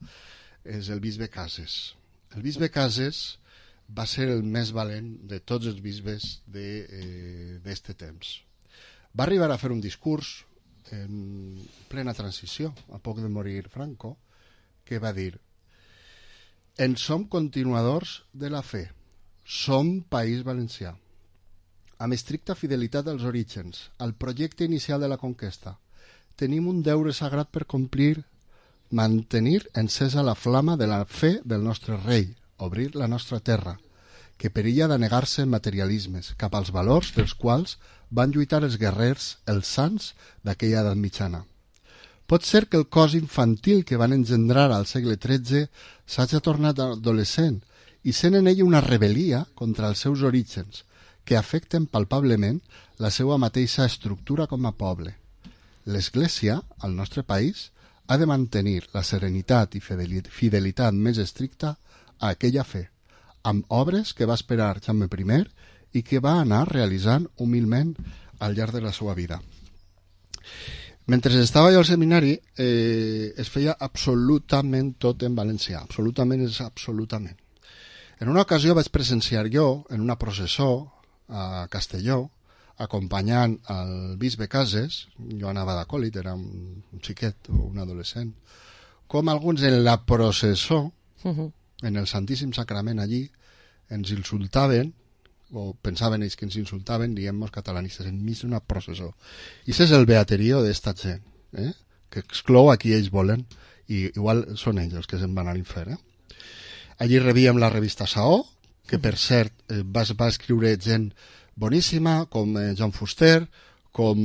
és el bisbe Cases. El bisbe Cases va ser el més valent de tots els bisbes d'este temps. Va arribar a fer un discurs en plena transició, a poc de morir Franco, que va dir: en som continuadors de la fe, som País Valencià, amb estricta fidelitat als orígens, al projecte inicial de la conquesta. Tenim un deure sagrat per complir, mantenir encesa la flama de la fe del nostre rei, obrir la nostra terra, que perilla de negar-se en materialismes, cap als valors dels quals van lluitar els guerrers, els sants d'aquella edat mitjana. Pot ser que el cos infantil que van engendrar al segle XIII s'hagi tornat adolescent i sent en ell una rebel·lia contra els seus orígens, que afecten palpablement la seva mateixa estructura com a poble. L'Església, al nostre país, ha de mantenir la serenitat i fidelitat més estricta a aquella fe, amb obres que va esperar Jaume I i que va anar realitzant humilment al llarg de la seva vida. Mentre estava jo al seminari es feia absolutament tot en valencià, absolutament és absolutament. En una ocasió vaig presenciar jo en una processó a Castelló, acompanyant el bisbe Cases, jo anava d'acòlit, era un xiquet o un adolescent, com alguns en la processó, en el Santíssim Sacrament allí, ens insultaven, o pensaven ells que ens insultaven, diem-nos catalanistes, enmig d'una processó. I això és el beaterio d'esta gent, que exclou a qui ells volen, i igual són ells els que se'n van a l'infern. Allí rebíem la revista Saó, que per cert va escriure gent boníssima, com Joan Fuster, com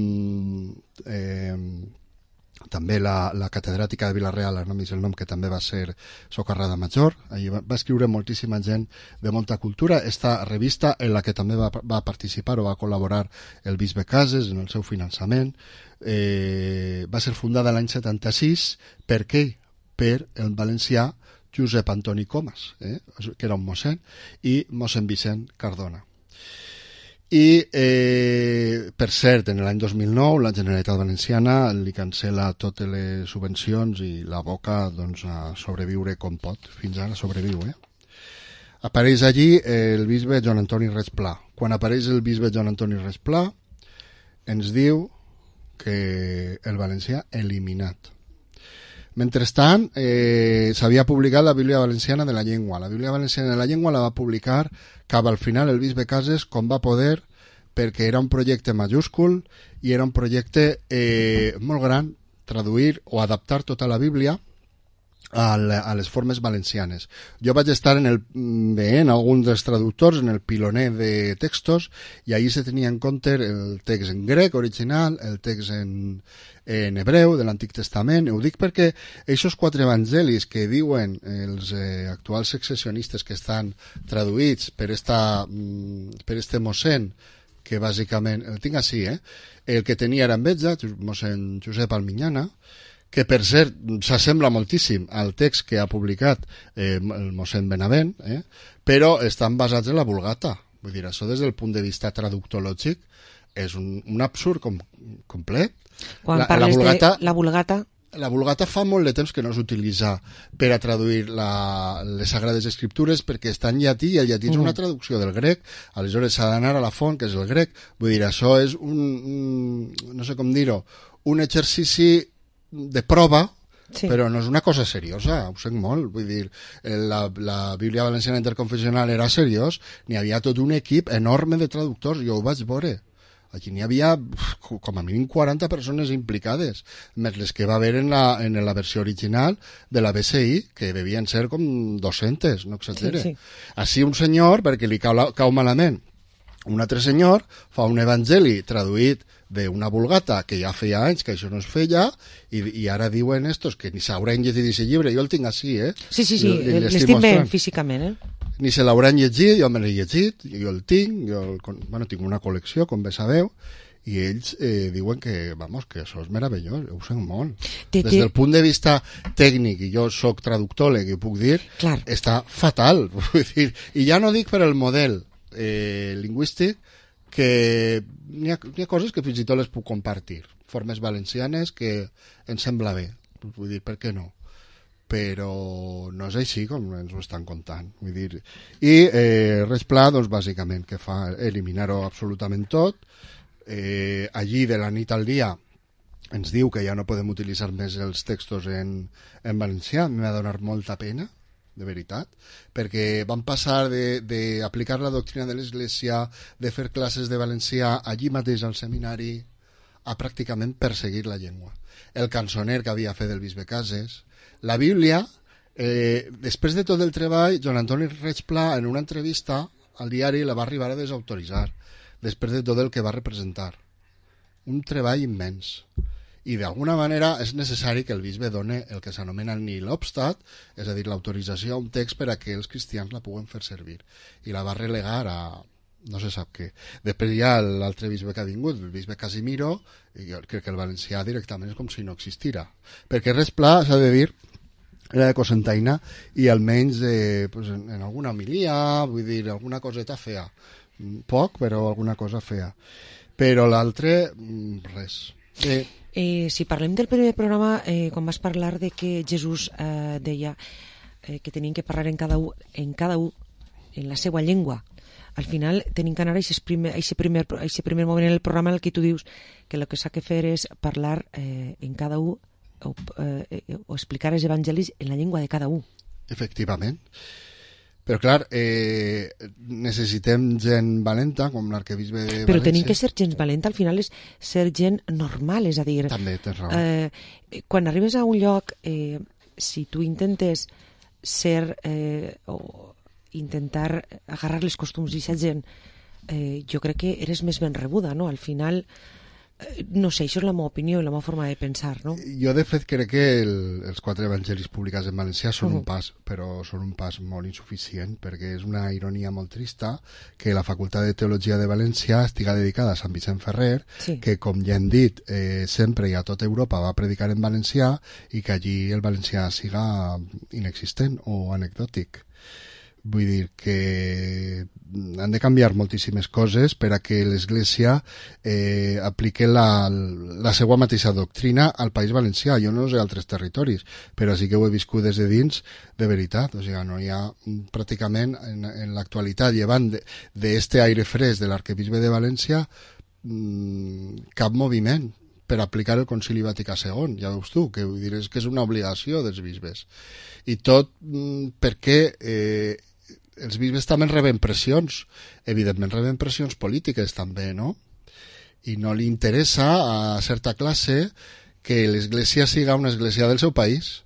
també la catedràtica de Vila-real, no m'és el nom, que també va ser socarrada major. Allí va escriure moltíssima gent de molta cultura. Esta revista, en la que també va participar o va col·laborar el bisbe Cases en el seu finançament, va ser fundada l'any 76. Per què? Per el valencià Josep Antoni Comas, que era un mossèn, i mossèn Vicent Cardona. I, per cert, en l'any 2009 la Generalitat Valenciana li cancela totes les subvencions i l'aboca doncs, a sobreviure com pot. Fins ara sobreviu. Apareix allí el bisbe Joan Antoni Reig Pla. Quan apareix el bisbe Joan Antoni Reig Pla ens diu que el valencià eliminat. Mentrestant, s'havia publicat la Bíblia Valenciana de la Llengua. La Bíblia Valenciana de la Llengua la va publicar cap al final el bisbe Cases com va poder, perquè era un projecte majúscul i era un projecte molt gran, traduir o adaptar tota la Bíblia a les formes valencianes. Jo vaig estar en alguns dels traductors, en el piloner de textos, i ahí se tenia en compte el text en grec original, el text en hebreu de l'Antic Testament. Ho dic perquè aquests 4 evangelis que diuen els actuals secessionistes que estan traduïts per este mossèn, que bàsicament, el tinc així, el que tenia era enveja, mossèn Josep Alminyana, que per cert s'assembla moltíssim al text que ha publicat el mossèn Benavent, però estan basats en la Vulgata. Vull dir, això des del punt de vista traductològic és un absurd complet. Quan parles de la Vulgata... La Vulgata fa molt de temps que no s'utilitza per a traduir les Sagrades Escriptures, perquè està en llatí i el llatí és una traducció del grec, aleshores s'ha d'anar a la font, que és el grec. Vull dir, això és no sé com dir-ho, un exercici de prova, però no és una cosa seriosa, ho sent molt. Vull dir, la Bíblia Valenciana Interconfessional era seriós, n'hi havia tot un equip enorme de traductors, jo ho vaig veure. Aquí n'hi havia com a mínim 40 persones implicades, més les que va haver en la versió original de la BCI, que devien ser com 200, no exagere. Sí. Així un senyor, perquè li cau malament, un altre senyor fa un evangeli traduït d'una Vulgata que ja feia anys que això no es feia, i ara diuen estos que ni s'hauran llegit aquest llibre. Jo el tinc així, Sí, l'estic veient físicament, Ni se l'hauran llegit, jo me l'he llegit, jo el tinc, tinc una col·lecció, com bé sabeu, i ells diuen que això és meravellós, ho sent molt. Des del punt de vista tècnic, i jo sóc traductòleg i puc dir, està fatal. Vull dir, i ja no dic per el model lingüístic, que n'hi ha coses que fins i tot les puc compartir, formes valencianes que em sembla bé, vull dir, per què no? Però no és així com ens ho estan contant. Vull dir, i res pla, doncs, bàsicament, que fa eliminar-ho absolutament tot. Allí, de la nit al dia, ens diu que ja no podem utilitzar més els textos en valencià. M'ha de donar molta pena, de veritat, perquè van passar d'aplicar la doctrina de l'Església, de fer classes de valencià allí mateix al seminari, a pràcticament perseguir la llengua. El cançoner que havia fet el bisbe Cases, la Bíblia, després de tot el treball, Joan Antoni Reig Pla, en una entrevista al diari, la va arribar a desautoritzar, després de tot el que va representar. Un treball immens. I d'alguna manera és necessari que el bisbe doni el que s'anomena nil obstat, és a dir, l'autorització a un text per a que els cristians la puguen fer servir. I la va relegar a no se sap què. Després hi ha l'altre bisbe que ha vingut, el bisbe Casimiro, i jo crec que el valencià directament és com si no existira. Perquè res pla, s'ha de dir, era de Cocentaina, i almenys en alguna homilia, vull dir, alguna coseta fea. Poc, però alguna cosa fea. Però l'altre, res. Si parlem del primer programa, quan vas parlar de que Jesús deia que tenien que parlar en cada un, en la seva llengua, al final tenim que anar a aquest primer moment en el programa en el que tu dius que el que s'ha de fer és parlar en cada un o explicar els evangelis en la llengua de cada un. Efectivament. Però clar, necessitem gent valenta, com l'arquebisbe de València. Però tenim que ser gent valenta, al final és ser gent normal, és a dir... També, tens raó. Quan arribes a un lloc, si tu intentes ser o intentar agarrar les costums d'aquesta gent, jo crec que eres més ben rebuda, no? Al final... No sé, això és la meva opinió i la meva forma de pensar, no? Jo, de fet, crec que els 4 evangelis publicats en valencià són un pas, però són un pas molt insuficient, perquè és una ironia molt trista que la Facultat de Teologia de València estiga dedicada a Sant Vicent Ferrer, que, com ja hem dit, sempre i a tota Europa va predicar en valencià, i que allí el valencià siga inexistent o anecdòtic. Vull dir que han de canviar moltíssimes coses per a que l'Església apliqui la seva mateixa doctrina al País Valencià. Jo no sé altres territoris, però sí que ho he viscut des de dins de veritat. O sigui, no hi ha pràcticament en l'actualitat, llevant d'este aire fresc de l'arquebisbe de València, cap moviment per aplicar el Concili Vaticà II, ja veus tu, que vull dir, és que és una obligació dels bisbes. I tot perquè els bisbes també reben pressions, evidentment reben pressions polítiques també, no? I no li interessa a certa classe que l'església siga una església del seu país.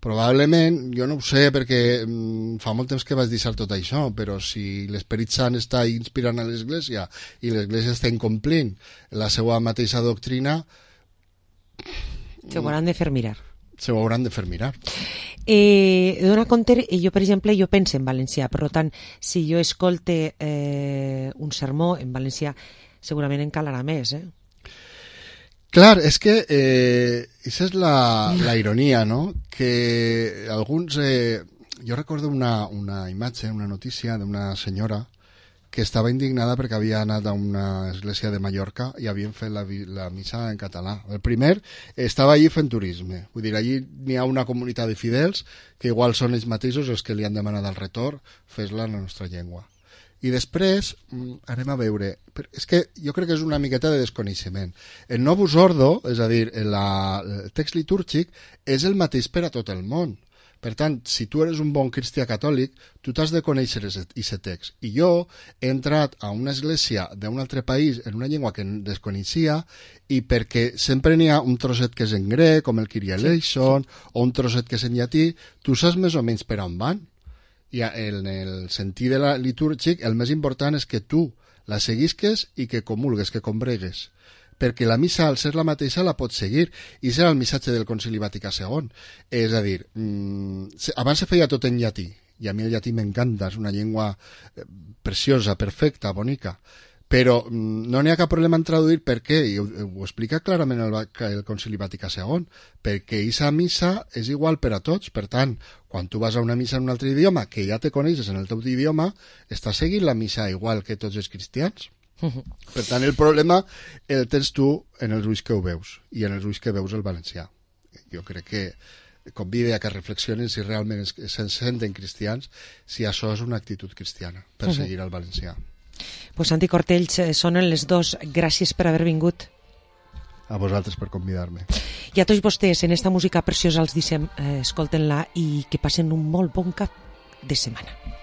Probablement, jo no ho sé perquè fa molt temps que vaig deixar tot això, però si l'Esperit Sant està inspirant a l'Església i l'Església està incomplint la seva mateixa doctrina, se ho hauran de fer mirar. Se ho hauran de fer mirar. Dona compte, jo per exemple, jo penso en valencià, per tant, si jo escolte un sermó en valencià, segurament en calarà més, Clar, és que esa és la ironia, no? Que alguns... jo recordo una imatge, una notícia d'una senyora que estava indignada perquè havia anat a una església de Mallorca i havien fet la missa en català. El primer estava allí fent turisme. Vull dir, allí n'hi ha una comunitat de fidels que igual són ells mateixos els que li han demanat el retorn, fes-la en la nostra llengua. I després anem a veure, és que jo crec que és una miqueta de desconeixement. El Novus Ordo, és a dir, el text litúrgic, és el mateix per a tot el món. Per tant, si tu eres un bon cristià catòlic, tu t'has de conèixer aquest text. I jo he entrat a una església d'un altre país en una llengua que desconeixia i perquè sempre n'hi ha un trosset que és en grec, com el Kyrie eleison, o un trosset que és en llatí, tu saps més o menys per on van. I en el sentit de la litúrgic, el més important és que tu la seguisques i que comulgues, que combregues. Perquè la missa, al ser la mateixa, la pots seguir. I serà el missatge del Concili Vaticà II. És a dir, abans se feia tot en llatí, i a mi el llatí m'encanta, és una llengua preciosa, perfecta, bonica. Però no n'hi ha cap problema en traduir perquè, i ho explica clarament el Concili Vaticà II, perquè aquesta missa és igual per a tots. Per tant, quan tu vas a una missa en un altre idioma, que ja te coneixes en el teu idioma, estàs seguint la missa igual que tots els cristians. Per tant, el problema el tens tu en els ulls que ho veus, i en els ulls que veus el valencià. Jo crec que convide a que reflexionen si realment se senten cristians, si això és una actitud cristiana, per seguir el valencià. Pues Santi Cortells, sonen les dos. Gràcies per haver vingut. A vosaltres per convidar-me. I a tots vostès, en esta música preciosa els dicem, escolten-la i que passen un molt bon cap de setmana.